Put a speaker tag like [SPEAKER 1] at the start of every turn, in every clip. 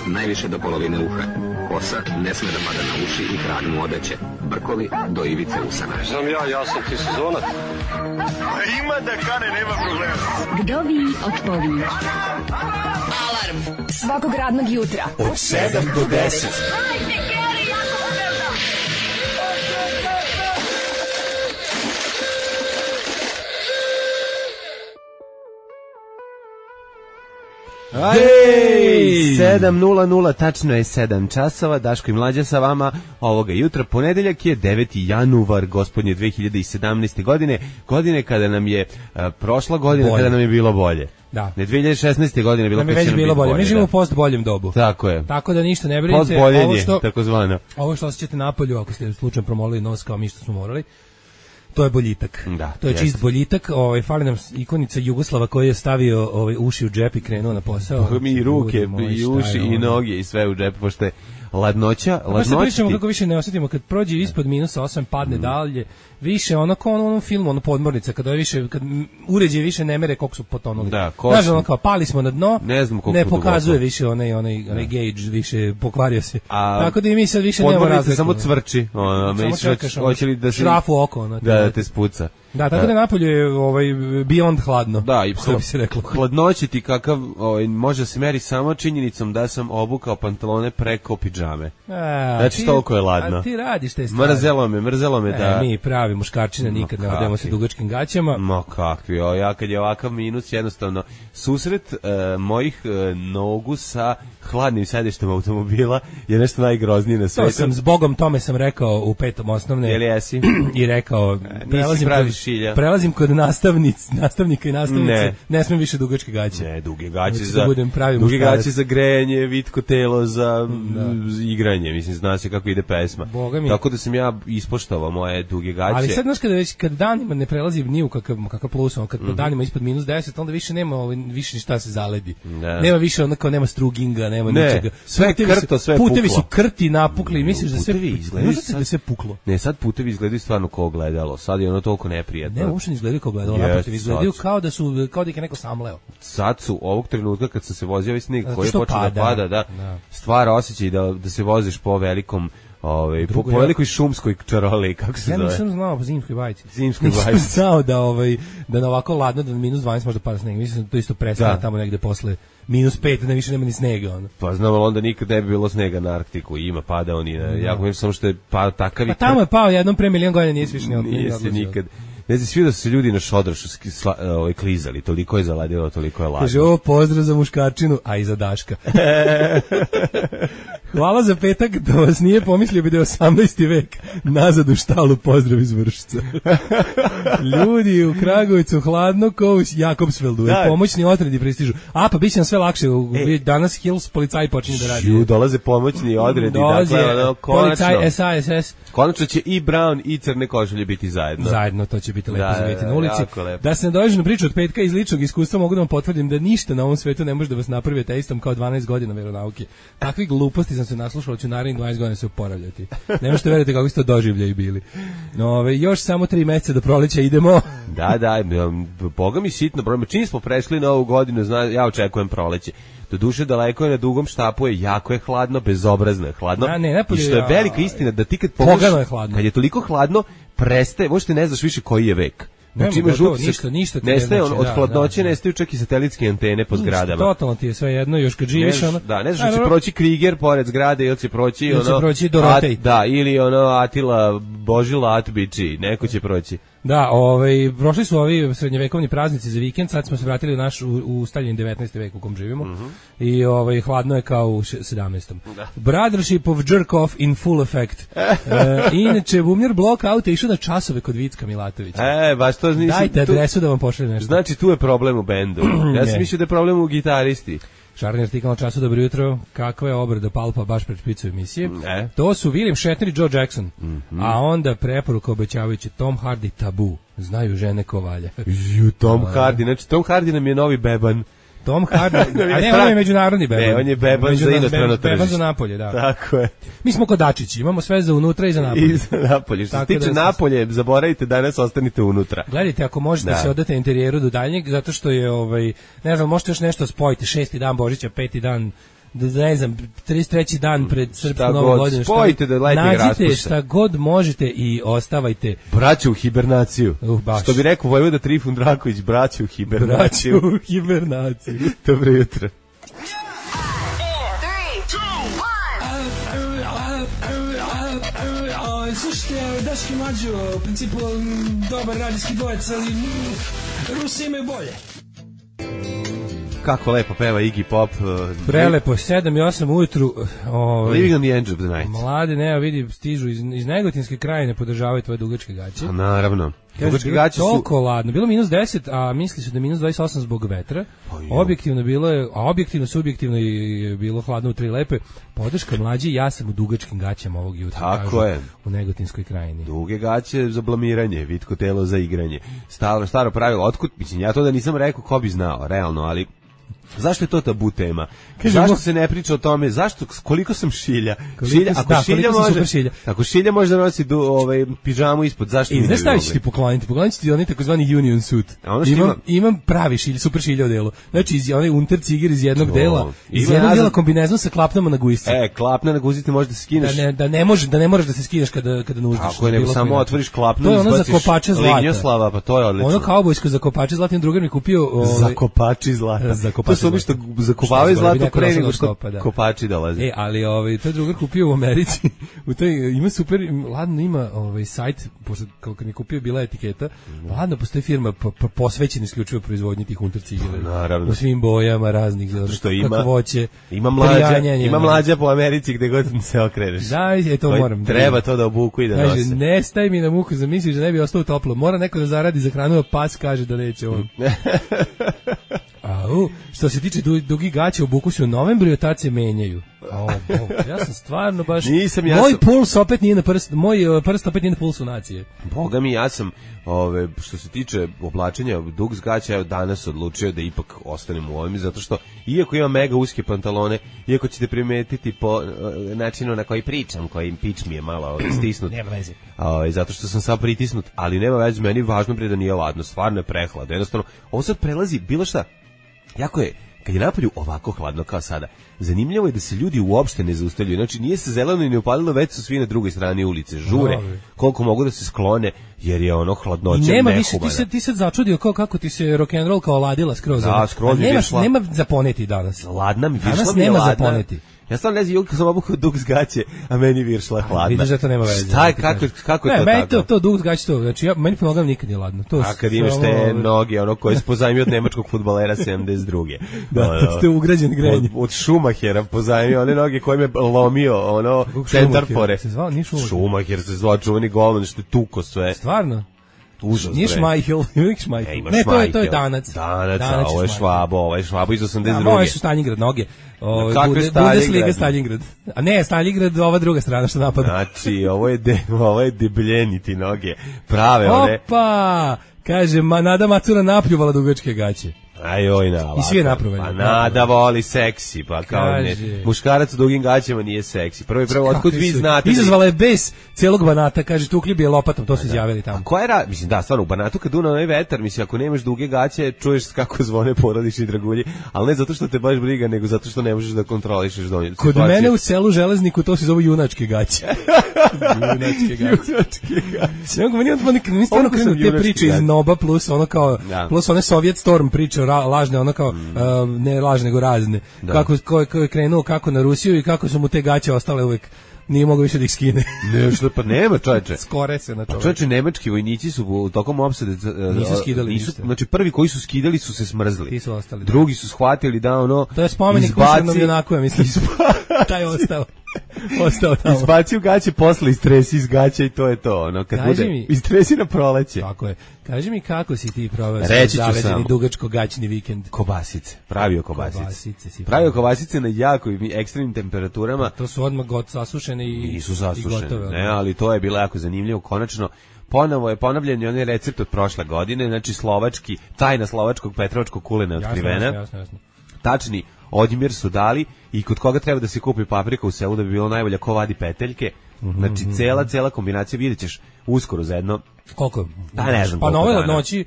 [SPEAKER 1] najviše do polovine uha. Kosa ne sme da pada na uši i krag mu odeće. Brkovi do ivice usana.
[SPEAKER 2] Znam ja sam ti sezonac.
[SPEAKER 3] Ima da kane, nema problema.
[SPEAKER 4] Vdovi otpovi.
[SPEAKER 5] Alarm svakog radnog jutra
[SPEAKER 6] od 7 do 10.
[SPEAKER 7] Ej, 7:00, tačno je 7 časova, Daško i Mlađa sa vama ovoga jutra. Ponedeljak je 9. januar, gospodnje 2017. godine kada nam je prošla godina, bolje. Kada nam je bilo bolje.
[SPEAKER 6] Da.
[SPEAKER 7] Ne 2016. godine bilo
[SPEAKER 6] nam je već bilo bolje. Mi živimo u post boljem dobu.
[SPEAKER 7] Tako je.
[SPEAKER 6] Tako da ništa ne brinite.
[SPEAKER 7] Post boljenje, takozvano.
[SPEAKER 6] Ovo što osjećate napolju, ako ste slučajno promolili nos kao mi što smo morali, to je boljitak.
[SPEAKER 7] Da,
[SPEAKER 6] to je čist boljitak. Fali nam ikonica Jugoslava koji je stavio uši u džep i krenuo na posao.
[SPEAKER 7] Mi i ruke, i uši, i noge, i sve u džep, pošto je ladnoća.
[SPEAKER 6] Pa se pričamo kako više ne osjetimo kad prođe ispod -8, padne dalje. Više ono kao u onom filmu, ono Podmornica, kad uređaje više ne mere koliko su potonuli.
[SPEAKER 7] Da,
[SPEAKER 6] znaš, ono kao pali smo na dno, ne pokazuje više onaj gauge, više pokvario se. Tako da i mi sad više nema razlike.
[SPEAKER 7] Podmornica samo cvrči.
[SPEAKER 6] Samo čekaš šrafu oko.
[SPEAKER 7] Da te spuca.
[SPEAKER 6] Da, tako da napolje je beyond hladno.
[SPEAKER 7] Da, i
[SPEAKER 6] što bi se reklo.
[SPEAKER 7] Hladnoće ti kakav može se meri samo činjenicom da sam obukao pantalone preko pidžame. Znači toliko je ladno.
[SPEAKER 6] A ti radiš te stvari.
[SPEAKER 7] Mrzelo me da.
[SPEAKER 6] Mi pravi muškarčina nikad ne odemo se dugačkim gaćama.
[SPEAKER 7] Ma kakvi, ja kad je ovakav minus jednostavno susret mojih nogu sa hladnim sedištem automobila je nešto najgroznije na svetu.
[SPEAKER 6] To sam zbogom tome sam rekao u 5. osnovne.
[SPEAKER 7] Jel jesi?
[SPEAKER 6] I rekao prelazim kod nastavnika i nastavnice, ne smem više dugačke gaće.
[SPEAKER 7] Ne, duge gaće za grejanje, vitko telo za igranje, mislim, zna se kako ide pesma. Tako da sam ja ispoštovao moje duge gaće.
[SPEAKER 6] Ali sad, znaš, kad danima ne prelazi ni u kakav plus, kad po danima ispod -10, onda više nema više ništa se zaledi. Nema više onako, nema struginga, nema ničega.
[SPEAKER 7] Sve krto, sve puklo.
[SPEAKER 6] Putevi su krti, napukli, misliš da sve puklo.
[SPEAKER 7] Ne, sad putevi izgledaju stvarno kao ogledalo, sad je ono toliko neprijatno.
[SPEAKER 6] Ne, uopšte ne izgledaju kao ogledalo, naprotiv, izgledaju kao da ih je neko samleo.
[SPEAKER 7] Sad su, ovog trenutka kad sam se vozio ovaj snijeg koji je počeo da pada, stvara osjećaj da se voziš po velikom po velikoj šumskoj čaroli, kako se zove.
[SPEAKER 6] Ja nisam znao po zimskoj bajci.
[SPEAKER 7] Nisam
[SPEAKER 6] znao da na ovako ladno, da -12 može da pada sneg. Mislim da to isto prestane tamo negde posle -5, da više nema ni snega.
[SPEAKER 7] Pa znam, ali onda nikad ne bi bilo snega na Arktiku. Ima, pada on i jako mislim samo što je pao takav.
[SPEAKER 6] Pa tamo je pao jednom pre milion godina, nije više
[SPEAKER 7] nije se nikad. Ne znam, svi da su se ljudi na šodrašu klizali, toliko je zaladilo, toliko je ladno.
[SPEAKER 6] Kaže, pozdrav za muškarčinu, a i za Daška. Hvala za petak, da vas nije pomislio bi da je 18. vek. Nazad u štalu, pozdrav iz Vršca. Ljudi u Kragujevcu hladno kao u Jakobsveldu. Pomoćni odredi pristižu. Pa bit će nam sve lakše. Danas Hills policaji počinju da radi.
[SPEAKER 7] Dolaze pomoćni odredi.
[SPEAKER 6] Dolaze policaj, SAS.
[SPEAKER 7] Konačno će i Brown i crne košulje biti zajedno.
[SPEAKER 6] Zajedno, to će biti lepo zavijeti na ulici. Da se ne dođe na priču od petka iz ličnog iskustva, mogu da vam potvrdim da ništa na ovom svetu ne može da vas napravi ateistom kao 12 godina veronauke. Takvi gluposti sam se naslušao, ću narednih 20 godina se oporavljati. Ne možete veriti kako ste doživljaju bili. Još samo 3 meseca do proleća idemo.
[SPEAKER 7] Da, boga mi sitno brojimo. Čim smo prešli na ovu godinu, ja očekujem proleće. Do duše daleko je, na dugom štapu je, jako je hladno, bezobrazno je hladno. I što je velika istina, da ti kad pogledaš, kad je toliko hladno, prestaje, možete ne znaš više koji je vek. Znači ima
[SPEAKER 6] ništa
[SPEAKER 7] nestaje, od hladnoće nestaju čak i satelitske antene po zgradama.
[SPEAKER 6] Totalno ti je sve jedno, još kad živiš
[SPEAKER 7] ne znaš će proći Kriger pored zgrade ili će proći
[SPEAKER 6] Dorotej.
[SPEAKER 7] Ili Atila Božila Atbići, neko će proći.
[SPEAKER 6] Da, prošli su ovi srednjevekovni praznici za vikend, sad smo se vratili u naš ustaljeni 19. vek u kom živimo i hladno je kao u 17. Brothership of jerk off in full effect. Inače, Bumljar Blockout je išao na časove kod Vicka Milatovića.
[SPEAKER 7] Baš to nisam.
[SPEAKER 6] Dajte adresu da vam pošaljem nešto.
[SPEAKER 7] Znači, tu je problem u bendu. Ja sam mislio da je problem u gitaristi.
[SPEAKER 6] Šarni artikal na času, dobro jutro, kakva je obrada Palpa baš pred špicu emisije. To su William Shatner i Joe Jackson, a onda preporuka obećavajući Tom Hardy Tabu, znaju žene ko valja.
[SPEAKER 7] Tom Hardy, znači Tom Hardy nam je novi beban.
[SPEAKER 6] Tom Hardy, a ne, on je međunarodni beban.
[SPEAKER 7] Ne, on je beban za inostrano tržište.
[SPEAKER 6] Beban za napolje, da.
[SPEAKER 7] Tako je.
[SPEAKER 6] Mi smo kodačići, imamo sve za unutra i za napolje.
[SPEAKER 7] I za napolje. Što se tiče napolje, zaboravite, danas ostanite unutra.
[SPEAKER 6] Gledajte, ako možete se odate interijeru do daljnjeg, zato što je, ne znam, možete još nešto spojiti, 6. dan Božića, 5. dan ne znam, 33. dan pred srpskom novom godinom.
[SPEAKER 7] Spojite da letnjeg raspusta.
[SPEAKER 6] Nađite šta god možete i ostavajte.
[SPEAKER 7] Braću u hibernaciju. Što bi rekao Vojvoda Trifun Draković, braću u hibernaciju.
[SPEAKER 6] Braću u hibernaciju.
[SPEAKER 7] Dobro jutro.
[SPEAKER 6] Slušajte, Daški Mađo, u principu dobar radijski dvojec, ali Rusi imaju bolje.
[SPEAKER 7] Kako lepo peva Iggy Pop.
[SPEAKER 6] Prelepo, 7 i 8 ujutru.
[SPEAKER 7] Living on the edge of the night.
[SPEAKER 6] Mlade, ne, vidi, stižu iz Negotinske krajine, podržavaju tvoje dugačke gaće.
[SPEAKER 7] A naravno. Dugačke gaće su...
[SPEAKER 6] Toliko ladno. Bilo minus 10, a misli su da je minus 28 zbog vetra. Objektivno bilo je, a objektivno, subjektivno je bilo hladno u 3 lepe. Podrška mlađi, ja sam u dugačkim gaćama ovog jutra.
[SPEAKER 7] Tako je.
[SPEAKER 6] U Negotinskoj krajini.
[SPEAKER 7] Duge gaće za blamiranje, vitko telo za igranje. Staro pravilo, otkud, mislim, ja to da nisam rekao, ko bi znao, realno, ali... Zašto je to tabu tema? Zašto se ne priča o tome? Zašto, koliko sam šilja? Ako šilja može da nosi pižamu ispod, zašto mi ne bi mogli?
[SPEAKER 6] Znaš šta ću ti pokloniti? Poklonit ću ti onaj takozvani union suit. Imam pravi šilj, super šilja u delu. Znači, onaj unter ciger iz jednog dela, iz jednog dela kombinezon sa klapnama na guzici.
[SPEAKER 7] Klapna na guzici možeš da se skineš.
[SPEAKER 6] Da ne možeš da se skineš kada nuždiš.
[SPEAKER 7] Ako je nego samo otvoriš klapnu,
[SPEAKER 6] izbaciš. To je ono za kopače zlata.
[SPEAKER 7] Lignjoslava, pa to je odlično.
[SPEAKER 6] Ono kaubojsko za kopače zlata, im drugar mi kupio...
[SPEAKER 7] Za kopači zlata. To što zakopavaju zlato pre nego što kopači dolaze.
[SPEAKER 6] Ali to drugar kupio u Americi. Ima super, ladno ima sajt, pošto kad mi kupio bila etiketa, ladno postoji firma posvećena isključivo proizvodnji tih unter cigara.
[SPEAKER 7] Naravno.
[SPEAKER 6] U svim bojama raznih, kakvoće.
[SPEAKER 7] Ima mlađa po Americi gde god se okreneš.
[SPEAKER 6] Da, to moram.
[SPEAKER 7] Treba to da obuku i da nose.
[SPEAKER 6] Kaže, ne staj mi na muku, zamisliš da ne bi ostao toplo. Mora neko da zaradi za hranu, a pas kaže da neće on. Što se tiče dugih gaća, obuku se u novembru i od tad se menjaju. Ja sam stvarno baš... Moj puls opet nije na prst, moj prst opet nije na pulsu nacije.
[SPEAKER 7] Boga mi, ja sam, što se tiče oblačenja dug gaća, evo danas odlučio da ipak ostanem u ovim, zato što, iako imam mega uske pantalone, iako ćete primetiti po načinu na koji pričam, koji pič mi je malo stisnut.
[SPEAKER 6] Nema veze.
[SPEAKER 7] Zato što sam sad pritisnut, ali nema veze, meni važno da nije ladno, stvarno je prehladno. Jednostavno, ovo sad prelazi bilo šta. Jako je, kad je napolju ovako hladno kao sada, zanimljivo je da se ljudi uopšte ne zaustavljaju. Znači, nije se zeleno i ne upalilo, već su svi na drugoj strani ulice. Žure, koliko mogu da se sklone, jer je ono hladnoće nehumana.
[SPEAKER 6] Nema više, ti sad začudio kako ti se rock'n'roll kao ladila skroz.
[SPEAKER 7] Da, skroz je višla.
[SPEAKER 6] Nema za poneti danas.
[SPEAKER 7] Ladna mi,
[SPEAKER 6] danas nema za poneti.
[SPEAKER 7] Ja sam ne znam, kad sam obukao dug zgaće, a meni viršla hladna.
[SPEAKER 6] Vidiš da to nema veze.
[SPEAKER 7] Šta je, kako je to
[SPEAKER 6] tako? Ne, to dug zgaće to. Znači, meni po nogama nikad nije ladno.
[SPEAKER 7] A kad imaš te noge, ono koje se pozajmio od nemačkog fudbalera 72.
[SPEAKER 6] Da, ste ugrađen grenje.
[SPEAKER 7] Od Schumachera pozajmio one noge koje me lomio, ono, centarfore. Schumacher se zvao čuveni golman, što je tuko sve.
[SPEAKER 6] Stvarno?
[SPEAKER 7] Užas,
[SPEAKER 6] nije Šmajhel, uvijek Šmajhel. Ne, to je Danac.
[SPEAKER 7] Danac, ovo je Švabo iz 82.
[SPEAKER 6] Moje su Stalingrad noge. Bundesliga Stalingrad. A ne, Stalingrad, ova druga strana što napada.
[SPEAKER 7] Znači, ovo je debljeniti noge. Prave one.
[SPEAKER 6] Opa! Kaže, Nada Macura napljuvala dugačke gaće.
[SPEAKER 7] Ajoj,
[SPEAKER 6] i svi je napravili.
[SPEAKER 7] Pa Nada voli seksi, pa kao ne. Muškarac u dugim gaćama nije seksi. Prvo, otkud vi znate?
[SPEAKER 6] Izazvala je bes celog Banata, kaže, tukli bi je lopatom, to su izjavili tamo.
[SPEAKER 7] A ko je mislim, da, stvarno, u Banatu kad duna onaj vetar, mislim, ako nemaš duge gaće, čuješ kako zvone porodični dragulji, ali ne zato što te baš briga, nego zato što ne možeš da kontrolišeš donju.
[SPEAKER 6] Kod mene u selu Železniku to se zove junačke gaće. Junačke gaće. Meni stvarno krenu te priče iz Noba plus ono kao, plus one Sovjet Storm priče lažne, ono kao, ne lažne, nego razne. Kako je krenuo, kako na Rusiju i kako su mu te gaće ostale uvek, nije mogao više da ih skine.
[SPEAKER 7] Ne, što pa nema, čoveče.
[SPEAKER 6] Skore se na čoveče.
[SPEAKER 7] Čoveče, nemački vojnici su tokom opsade
[SPEAKER 6] nisu skidali ništa.
[SPEAKER 7] Znači prvi koji su skidali su se smrzli.
[SPEAKER 6] Ti su ostali.
[SPEAKER 7] Drugi su shvatili da ono
[SPEAKER 6] to je spomenik Kušernom junaku, ja mislim. Taj je ostao tamo.
[SPEAKER 7] Izbacio gaće, posle istresi iz gaća i to je to. Ono, kad bude istresi na proleće.
[SPEAKER 6] Tako je. Kaži mi kako si ti proveo
[SPEAKER 7] zavedeni
[SPEAKER 6] dugačko-gaćni vikend?
[SPEAKER 7] Kobasice. Pravio kobasice na jako ekstremnim temperaturama.
[SPEAKER 6] To su odmah sasušene i gotove.
[SPEAKER 7] Ne, ali to je bilo jako zanimljivo. Konačno, ponovo je ponavljen onaj recept od prošle godine, znači tajna slovačkog petrovačkog kulena otkrivena.
[SPEAKER 6] Jasno.
[SPEAKER 7] Tačni odmjer su dali i kod koga treba da se kupi paprika u selu da bi bilo najbolje, ko vadi peteljke. Znači cela kombinacija, vidjet ćeš uskoro za jedno.
[SPEAKER 6] Koliko?
[SPEAKER 7] Pa ne znam.
[SPEAKER 6] Pa na ovoj noći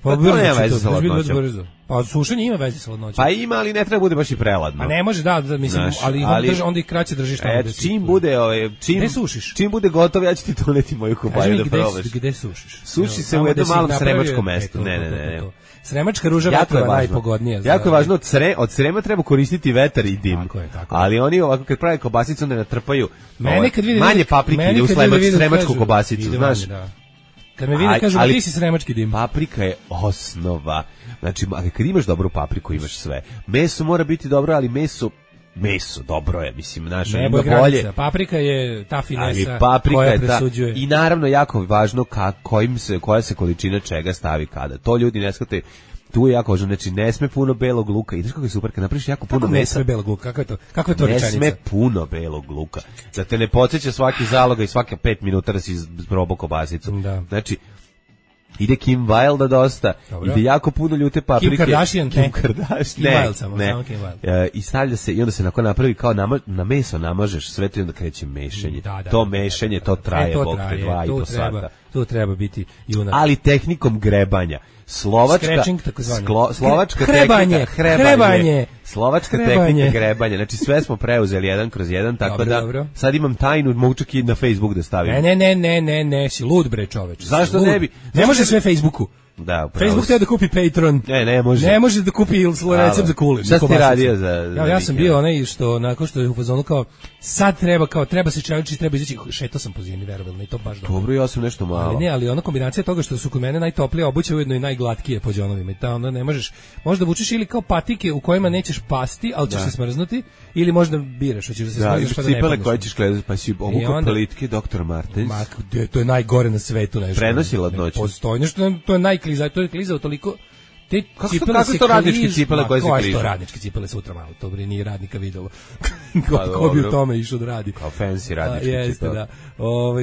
[SPEAKER 6] Pa
[SPEAKER 7] nema veze sa hladnoćom.
[SPEAKER 6] Pa sušenje ima veze sa hladnoćom.
[SPEAKER 7] Pa ima, ali ne treba bude baš i preladno.
[SPEAKER 6] A ne može, da mislim, ali onda ih kraće držiš tamo.
[SPEAKER 7] Čim bude, čim bude gotovo, ja ću ti doneti moju kubaju da probaš.
[SPEAKER 6] Gde sušiš?
[SPEAKER 7] Suši se u jednom malom sremačkom mestu. Ne.
[SPEAKER 6] Sremačka ruža vetrova je najpogodnija.
[SPEAKER 7] Jako je važno, od srema treba koristiti vetar i dim. Tako je. Ali oni ovako kad prave kobasicu onda natrpaju manje paprike u sremačku kobasicu, znaš.
[SPEAKER 6] Kad me vide kažu, ti si sremački dim.
[SPEAKER 7] Paprika je osnova. Znači, kad imaš dobru papriku, imaš sve. Meso mora biti dobro, ali meso dobro je, mislim, naša ima bolje.
[SPEAKER 6] Paprika je ta finesa
[SPEAKER 7] koja presuđuje. I naravno, jako važno koja se količina čega stavi kada. To ljudi ne shvataju. Tu je jako važno, znači ne sme puno belog luka. I znaš kako je super, kad napraviš jako puno mesa.
[SPEAKER 6] Ne sme belog luka, kakva je to rečenica?
[SPEAKER 7] Ne sme puno belog luka. Da te ne podsjeća svaki zaloga i svake 5 minuta da si probao kobasicu.
[SPEAKER 6] Da.
[SPEAKER 7] Znači, ide Kim Wilde dosta, ide jako puno ljute paprike.
[SPEAKER 6] Kim Kardashian.
[SPEAKER 7] Ne. I stavlja se, i onda se nakon napravi kao na meso namažeš sve to i onda kreće mešanje. To mešanje, to traje bog te 2,5 sata.
[SPEAKER 6] To treba biti junak.
[SPEAKER 7] Ali tehnikom grebanja. Slovačka tehnika grebanja. Znači sve smo preuzeli 1/1, tako da sad imam tajnu, mogu čak i na Facebook da stavim.
[SPEAKER 6] Ne, si lud bre čoveč.
[SPEAKER 7] Zašto ne bi?
[SPEAKER 6] Ne može sve Facebooku.
[SPEAKER 7] Da,
[SPEAKER 6] Facebook treba da kupi Patreon.
[SPEAKER 7] Ne može.
[SPEAKER 6] Ne može da kupi recept za kulen.
[SPEAKER 7] Šta si radio za
[SPEAKER 6] ja sam bio onaj što nakon što je u fazonu kao sad treba se čeliči, treba izaći, šetao sam po zimi, verovatno i to baš
[SPEAKER 7] dobro. Ja sam nešto malo.
[SPEAKER 6] Ali ona kombinacija toga što su kod mene najtoplije obuće ujedno i najglatkije po džonovima. I ta onda ne možda vučeš ili kao patike u kojima nećeš pasti, al ćeš se smrznuti, ili možda biraš, hoćeš da se smrzneš pa da ne
[SPEAKER 7] cipele koje ćeš gledati, pa si obukao plitke Dr. Martens.
[SPEAKER 6] To je najgore na svetu, nešto.
[SPEAKER 7] Prenosi hladnoću.
[SPEAKER 6] Postoji nešto, to je to je klizao toliko.
[SPEAKER 7] Kako to radničke cipele koje se kližu?
[SPEAKER 6] To radničke cipele sutra malo, to bi ni radnika videlo. Ko bi u tome išao da radi?
[SPEAKER 7] Kao fancy radničke cipele.
[SPEAKER 6] Da.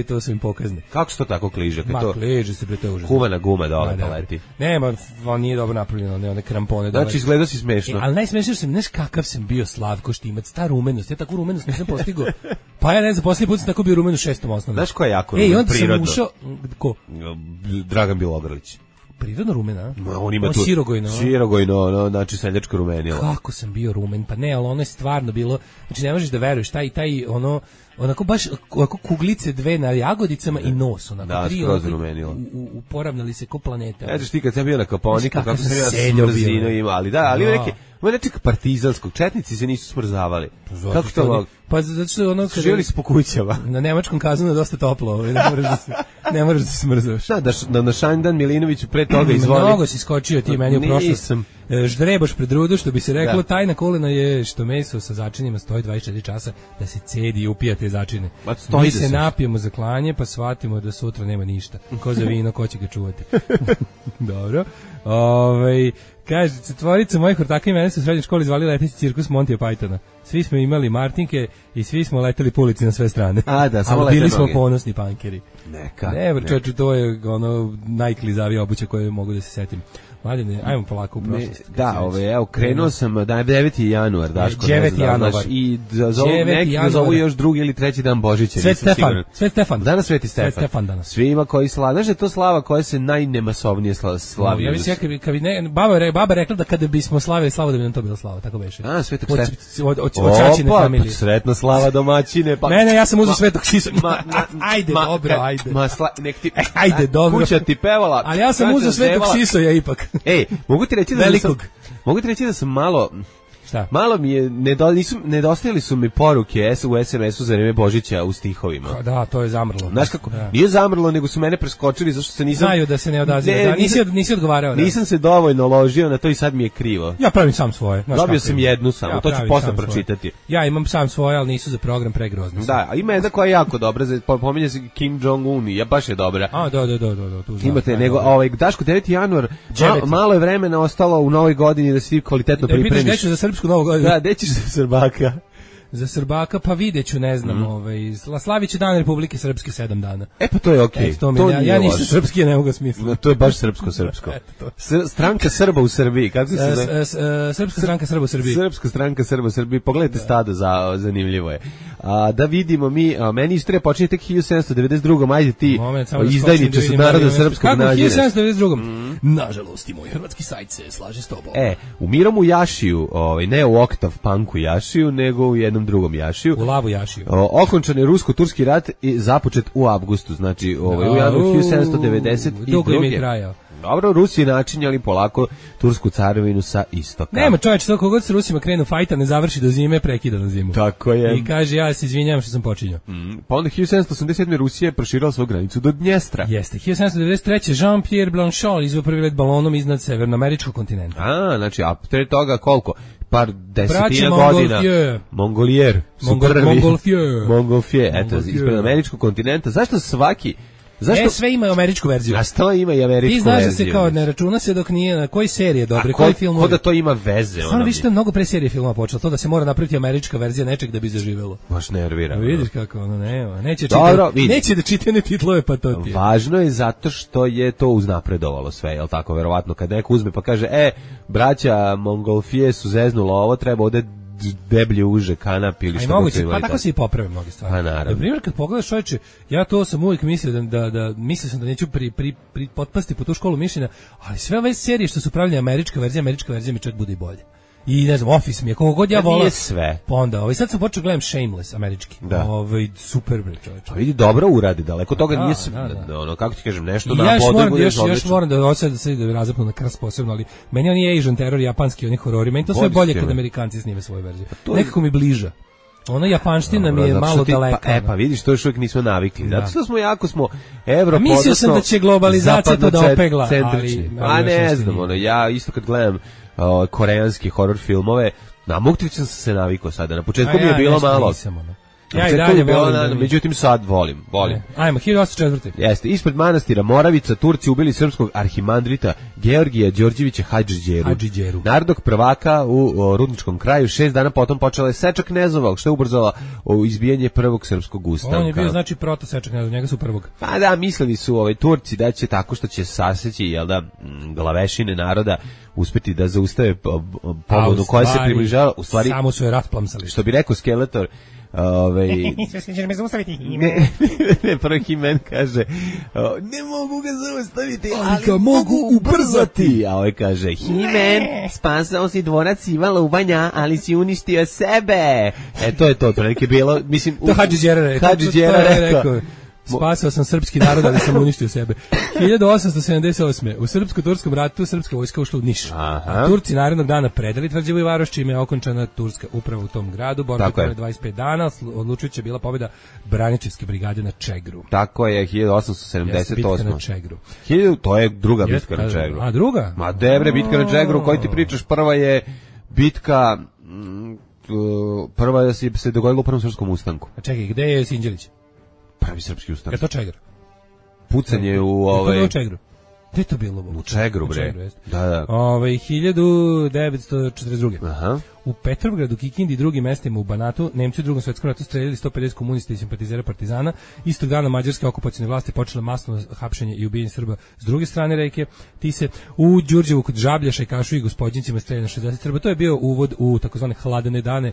[SPEAKER 6] To su im pokazne.
[SPEAKER 7] Kako se to tako kliže?
[SPEAKER 6] Kliže se, bre, to je užasno.
[SPEAKER 7] Kuvana guma dole pa leti.
[SPEAKER 6] Nema, on nije dobro napravljeno, one krampone dole.
[SPEAKER 7] Znači, izgleda si smešno.
[SPEAKER 6] Ali najsmešnije sam, znaš kakav sam bio Slavko Štimac, ta rumenost, ja takvu rumenost nisam postigao. Pa ja ne znam, posljednji put sam tako bio rumen u 6. osnovnom.
[SPEAKER 7] Znaš ko je jako rumen, prirodno?
[SPEAKER 6] Ko?
[SPEAKER 7] Dragan Bilogrlić.
[SPEAKER 6] Prirodno rumen,
[SPEAKER 7] on ima tu sirogojno, znači seljačko rumenilo.
[SPEAKER 6] Kako sam bio rumen, pa ne, ali ono je stvarno bilo, znači ne možeš da veruješ, taj onako baš ovako kuglice dve na jagodicama i nos, onako tri, uporavnali se ko planeta.
[SPEAKER 7] Znaš ti kad sam bio na Kaponiku, kako sam ja smrzino imao, ali nečeg partizanskog, četnici se nisu smrzavali. Kako to?
[SPEAKER 6] Pa zato što ono kada
[SPEAKER 7] živjeli su po kućama.
[SPEAKER 6] Na nemačkom kazanu je dosta toplo, ne možeš da se smrzavaš.
[SPEAKER 7] Da na Šandan Milinoviću pre toga izvoli.
[SPEAKER 6] Mnogo si skočio ti meni u prošlost. Ždrebaš pred rudu, što bi se reklo, tajna kolena je što meso sa začinima stoji 24 časa da se cedi i upija te začine. Mi se napijemo za klanje, pa shvatimo da sutra nema ništa. Ko za vino, ko će ga čuvati. Dobro. Kaže, četvorica mojih ortaka i mene su u srednjoj školi zvali leteći cirkus Montija Pythona. Svi smo imali martinke i svi smo leteli po ulici na sve strane.
[SPEAKER 7] Samo
[SPEAKER 6] bili smo ponosni pankeri.
[SPEAKER 7] Neka.
[SPEAKER 6] Čoču, to je najklizavija obuća koju mogu da se setim. Mladine, ajmo polako u prošlost.
[SPEAKER 7] Krenuo sam, 9. januar, Daško,
[SPEAKER 6] 9. januar.
[SPEAKER 7] I neki zovu još drugi ili treći dan Božića.
[SPEAKER 6] Svet Stefan.
[SPEAKER 7] Danas Sveti Stefan.
[SPEAKER 6] Danas.
[SPEAKER 7] Svima koji slavi. Znaš da je to slava koja se najnemasovnije slavi.
[SPEAKER 6] Ja mislim, baba rekla da kada bismo slavili slavu, da bi nam to bila slava, tako beše.
[SPEAKER 7] Svetog Stefana.
[SPEAKER 6] Od čačine familije.
[SPEAKER 7] Sretna slava domaćine.
[SPEAKER 6] Ne, ja sam uzeo Svetog Sisa. Ajde, dobro, ajde. Ajde, dobro.
[SPEAKER 7] Kuća ti pevala.
[SPEAKER 6] Ali ja sam uzeo Svetog Sisoja ipak.
[SPEAKER 7] Mogu ti reći da sam malo...
[SPEAKER 6] Šta?
[SPEAKER 7] Malo mi je, nedostajali su mi poruke u SMS-u za vreme Božića u stihovima.
[SPEAKER 6] Da, to je zamrlo.
[SPEAKER 7] Znaš kako? Nije zamrlo, nego su mene preskočili zašto se nisam...
[SPEAKER 6] Znaju da se ne odaziva. Nisi odgovarao.
[SPEAKER 7] Nisam se dovoljno ložio na to i sad mi je krivo.
[SPEAKER 6] Ja pravim sam svoje.
[SPEAKER 7] Dobio sam jednu samo, to ću posle pročitati.
[SPEAKER 6] Ja imam sam svoje, ali nisu za program pregrozne.
[SPEAKER 7] Da, a ima jedna koja je jako dobra, pominje se Kim Jong-un, baš je dobra.
[SPEAKER 6] Da.
[SPEAKER 7] Imate, nego, Daško, 9. januar, malo je vremena ostalo u novoj godini da se ti kvalitetno pripremiš.
[SPEAKER 6] Novu godinu.
[SPEAKER 7] Da, gde ćeš za Srbaka?
[SPEAKER 6] Za Srbaka, pa videću, ne znam, slavit će Dan Republike Srpske 7 dana.
[SPEAKER 7] Pa to je okej.
[SPEAKER 6] Ja nisam srpski, ne mogu smisliti.
[SPEAKER 7] To je baš srpsko. Stranka Srba u Srbiji, kako se zove?
[SPEAKER 6] Srpska stranka Srba u Srbiji.
[SPEAKER 7] Srpska stranka Srba u Srbiji, pogledajte stado, zanimljivo je. Da vidimo meni istorija počinje tek 1792. Ajde ti, izdajniče su naroda srpskog nađeraš.
[SPEAKER 6] Kako 1792? Nažalost, i moj hrvatski sajt se slaže s tobom.
[SPEAKER 7] U Mirom u Jašiju, ne u Oktav Punku Jašiju, nego u jednom drugom Jašiju.
[SPEAKER 6] U Lavu Jašiju.
[SPEAKER 7] Okončan je rusko-turski rat i započet u avgustu, znači u januaru 1792.
[SPEAKER 6] Dugo im je trajao.
[SPEAKER 7] Dobro, Rusi načinjali polako tursku carevinu sa istoka.
[SPEAKER 6] Nema čovječe, to kogod se Rusima krenu fajta, ne završi do zime, prekida na zimu.
[SPEAKER 7] Tako je.
[SPEAKER 6] I kaže, ja se izvinjam što sam počinjao.
[SPEAKER 7] Pa onda 1787. Rusija je proširila svoju granicu do Dnjestra.
[SPEAKER 6] Jeste. 1793. Jean-Pierre Blanchot izveo prvi let balonom iznad severnoameričkog kontinenta.
[SPEAKER 7] Znači, a pre toga koliko? Par desetina godina. Mongolier. Montgolfier. Eto, ispred američkog kontinenta. Zašto svaki...
[SPEAKER 6] sve ima američku verziju.
[SPEAKER 7] A što ima i američku verziju?
[SPEAKER 6] Ti znaš da se kao ne računa se dok nije na koji serije dobre, koji film.
[SPEAKER 7] Ko da to ima veze?
[SPEAKER 6] Stvarno više mnogo pre serije filma počelo, to da se mora napraviti američka verzija nečeg da bi zaživelo.
[SPEAKER 7] Baš nervira.
[SPEAKER 6] Vidiš kako ono nema. Neće da čitane titlove pa to ti je.
[SPEAKER 7] Važno je zato što je to uznapredovalo sve, jel tako? Verovatno kad neko uzme pa kaže, braća Mongolfije su zeznula ovo, treba ovde deblje uže kanap ili što
[SPEAKER 6] moguće, pa tako se i poprave mnoge stvari.
[SPEAKER 7] Pa naravno.
[SPEAKER 6] Na primjer, kad pogledaš čovječe, ja to sam uvijek mislio mislio sam da neću potpasti po tu školu mišljenja, ali sve ove serije što su pravljene američka verzija mi čak bude i bolje. I ne znam, Office mi je, koliko god ja volim.
[SPEAKER 7] Nije sve.
[SPEAKER 6] Pa onda, sad sam počeo gledam Shameless, američki.
[SPEAKER 7] Da.
[SPEAKER 6] Super bre čovječe.
[SPEAKER 7] Pa vidi, dobro uradi, daleko toga nije sve. Ono, kako ti kažem, nešto da podegu je odlično.
[SPEAKER 6] Još moram da osjećam da se razapnu na krst posebno, ali meni on je Asian terror, japanski, oni horori. Meni to sve bolje kad Amerikanci snime svoju verziju. Nekako mi bliža. Ona japanština mi je malo daleka.
[SPEAKER 7] Pa vidiš, to još uvijek nismo navikli. Zato što smo Evropa,
[SPEAKER 6] mislio sam da će globalizacija to da opegla, ali...
[SPEAKER 7] Pa ne znam, ja isto kad gledam koreanski horror filmove, na Muktić sam se navikao sada. Na početku mi je bilo malo.
[SPEAKER 6] Ja i dalje volim.
[SPEAKER 7] Međutim sad volim.
[SPEAKER 6] Ajmo, 1804.
[SPEAKER 7] Jeste, ispred manastira Moravica Turci ubili srpskog arhimandrita Georgija Đorđevića Hadžiđeru. Narodnog prvaka u Rudničkom kraju. 6 dana potom počela je seča knezova, što je ubrzala izbijanje prvog srpskog ustanka.
[SPEAKER 6] On je bio znači proto seča knezova, njega su prvog.
[SPEAKER 7] Pa da, mislili su Turci da će tako što će saseći, jel da, glavešine naroda uspeti da zaustave pobunu koja se približava. U stvari,
[SPEAKER 6] samo su je rasplamsali.
[SPEAKER 7] Što bi rekao Skeletor,
[SPEAKER 6] ćeš me zaustaviti.
[SPEAKER 7] Ne, prvo He-Man kaže, ne mogu ga zaustaviti, ali ga mogu ubrzati. A ovaj kaže, He-Man, spasao si dvorac Ivana Lubanja, ali si uništio sebe. To je to neki bilo, mislim...
[SPEAKER 6] To Hadžiđera rekao. Spasao sam srpski narod, ali sam uništio sebe. 1878. U srpsko-turskom ratu srpska vojska ušla u Niš. A Turci narednog dana predali tvrđavu i varoš, čime je okončana turska uprava u tom gradu. Borba je 25 dana, odlučujuća bila pobjeda Braničevske brigade na Čegru.
[SPEAKER 7] Tako je, 1878.
[SPEAKER 6] Bitka na Čegru.
[SPEAKER 7] To je druga bitka na Čegru.
[SPEAKER 6] A druga?
[SPEAKER 7] Ma debre, bitka na Čegru, o kojoj ti pričaš, prva je bitka... Prva se dogodila u Prvom srpskom ustanku.
[SPEAKER 6] A čekaj, gde je Sinđelić?
[SPEAKER 7] Pravi srpski ustanak.
[SPEAKER 6] Je to Čegar?
[SPEAKER 7] Pucanje u
[SPEAKER 6] u Čegru. Gde je to bilo?
[SPEAKER 7] U Čegru, bre. Da.
[SPEAKER 6] 1942.
[SPEAKER 7] Aha.
[SPEAKER 6] U Petrovgradu, Kikindi i drugim mestima u Banatu Nemci u Drugom svjetskom ratu streljali 150 komunista i simpatizera partizana. Istog dana mađarske okupacione vlasti počele masno hapšenje i ubijanje Srba s druge strane reke Tise. U Đurđevu kod Žabljaša i Kašu i Gospodnjicima streljano 60 Srba. To je bio uvod u takozvane hladene dane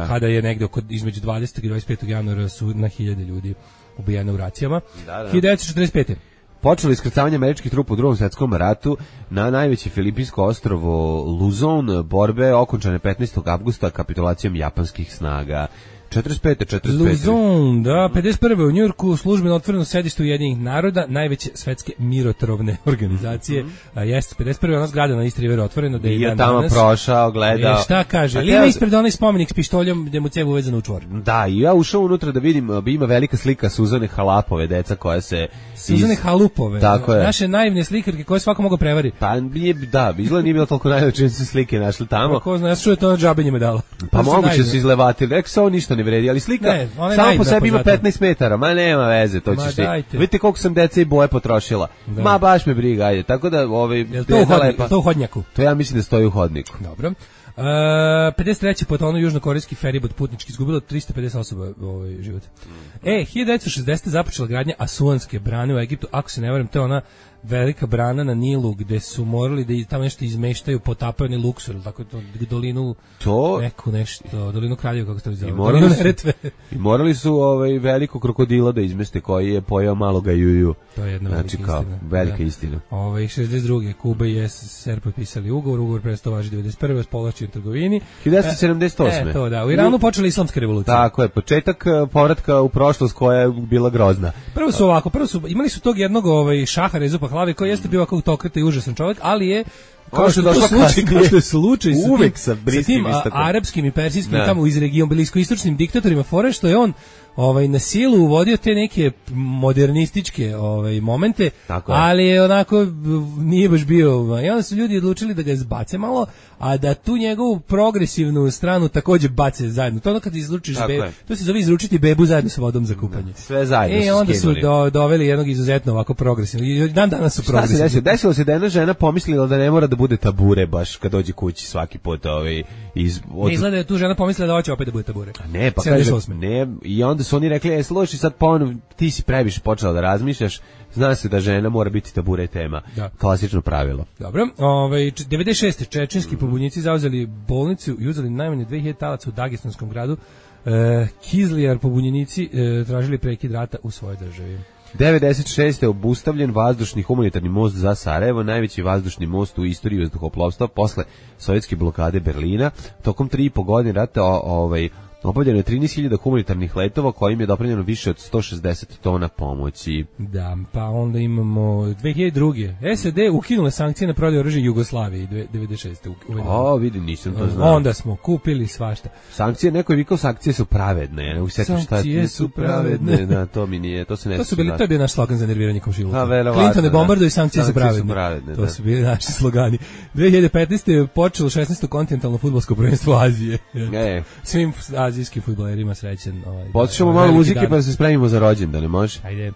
[SPEAKER 6] kada je negde između 20. i 25. januara su na 1000 ljudi ubijeno u racijama. 1945.
[SPEAKER 7] Počelo iskrcavanje američkih trupa u Drugom svjetskom ratu na najveće filipinsko ostrvo Luzon, borbe okončane 15. avgusta kapitulacijom japanskih snaga. 45.
[SPEAKER 6] Luzon, da, 51. u Njujorku službeno otvoreno sedište Ujedinjenih naroda, najveće svetske mirotvorne organizacije. Jeste, 51. ona zgrada na East Riveru otvoreno. Da je
[SPEAKER 7] tamo prošao, gledao.
[SPEAKER 6] Šta kaže? Ali ima ispred onaj spomenik s pištoljom gde mu cev uvezan u čvor.
[SPEAKER 7] Da, i ja ušao unutra da vidim, ima velika slika Suzane Halapove, deca koja se...
[SPEAKER 6] Suzane Halupove,
[SPEAKER 7] tako je.
[SPEAKER 6] Naše naivne slikarke koje svako mogu prevariti.
[SPEAKER 7] Pa da, izgleda nije bilo toliko naivno čini su slike našli tamo.
[SPEAKER 6] Ko zna, ja što je to džabe njima dalo.
[SPEAKER 7] Pa moguće su izlevatili, rekao se ovo ništa ne vredi, ali slika samo po sebi ima 15 metara, ma nema veze, to ćeš ti. Vidite koliko sam deca i boje potrošila. Da. Ma baš me briga, ajde. Tako da
[SPEAKER 6] Jel to u hodnjaku?
[SPEAKER 7] To ja mislim da stoji u hodniku.
[SPEAKER 6] Dobro. 53. potonuo južnokorejski feribot putnički, izgubilo 350 osoba život. 1960. započela gradnja Asuanske brane u Egiptu, ako se ne varam, to je ona velika brana na Nilu gde su morali da tamo nešto izmeštaju, potapaju ni Luksor, ili tako to, dolinu dolinu Kraljeva, kako se to zove, dolinu Neretve.
[SPEAKER 7] I morali su veliko krokodila da izmeste koji je pojeo maloga juju.
[SPEAKER 6] To je jedna
[SPEAKER 7] velika istina.
[SPEAKER 6] 62. Kuba i SSSR potpisali ugovor prestao važi 91. s povlašćenom trgovini.
[SPEAKER 7] 1978.
[SPEAKER 6] To da, u Iranu počela islamska revolucija.
[SPEAKER 7] Tako je, početak povratka u prošlost koja je bila grozna.
[SPEAKER 6] Prvo su imali su tog jednog šaha Rezu Pahlavi koji jeste bio ovako autokrata i užasan čovjek, ali je kao što je slučaj sa tim arapskim i persijskim tamo iz regiona bliskoistočnim diktatorima fore što je on na silu uvodio te neke modernističke momente, ali je onako nije baš bio, i onda su ljudi odlučili da ga zbace malo, a da tu njegovu progresivnu stranu takođe bace zajedno. To ono kad izručiš bebu, to se zove izručiti bebu zajedno sa vodom za kupanje.
[SPEAKER 7] Sve zajedno su
[SPEAKER 6] onda su doveli jednog izuzetno ovako progresivno. I danas su progresivni.
[SPEAKER 7] Šta se desilo se da jedna žena pomislila da ne mora da bude tabure baš kad dođe kući svaki put
[SPEAKER 6] Ne izgleda je tu žena pomislila da hoće opet da bude tabure.
[SPEAKER 7] Ne, pa kaže, ne, i onda su oni rekli, slušaj, sad ponovno ti si previše počela da razmišljaš, zna se da žena mora biti tabure tema. Klasično pravilo.
[SPEAKER 6] Dobro, 96. čečenski pobunjenici zauzeli bolnicu i uzeli najmanje 2000 talaca u Dagestanskom gradu. Kizlijar pobunjenici tražili prekid rata u svojoj državi.
[SPEAKER 7] 96. je obustavljen vazdušni humanitarni most za Sarajevo, najveći vazdušni most u istoriji vazduhoplovstva posle sovjetske blokade Berlina. Tokom 3,5 godine rata obavljeno je 13.000 humanitarnih letova kojim je doprinjeno više od 160 tona pomoći.
[SPEAKER 6] Da, pa onda imamo 2002. SAD ukinule sankcije na prodaju oružja Jugoslaviji 96.
[SPEAKER 7] Vidim, nisam to znao.
[SPEAKER 6] Onda smo kupili svašta.
[SPEAKER 7] Sankcije, neko je vikao, sankcije su pravedne.
[SPEAKER 6] Sankcije su pravedne.
[SPEAKER 7] Da, to mi nije, to se ne
[SPEAKER 6] to je bio naš slogan za nerviranje komšiluka. Clinton ne bombarduje, sankcije su pravedne. To su bili naši slogani. 2015. je počelo 16. kontinentalno fudbalsko prvenstvo Azije. Svim azijskim fudbalerima srećen.
[SPEAKER 7] Poslušamo malo muzike pa se spremimo za rođendan, ne može?
[SPEAKER 6] Ajde.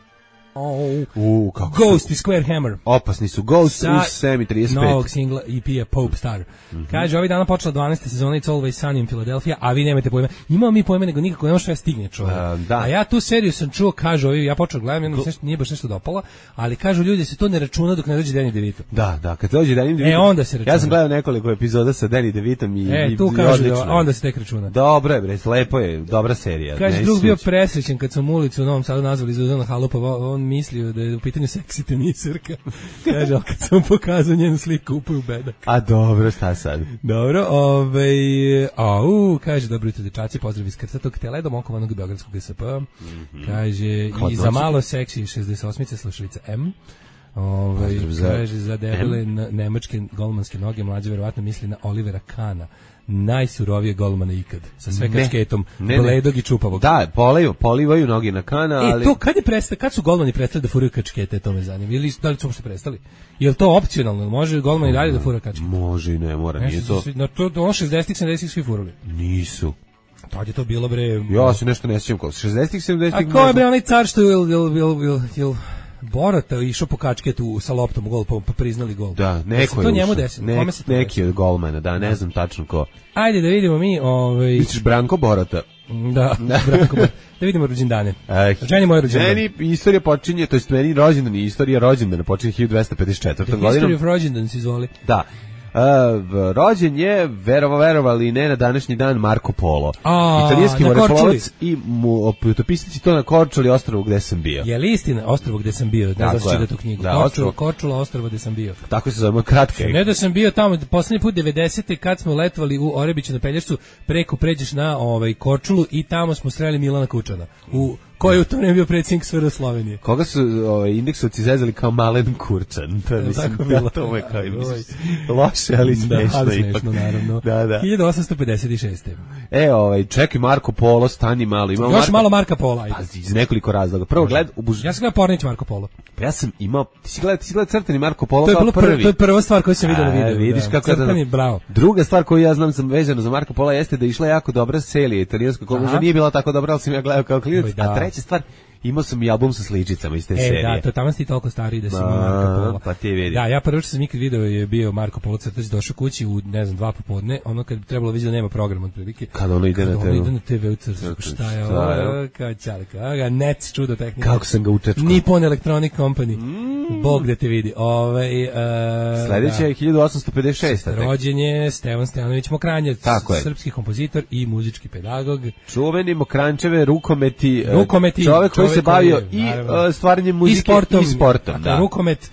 [SPEAKER 7] Ghost
[SPEAKER 6] i Square Hammer.
[SPEAKER 7] Opasni su Ghost u 7:35.
[SPEAKER 6] Novog singla EP-a Pope Star. Kaže, ovih dana počela 12. sezona It's Always Sunny in Philadelphia, a vi nemate pojma. Imamo mi pojma, nego nikako nema što ja stigne čovjek. A ja tu seriju sam čuo, kažu ovi, ja počeo gledam, nije baš nešto dopala, ali kažu ljudi se to ne računa dok ne dođe Danny DeVito.
[SPEAKER 7] Da, kad dođe Danny DeVito.
[SPEAKER 6] Onda se računa.
[SPEAKER 7] Ja sam gledao nekoliko epizoda sa Danny DeVitom i
[SPEAKER 6] tu kažu onda se tek računa.
[SPEAKER 7] Dobro je, bre, lepo je, dobra serija.
[SPEAKER 6] Kaže, drug bio presrećen kad sam ulicu u Novom Sadu nazvali Zuzana Halupa, on mislio da je u pitanju seksi tenisirka. Kaže, kad sam pokazao njenu sliku upaju bedak.
[SPEAKER 7] A dobro, šta sad?
[SPEAKER 6] Dobro, kaže, dobro jutro dečaci, pozdrav iz krstatog teledom okovanog beogradskog GSP. Kaže, i za malo seksi 68-ice slušalica M. Kaže, za debele nemačke golmanske noge, mlađe verovatno misli na Olivera Kahna, najsurovije golmana ikad, sa sve kačketom, bledog i čupavog.
[SPEAKER 7] Da, polivaju noge na Kahna, ali...
[SPEAKER 6] to kad su golmani prestali da furaju kačkete, to me zanima. Ili da li su uopšte prestali? Je li to opcionalno? Može golman i dalje da fura kačkete?
[SPEAKER 7] Može i ne mora, nije to...
[SPEAKER 6] Na to 60-ih, 70-ih svi furali.
[SPEAKER 7] Nisu.
[SPEAKER 6] Tad je to bilo, bre...
[SPEAKER 7] Ja se nešto ne sjećam, 60-ih, 70-ih...
[SPEAKER 6] A ko je, bre, onaj car što je Borata išao po kačketu sa loptom u gol, pa priznali gol.
[SPEAKER 7] Da, neko je
[SPEAKER 6] to njemu desilo.
[SPEAKER 7] Neki od golmana, da, ne znam tačno ko.
[SPEAKER 6] Ajde da vidimo mi...
[SPEAKER 7] Misliš Branko Borata?
[SPEAKER 6] Da, Branko Borata. Da vidimo rođendane. Ženi moje rođendane.
[SPEAKER 7] Meni istorija počinje, to jest meni rođendan i istorija rođendana počinje 1254. godinom.
[SPEAKER 6] History of rođendan se izvoli.
[SPEAKER 7] Da. Rođen je, verovali ne, na današnji dan Marko Polo. Italijanski moreplovac i putopisac, to na Korčuli, ostrvu gde sam bio.
[SPEAKER 6] Je li istina ostrvo gde sam bio? Ne znam da čita tu knjigu. Korčula, ostrvo gde sam bio.
[SPEAKER 7] Tako se zove, kratka je.
[SPEAKER 6] Ne da sam bio tamo, poslednji put 90. kad smo letovali u Orebiću na Pelješcu, preko pređeš na Korčulu i tamo smo sreli Milana Kučana. Koji je u to vreme bio predsjednik SFRJ Slovenije.
[SPEAKER 7] Koga su indeksovci zezali kao Malen Kurčan? To je, mislim, to je kao loše, ali smešno.
[SPEAKER 6] Ali smešno, naravno.
[SPEAKER 7] Da.
[SPEAKER 6] 1856.
[SPEAKER 7] Čekaj, Marko Polo, stani malo.
[SPEAKER 6] Još malo Marka Pola.
[SPEAKER 7] Pa, iz nekoliko razloga. Prvo,
[SPEAKER 6] ja sam gledao Pornić Marko Polo.
[SPEAKER 7] Pa ja sam imao, ti si gledao crtani Marko Polo
[SPEAKER 6] kao
[SPEAKER 7] prvi.
[SPEAKER 6] To je prva stvar koju sam vidio na videu.
[SPEAKER 7] Vidiš kako je
[SPEAKER 6] crtani, bravo.
[SPEAKER 7] Druga stvar koju ja znam sam vezano za Marko Pola jeste da je išla jako dobra serija italijanska, koja možda nije bila tako dobra, ali sam ja gledao kao klinac. A treća stvar, imao sam i album sa sličicama iz te serije.
[SPEAKER 6] Da, to tamo si toliko stariji da si imao Marko Polo.
[SPEAKER 7] Pa ti vidi.
[SPEAKER 6] Da, ja prvo što sam ikad video je bio Marko Polo crtač, došao kući u, ne znam, 2 popodne, ono kad bi trebalo vidjeti da nema program otprilike.
[SPEAKER 7] Kad ono ide na
[SPEAKER 6] TV u crtačku, šta je ovo, kao čalika, NEC, čudo tehnika.
[SPEAKER 7] Kako sam ga učečkao.
[SPEAKER 6] Nippon Electronic Company, Bog da te vidi.
[SPEAKER 7] Sledeće je 1856.
[SPEAKER 6] Rođen je Stevan Stojanović Mokranjac, srpski kompozitor i muzički pedagog.
[SPEAKER 7] Čuveni Mokrančeve rukometi, čovjek koji se bavio i stvaranjem muzike i sportom.
[SPEAKER 6] Da. Rukomet,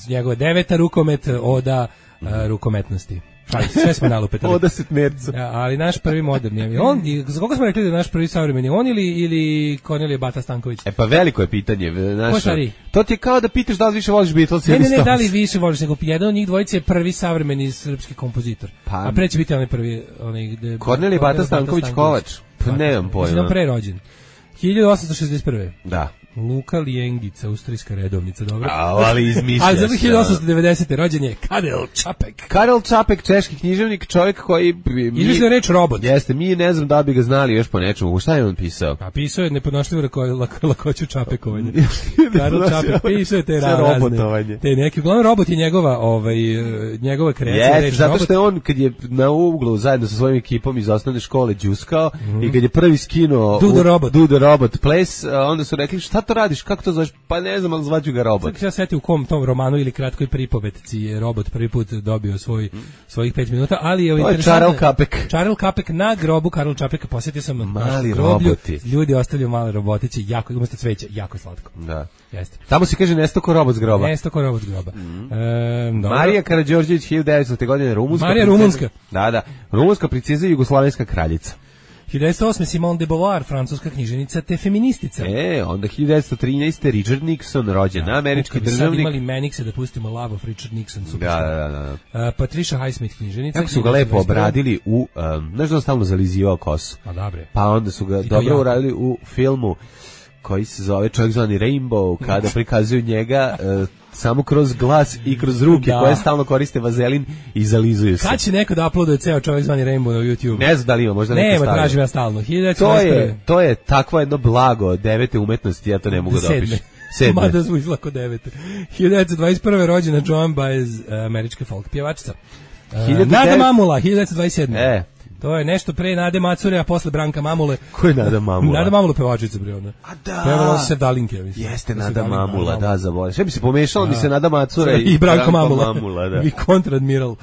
[SPEAKER 6] njegova 9. rukomet, oda rukometnosti. Sve smo nalupetali.
[SPEAKER 7] Oda setmercu.
[SPEAKER 6] Ja, ali naš prvi moderni. Za koga smo rekli da je naš prvi savremeni? On ili Kornelije Bata Stanković?
[SPEAKER 7] Pa veliko je pitanje.
[SPEAKER 6] Ko stari?
[SPEAKER 7] To ti je kao da pitaš da li više voliš Beatles ili Stones.
[SPEAKER 6] Ne, da li više voliš, nego jedan od njih dvojice je prvi savremeni srpski kompozitor. A pre će biti onaj prvi...
[SPEAKER 7] Kornelije Bata Stanković Kovač. Pa nemam pojma.
[SPEAKER 6] Znači pre rođen. 1861.
[SPEAKER 7] Da.
[SPEAKER 6] Luka Lijengica, austrijska redovnica, dobro.
[SPEAKER 7] Ali izmišljaš.
[SPEAKER 6] Ali za 1890. rođen je Karel Čapek.
[SPEAKER 7] Karel Čapek, češki književnik, čovjek koji...
[SPEAKER 6] Izmislio reč robot.
[SPEAKER 7] Jeste, mi ne znam da bi ga znali još po nečemu. Šta je on pisao?
[SPEAKER 6] A pisao je nepodnošljivo lakoću čapekovanja. Karel Čapek pisao je te razne. Te neki, uglavnom robot je njegova kreacija.
[SPEAKER 7] Jeste, zato što je on kad je na uglu zajedno sa svojim ekipom iz osnovne škole đuskao i kad je prvi skinuo Do the Robot Place, onda su rekli šta to radiš, kako to zoveš, pa ne znam, ali zvaću ga robot.
[SPEAKER 6] Sada se seti u kom tom romanu ili kratkoj pripovetci je robot prvi put dobio svojih 5 minuta, ali je
[SPEAKER 7] Charles Čapek.
[SPEAKER 6] Charles Čapek na grobu Karla Čapeka, posjetio sam
[SPEAKER 7] mali roboti.
[SPEAKER 6] Ljudi ostavljaju male robotiće, jako, umesto cveća, jako slatko.
[SPEAKER 7] Da.
[SPEAKER 6] Jeste.
[SPEAKER 7] Tamo se kaže nesto ko robot s groba.
[SPEAKER 6] Nesto ko robot s groba.
[SPEAKER 7] Marija Karađorđević, 1900. godine, rumunska.
[SPEAKER 6] Marija Rumunska.
[SPEAKER 7] Da, rumunska princeza i jugoslovenska kraljica.
[SPEAKER 6] 1908. Simone de Beauvoir, francuska književnica te feministica.
[SPEAKER 7] Onda 1913. Richard Nixon, rođen, američki državnik.
[SPEAKER 6] Sad imali Menikse da pustimo Love of Richard Nixon.
[SPEAKER 7] Da.
[SPEAKER 6] Patricia Highsmith, književnica.
[SPEAKER 7] Kako su ga lepo obradili u, znaš da on stalno zalizivao kosu.
[SPEAKER 6] A dobre.
[SPEAKER 7] Pa onda su ga dobro uradili u filmu koji se zove Čovjek zvani Rainbow, kada prikazuju njega samo kroz glas i kroz ruke koje stalno koriste vazelin i zalizuju se.
[SPEAKER 6] Kad će neko da uploaduje ceo Čovjek zvani Rainbow na YouTube?
[SPEAKER 7] Ne znam da li ima, možda neko stavio.
[SPEAKER 6] Nema, tražim ja stalno.
[SPEAKER 7] To je takvo jedno blago 9. umetnosti, ja to ne mogu da opišem. 7.
[SPEAKER 6] Mada zvuči lako 9. 1921. rođena Joan Baez, američka folk pjevačica. Nada Mamula, 1927. To je nešto pre Nade Macure, a posle Branka Mamule.
[SPEAKER 7] Ko je Nada Mamula?
[SPEAKER 6] Nada Mamula pevačica bre ona.
[SPEAKER 7] A da.
[SPEAKER 6] Pevala se Dalinke, mislim.
[SPEAKER 7] Jeste Nada Mamula, da, zaboravio. Sve bi se pomešalo, mi se Nada Macura
[SPEAKER 6] i Branko Mamula.
[SPEAKER 7] Da.
[SPEAKER 6] I kontradmiral.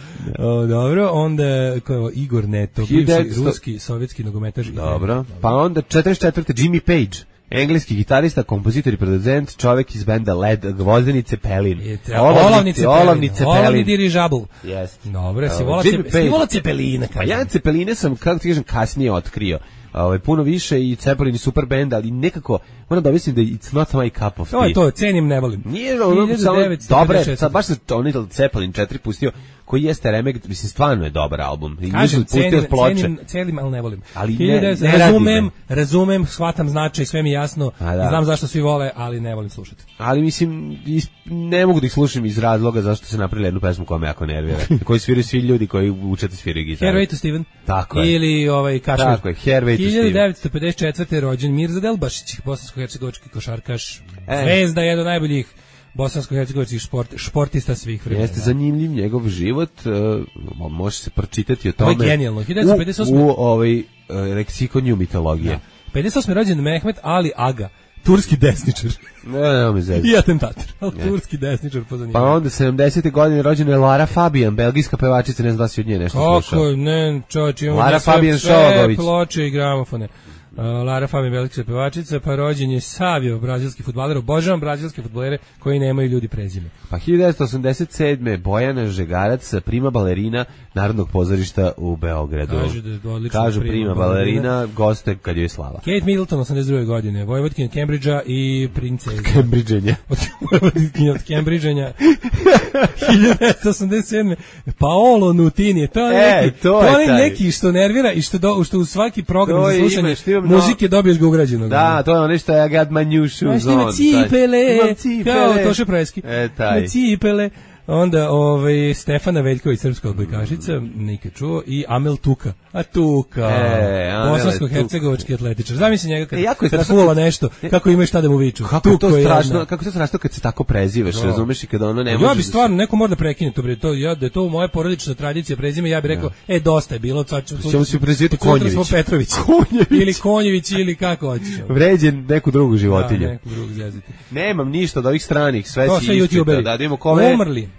[SPEAKER 6] Dobro, onda kao Igor Neto, bivši ruski sovjetski nogometaš.
[SPEAKER 7] Dobro. Pa onda 44. Jimmy Page. Engleski gitarista, kompozitor i producent, čovjek iz benda Led, Gvozdenice Pelin. Olovnice Pelin.
[SPEAKER 6] Olovni dirižabl.
[SPEAKER 7] Jeste.
[SPEAKER 6] Dobro, si vola Cepeline.
[SPEAKER 7] Pa ja Cepeline sam, kako ti kažem, kasnije otkrio. Puno više i Cepelin i super band, ali nekako moram da mislim da it's not my cup of tea.
[SPEAKER 6] To cenim, ne volim.
[SPEAKER 7] Nije ono samo dobre, sad baš se oni Cepelin 4 pustio, koji jeste remek, mislim stvarno je dobar album.
[SPEAKER 6] Kažem, cenim, ali ne volim.
[SPEAKER 7] Ali
[SPEAKER 6] razumem, shvatam značaj, sve mi jasno, znam zašto svi vole, ali ne volim slušati.
[SPEAKER 7] Ali mislim, ne mogu da ih slušam iz razloga zašto se napravili jednu pesmu koja me jako nervira. Koji sviraju svi ljudi koji uče da sviraju gitaru.
[SPEAKER 6] Hervey to Steven.
[SPEAKER 7] Tako je.
[SPEAKER 6] Ili Kašmir.
[SPEAKER 7] Tako je, Hervey to Steven.
[SPEAKER 6] 1954. rođen Mirza Delbašić, bosansko-hercegovački košarkaš, zvezda, jedan od najboljih bosansko-hercegovačkih športista svih vremena.
[SPEAKER 7] Jeste zanimljiv njegov život, može se pročitati o tome.
[SPEAKER 6] Ovo je genijalno. 1958.
[SPEAKER 7] U leksikonju mitologije.
[SPEAKER 6] 58. rođen Mehmet Ali Aga, turski desničar.
[SPEAKER 7] Ne mi zezim.
[SPEAKER 6] I atentator, ali turski desničar po zanimanju.
[SPEAKER 7] Pa onda 70. godine rođena je Lara Fabian, belgijska pevačica, ne znam da si od nje nešto slušao.
[SPEAKER 6] Kako, ne, čovječ, imamo
[SPEAKER 7] Lara Fabian
[SPEAKER 6] sve ploče i gramofone. Lara Fabian, belgijska pevačica, pa rođen je Savio, brazilski fudbaler. Obožavam brazilske fudbalere koji nemaju ljudi prezime.
[SPEAKER 7] Pa 1987. Bojana Žegarac, prima balerina Narodnog pozorišta u Beogradu. Kažu prima balerina, goste kad joj slava.
[SPEAKER 6] Kate Middleton, 82. godine, Vojvodkin od Cambridgea i princeza.
[SPEAKER 7] Cambridgenja.
[SPEAKER 6] Vojvodkin od Cambridgenja. 1987. Paolo Nutini. To je neki što nervira i što u svaki program za slušanje muzike dobiješ ga ugrađenog.
[SPEAKER 7] Da, to je ono što I got my new shoes on.
[SPEAKER 6] Cipele, kao Toše Preski.
[SPEAKER 7] Taj.
[SPEAKER 6] Cipele. Onda Stefana Veljković, srpska odbojkašica, nikad čuo, i Amel Tuka. A Tuka, bosansko-hercegovački atletičar. Zamisli njega kad fula nešto, kako ima šta da mu viču.
[SPEAKER 7] Kako je to strašno kad se tako prezivaš, razumeš, i kada ono ne može.
[SPEAKER 6] Ja bi stvarno, neko mora da prekine to, da je to moja porodična tradicija prezime, ja bih rekao, dosta je bilo, sad
[SPEAKER 7] ćemo se prezivati Konjević.
[SPEAKER 6] Ili Konjević, ili kako hoćeš.
[SPEAKER 7] Vređen neku drugu životinju.
[SPEAKER 6] Da, neku drugu zeziti.
[SPEAKER 7] Nemam ništa od ovih stranih, sve si
[SPEAKER 6] YouTuberi.
[SPEAKER 7] Da vidimo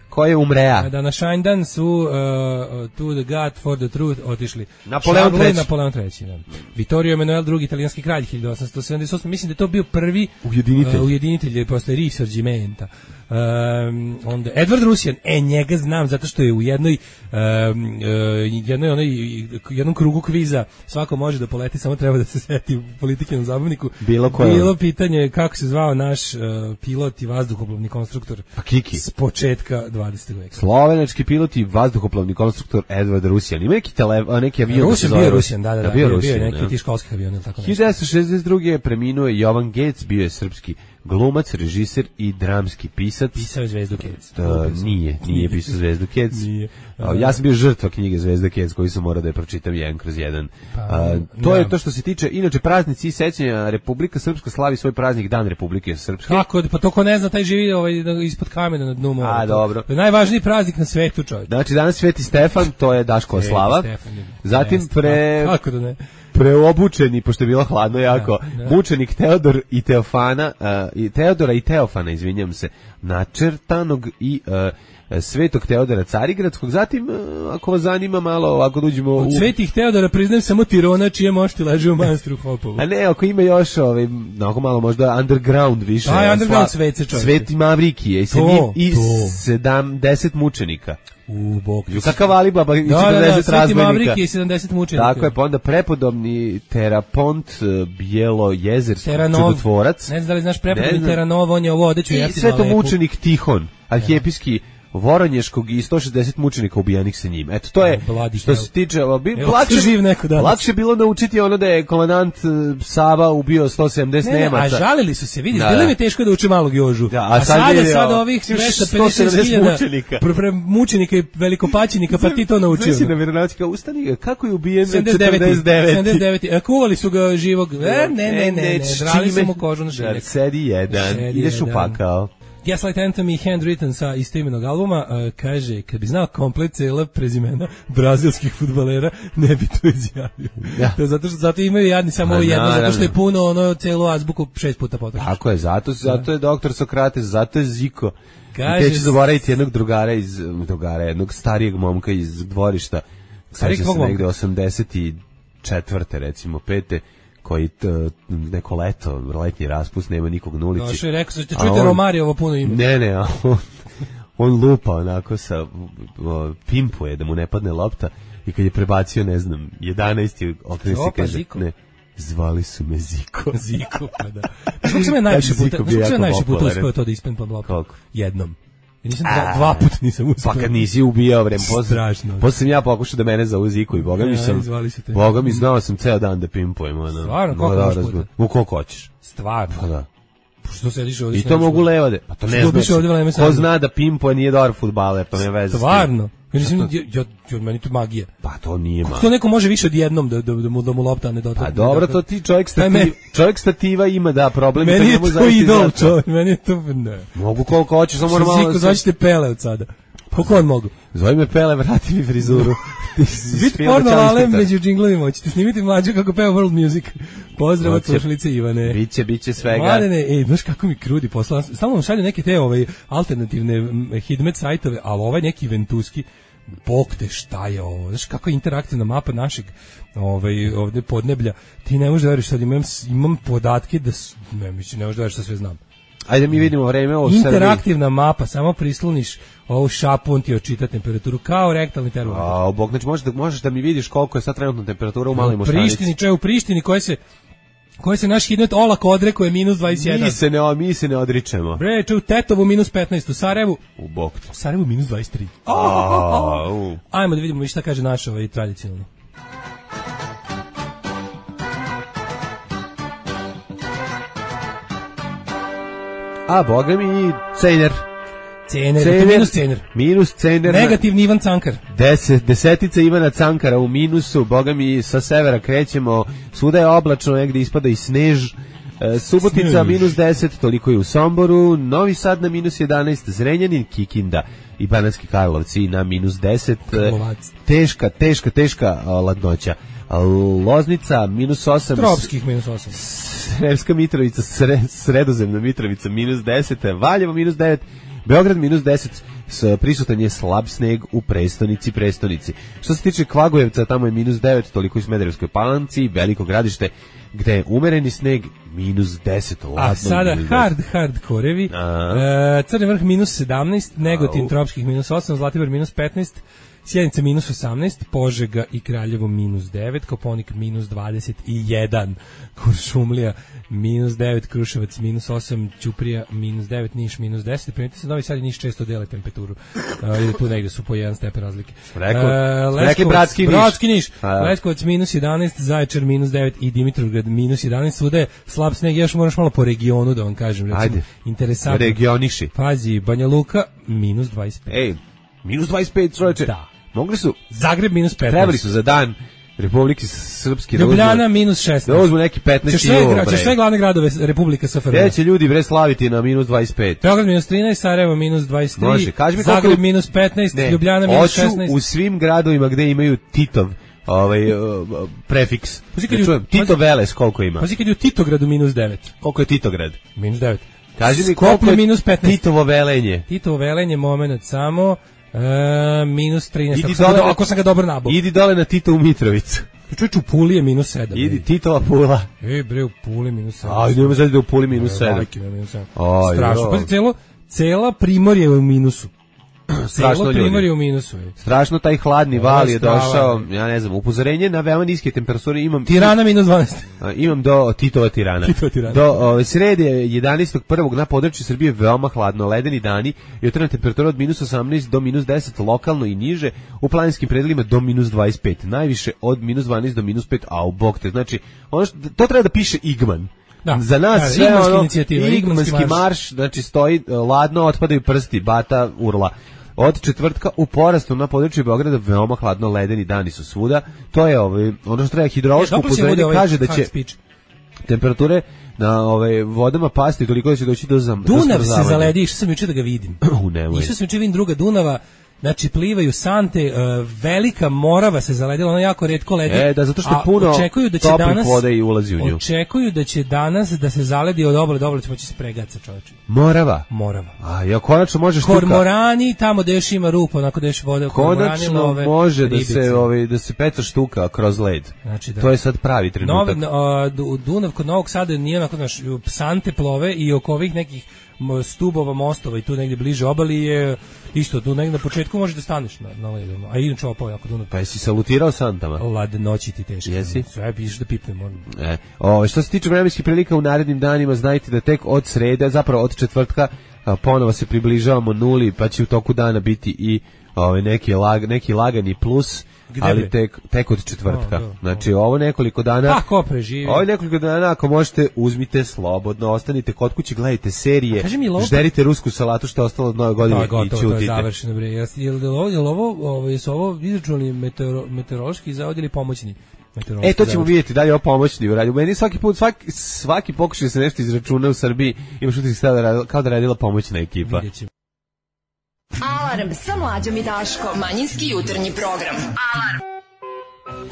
[SPEAKER 7] ko je umrea.
[SPEAKER 6] Da, na Šajndan su To the God for the Truth otišli.
[SPEAKER 7] Napoleon
[SPEAKER 6] III. Da. Vittorio Emanuele II, italijanski kralj, 1878. Mislim da je to bio prvi ujedinitelj posle Risorgimenta. Onda Edward Rusijan, njega znam zato što je u jednom krugu kviza svako može da poleti, samo treba da se seti politike na zabavniku. Bilo pitanje kako se zvao naš pilot i vazduhoplovni konstruktor s početka 20. veka.
[SPEAKER 7] Slovenački pilot i vazduhoplovni konstruktor Edward Rusijan. Ima neki avion.
[SPEAKER 6] Rusijan, da, bio neki ti školskih aviona ili tako nešto.
[SPEAKER 7] 1962. preminuo je Jovan Gec, bio je srpski glumac, režiser i dramski pisac.
[SPEAKER 6] Pisao je Zvezdu Kec.
[SPEAKER 7] Nije pisao Zvezdu Kec. Ja sam bio žrtva knjige Zvezda Kec koju sam morao da je pročitam 1/1. To je to što se tiče. Inače, praznici i sećanja, Republika Srpska slavi svoj praznik, Dan Republike Srpske.
[SPEAKER 6] Kako? Pa to ko ne zna, taj živi ispod kamena na dnu mora.
[SPEAKER 7] Dobro.
[SPEAKER 6] To je najvažniji praznik na svetu, čovječ.
[SPEAKER 7] Znači, danas Sveti Stefan, to je Daškova slava. Zatim
[SPEAKER 6] kako da ne?
[SPEAKER 7] Preobučeni, pošto je bilo hladno jako, mučenik Teodor i Teofana, Teodora i Teofana, izvinjam se, načrtanog i Svetog Teodora Carigradskog. Zatim, ako vas zanima malo, ovako dođemo
[SPEAKER 6] od Svetih Teodora priznajem samo Tirona, čije mošti leže u manastiru Hopovu.
[SPEAKER 7] A ne, ako ima još onako malo možda underground više.
[SPEAKER 6] Underground svece, čovječe.
[SPEAKER 7] Sveti Mavrikije i 70 mučenika. Kakav Alibaba i 40
[SPEAKER 6] razbojnika. Mavrike i 70 mučenika.
[SPEAKER 7] Tako je, pa onda prepodobni Terapont, Bjelojezerski čudotvorac.
[SPEAKER 6] Ne znam da li znaš prepodobni Teranov, on je ovo odeću.
[SPEAKER 7] I svetomučenik Tihon, arhijepijski Voronješkog i 160 mučenika ubijenih sa njim. Eto, to je, što se tiče, lakše bilo naučiti ono da je komandant Sava ubio 170 Nemaca.
[SPEAKER 6] A žalili su se, vidiš, bilo mi teško da uči Malog Jožu.
[SPEAKER 7] A
[SPEAKER 6] sada ovih 250.000 mučenika i velikopaćenika, pa ti to naučio.
[SPEAKER 7] Sve si na veronaučnika, ustani, kako je ubijen 49?
[SPEAKER 6] Kuvali su ga živog. Ne, drali su mu kožu na šiljak.
[SPEAKER 7] Sedi jedan, ideš u pakao.
[SPEAKER 6] Gaslight Anthem i Handwritten sa istoimenog albuma, kaže, kad bi znao komplet cela prezimena brazilskih fudbalera, ne bi to izjavio. To zato imaju jadni samo ovo jedno, zato što je puno celu azbuku 6 puta potroši.
[SPEAKER 7] Tako je, zato je doktor Sokrates, zato je Ziko. I te će zaboraviti jednog drugara, jednog starijeg momka iz dvorišta, sad će se negde 84. recimo 5. koji neko letnji raspust, nema nikog na ulici.
[SPEAKER 6] Došao je rekao, čujte Romariovo puno ime.
[SPEAKER 7] Ne, on lupa onako pimpuje da mu ne padne lopta i kad je prebacio, ne znam, 11. okrene se kaže, ne, zvali su me Ziko.
[SPEAKER 6] Ziko, pa da. Kako sam ja najviše puta uspio to da ispempam loptu? Jednom. Nisam dva puta nisam uspio.
[SPEAKER 7] Pa kad nisi ubijao vreme,
[SPEAKER 6] strašno.
[SPEAKER 7] Posle sam ja pokušao da mene zovu Ziku i Boga mi znao sam ceo dan da pimpujem.
[SPEAKER 6] Stvarno, koliko puta?
[SPEAKER 7] Koliko hoćeš.
[SPEAKER 6] Stvarno?
[SPEAKER 7] Pa da.
[SPEAKER 6] Što sediš ovdje?
[SPEAKER 7] I to mogu levade. Pa to ne znaš. Ko zna da pimpuje nije dobar fudbaler, pa me veze.
[SPEAKER 6] Stvarno? Meni to magija.
[SPEAKER 7] Pa to nije magija.
[SPEAKER 6] To neko može više od jednom da mu lopta ne dotakne.
[SPEAKER 7] Pa dobro, to ti čovjek stativa ima da problem.
[SPEAKER 6] Meni je to idol, čovjek. Meni je to, ne.
[SPEAKER 7] Mogu koliko hoćeš, samo normalno.
[SPEAKER 6] Ziko, zvaćete Pele od sada. Koliko on mogu?
[SPEAKER 7] Zove me Pele, vrati mi frizuru.
[SPEAKER 6] Biti porno Lale među džinglovima, hoćete snimiti mlađu kako peva world music. Pozdrav od slušalice Ivane.
[SPEAKER 7] Biće svega.
[SPEAKER 6] Mladene, znaš kako mi krudi posla. Stalno vam šalju neke te alternativne hidmet sajtove, ali ovaj neki ventuski, bog te šta je ovo. Znaš kako je interaktivna mapa našeg ovde podneblja. Ti ne možeš da veriš, sad imam podatke da ne možeš da veriš što sve znam.
[SPEAKER 7] Ajde mi vidimo vreme u
[SPEAKER 6] interaktivna mapa, samo prisloniš ovu šapu, on ti očita temperaturu kao rektalni termometar.
[SPEAKER 7] A bog, znači možeš da mi vidiš koliko je sad trenutna temperatura u Maloj Moštanici.
[SPEAKER 6] U Prištini koje se naš hidmet olako odrekuje minus 21.
[SPEAKER 7] Mi se ne odričemo.
[SPEAKER 6] Bre, u Tetovu minus 15, u Sarajevu.
[SPEAKER 7] U
[SPEAKER 6] Sarajevu minus 23. Ajmo da vidimo šta kaže naš tradicionalno.
[SPEAKER 7] A boga mi Cejner.
[SPEAKER 6] Cener, minus Cener.
[SPEAKER 7] Minus Cener.
[SPEAKER 6] Negativni Ivan Cankar.
[SPEAKER 7] Desetica Ivana Cankara u minusu, boga mi sa severa krećemo, svuda je oblačno, negde ispada i snež. Subotica minus 10, toliko je u Somboru, Novi Sad na minus 11, Zrenjanin, Kikinda i Banatski Karlovci na minus 10. Teška ladnoća. Loznica minus 8,
[SPEAKER 6] Tropskih minus 8,
[SPEAKER 7] Sremska Mitrovica, Sredozemna Mitrovica minus 10, Valjevo minus 9, Beograd minus 10, prisutan je slab sneg u prestonici. Što se tiče Kvagujevca, tamo je minus 9, toliko u Smederevskoj Palanci, Veliko Gradište, gde je umereni sneg, minus 10.
[SPEAKER 6] A sada hard korevi, Crni Vrh minus 17, Negotin Tropskih minus 8, Zlatibor minus 15, Sjenica minus 18, Požega i Kraljevo minus 9, Koponik minus 21, Kuršumlija minus 9, Kruševac minus 8, Ćuprija minus 9, Niš minus 10. Primetite se, Novi Sad i Niš često dele temperaturu. Ili tu negde su po 1 stepen razlike. Bratski Niš. Leskovac minus 11, Zaječar minus 9 i Dimitrovgrad minus 11. Svuda je slab sneg, još moraš malo po regionu da vam kažem. Recimo, ajde, interesantno.
[SPEAKER 7] Regioniši.
[SPEAKER 6] Pazi, Banja Luka minus 25.
[SPEAKER 7] Ej, minus 25, čovječe.
[SPEAKER 6] Da.
[SPEAKER 7] Mogli su
[SPEAKER 6] Zagreb minus 15.
[SPEAKER 7] Trebali su za dan Republike Srpske
[SPEAKER 6] Ljubljana minus 16.
[SPEAKER 7] Da uzmu neki 15
[SPEAKER 6] Će sve glavne gradove Republike SFRJ.
[SPEAKER 7] Gde će ljudi bre slaviti na minus 25?
[SPEAKER 6] Beograd minus 13, Sarajevo minus 23, Zagreb minus 15, Ljubljana minus 16.
[SPEAKER 7] Hoću u svim gradovima gde imaju Titov prefiks. Tito Veles koliko ima?
[SPEAKER 6] Pazi kad je u Titogradu minus 9.
[SPEAKER 7] Koliko je Titograd?
[SPEAKER 6] Minus 9.
[SPEAKER 7] Kaži mi koliko je
[SPEAKER 6] minus 15.
[SPEAKER 7] Titovo Velenje?
[SPEAKER 6] Titovo Velenje, moment samo. Minus 13. Ako sam ga dobro nabao.
[SPEAKER 7] Idi dole na Titovu Mitrovicu.
[SPEAKER 6] Čovječ, u Puli je minus 7.
[SPEAKER 7] Idi Titova Pula.
[SPEAKER 6] Bre, u Puli minus 7.
[SPEAKER 7] Aj, nema zadnje da u Puli minus 7.
[SPEAKER 6] Strašno. Pazi, cela Primorje je u minusu.
[SPEAKER 7] Strašno
[SPEAKER 6] Primorje je u minusu.
[SPEAKER 7] Strašno, taj hladni val je došao, ja ne znam, upozorenje na veoma niske temperature imam.
[SPEAKER 6] Tirana minus 12.
[SPEAKER 7] Imam do Titova Tirana. Do srede 11.1. na području Srbije veoma hladno, ledeni dani, jutarnja temperatura od minus 18 do minus 10, lokalno i niže, u planinskim predelima do minus 25, najviše od minus 12 do minus 5, a u bok te. Znači, to treba da piše Igman.
[SPEAKER 6] Da,
[SPEAKER 7] za nas sve
[SPEAKER 6] Igmanski
[SPEAKER 7] marš, znači stoji ladno, otpadaju prsti, bata urla. Od četvrtka u porastu na području Beograda veoma hladno, ledeni dani su svuda. To je ono što treba hidrološko upozorenje kaže da će temperature na vodama pasti toliko da će doći do zamrzavanja.
[SPEAKER 6] Dunav se zaledi, išao sam juče da ga vidim. Išao sam juče vidim druga Dunava. Znači plivaju sante, Velika Morava se zaledila, ona jako retko ledi.
[SPEAKER 7] Da, zato što puno toplih vode i ulazi u nju.
[SPEAKER 6] Očekuju da će danas da se zaledi od obale do obale, ćemo će se pregaca, čoveče.
[SPEAKER 7] Morava. A ja konačno može štuka.
[SPEAKER 6] Kormorani, tamo gde još ima rupa, onako gde još vode.
[SPEAKER 7] Konačno može da se peca štuka kroz led.
[SPEAKER 6] Znači, da.
[SPEAKER 7] To je sad pravi trenutak.
[SPEAKER 6] Dunav kod Novog Sada nije onako, znaš, sante plove i oko ovih nekih stubova, mostova i tu negdje bliže obali je isto, tu negdje na početku možeš da staneš na ledu, a inače opao jako Dunav.
[SPEAKER 7] Pa jesi salutirao santama?
[SPEAKER 6] Ladnoći ti teško.
[SPEAKER 7] Jesi?
[SPEAKER 6] Sve pišeš da pipnem.
[SPEAKER 7] Što se tiče vremenskih prilika u narednim danima, znajte da tek od srede, zapravo od četvrtka, ponovo se približavamo nuli, pa će u toku dana biti i neki lagani plus, ali tek od četvrtka. Znači ovo nekoliko dana.
[SPEAKER 6] Tako preživi.
[SPEAKER 7] Ovo nekoliko dana, ako možete, uzmite slobodno, ostanite kod kuće, gledajte serije, žderite rusku salatu što je ostalo od Nove godine i čutite. To je
[SPEAKER 6] završeno, bre. Jesu ovo izračunali meteorološki zavod ili pomoćni?
[SPEAKER 7] To ćemo vidjeti da li je ovo pomoćni u radiju. Meni svaki pokušaj da se nešto izračuna u Srbiji imaš utisak kao da radila pomoćna ekipa.
[SPEAKER 5] Alarm sa Mlađom i Daškom. Manjinski jutarnji program. Alarm.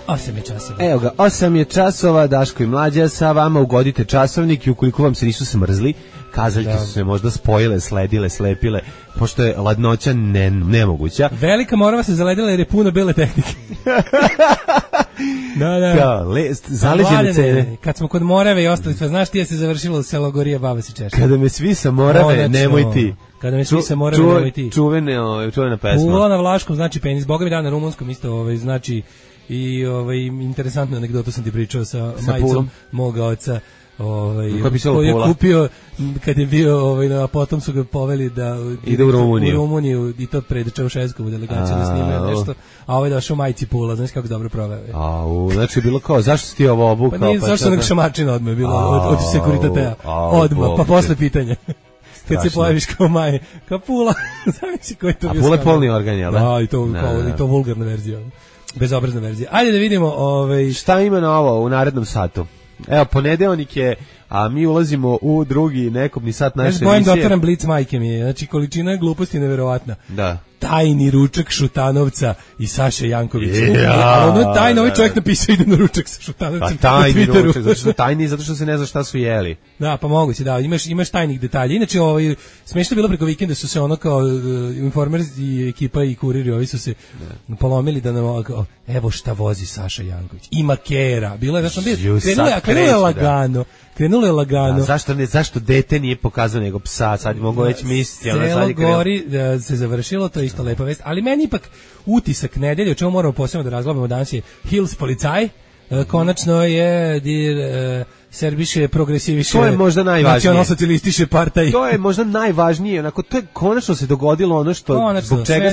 [SPEAKER 6] 8 je časova.
[SPEAKER 7] Evo ga, 8 je časova, Daško i Mlađa sa vama, ugodite časovnik i ukoliko vam se nisu smrzli, kazaljke su se možda spojile, sledile, slepile, pošto je ladnoća nemoguća.
[SPEAKER 6] Velika Morava se zaledila jer je puno bele tehnike.
[SPEAKER 7] Da. Zaleđene cene.
[SPEAKER 6] Kad smo kod Morave i ostali, znaš ti je se završilo u selo Gorija, baba se češa.
[SPEAKER 7] Kada me svi sa Morave, nemoj ti.
[SPEAKER 6] Kada me svi sa Morave, nemoj ti.
[SPEAKER 7] Čuvena pesma.
[SPEAKER 6] Ula na vlaškom znači penis, boga mi da na rumunskom isto znači i interesantnu anegdotu sam ti pričao sa majicom moga oca. Koji je kupio kad je bio a potom su ga poveli da
[SPEAKER 7] ide u
[SPEAKER 6] Rumuniju i to pred Čaušeskovu delegaciju da snimaju nešto, a došao majci Pula, znaš kako dobro proveo.
[SPEAKER 7] Znači je bilo kao, zašto si ti ovo obukao?
[SPEAKER 6] Pa nije, zašto onog šamačina odmah je bilo od sekuritatea, odmah, pa posle pitanja. kad se pojaviš kao Maje, kao Pula, zamisli koji to bio.
[SPEAKER 7] A Pula je polni organ, jel da?
[SPEAKER 6] Da, i to vulgarna verzija, bezobrazna verzija. Ajde da vidimo
[SPEAKER 7] šta ima novo u narednom satu. Evo, ponedeljnik je, a mi ulazimo u drugi nekobni sat naše emisije.
[SPEAKER 6] Bojim da otvaram blic, majke mi je. Znači, količina gluposti je neverovatna.
[SPEAKER 7] Da.
[SPEAKER 6] Tajni ručak Šutanovca i Saše Jankovića. Ono tajno, ovaj čovjek napisao ide na ručak sa Šutanovcem.
[SPEAKER 7] Pa tajni ručak, zato što se ne zna šta su jeli.
[SPEAKER 6] Da, pa moguće, da, imaš tajnih detalja. Inače, smešno bilo preko vikenda su se ono kao Informer i ekipa i kuriri, ovi su se polomili da nam evo šta vozi Saša Janković. Ima kera. Bilo je, krenulo je lagano.
[SPEAKER 7] A zašto dete nije pokazao nego psa? Sad mogu već misliti.
[SPEAKER 6] Selo gori se završilo, to je isto lepa vest. Ali meni ipak utisak nedelje, o čemu moramo posebno da razglabamo danas je Hills policaj. Konačno je Serbiše progresiviše.
[SPEAKER 7] To je možda najvažnije.
[SPEAKER 6] Nacionalsocijalistiše partaj.
[SPEAKER 7] To je možda najvažnije. Onako, to je konačno se dogodilo ono što zbog čega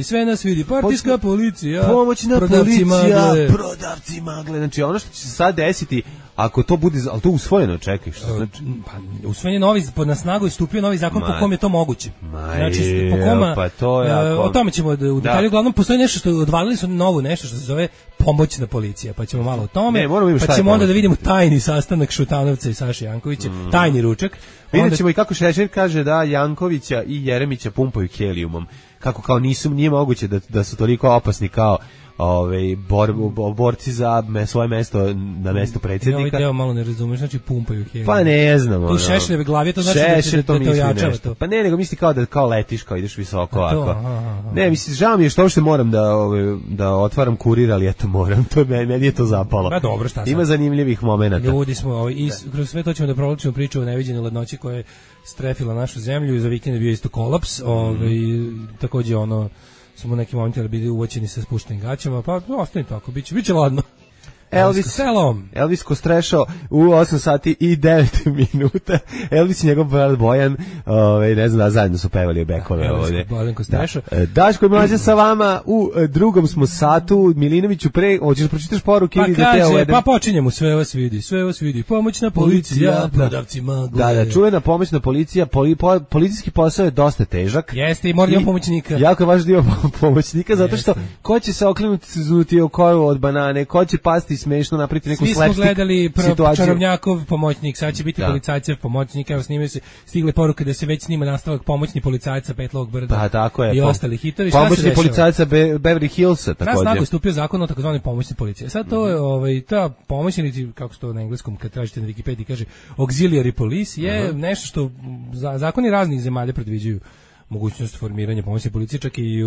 [SPEAKER 6] sve nas vidi. Partijska policija.
[SPEAKER 7] Pomoćna policija. Prodavci magle. Znači ono što će se sad desiti, ako to bude, ali to usvojeno, čekaj, što znači?
[SPEAKER 6] Pa usvojen novi na snagu je stupio novi zakon po kom je to moguće.
[SPEAKER 7] Znači po kome
[SPEAKER 6] pa to je o tome ćemo u detalju. Uglavnom postoji nešto što odvalili su novo nešto što se zove pomoćna policija, pa ćemo malo o tome. Pa ćemo onda da vidimo tajni sastanak Šutanovca i Saše Jankovića, tajni ručak.
[SPEAKER 7] Vidjet ćemo i kako Šešelj kaže da Jankovića i Jeremića pumpaju helijumom. Kako kao nije moguće da su toliko opasni kao borci za svoje mesto na mesto predsjednika.
[SPEAKER 6] Ovaj deo malo ne razumeš, znači pumpaju helijum.
[SPEAKER 7] Pa ne znam.
[SPEAKER 6] Tu Šešeljeve glavi, to znači da te ojačava to.
[SPEAKER 7] Pa ne, nego misli kao letiš, kao ideš visoko ovako. Ne, mislim, žao mi je što uopšte moram da otvaram kurir, ali eto moram, meni je to zapalo.
[SPEAKER 6] Pa dobro, šta sam.
[SPEAKER 7] Ima zanimljivih momenata.
[SPEAKER 6] Ljudi smo, i kroz sve to ćemo da provlačimo priču o neviđenoj ladnoći koja je strefila našu zemlju i za vikend je bio isto kolaps, takođe smo u nekim momentima bili uvoćeni sa spuštenim gaćama, pa ostane tako, biće ladno. Elvis
[SPEAKER 7] Kostrešo u 8 sati i 9 minuta. Elvis i njegov brat Bojan, ne znam da zajedno su pevali bekove ovdje. Daško i Mlađa sa vama u drugom smo satu. Milinoviću hoćeš da pročitaš poruke?
[SPEAKER 6] Pa počinjemo, sve vas vidi. Pomoćna policija, prodavci magle.
[SPEAKER 7] Da, čuvena pomoćna policija, policijski posao je dosta težak.
[SPEAKER 6] Jeste i mora imati pomoćnika.
[SPEAKER 7] Jako je važno da ima pomoćnika, zato što ko će se okrenuti u koru od banane, ko će pasti smešno napraviti neku slapstick
[SPEAKER 6] situaciju. Svi smo gledali Čarobnjakov pomoćnik, sad će biti policajcev pomoćnik, evo snimaju se, stigle poruke da se već snima nastavak pomoćni policajca Petlog brda i ostali hitovi.
[SPEAKER 7] Pomoćni policajca Beverly Hillsa također.
[SPEAKER 6] Na snagu je stupio zakon o takozvanoj pomoćnoj policiji. Sad to je, ta pomoćnici, kako se to na engleskom, kad tražite na Wikipediji kaže auxiliary police, je nešto što zakoni raznih zemalja predviđaju mogućnost formiranja pomoćne policije, čak i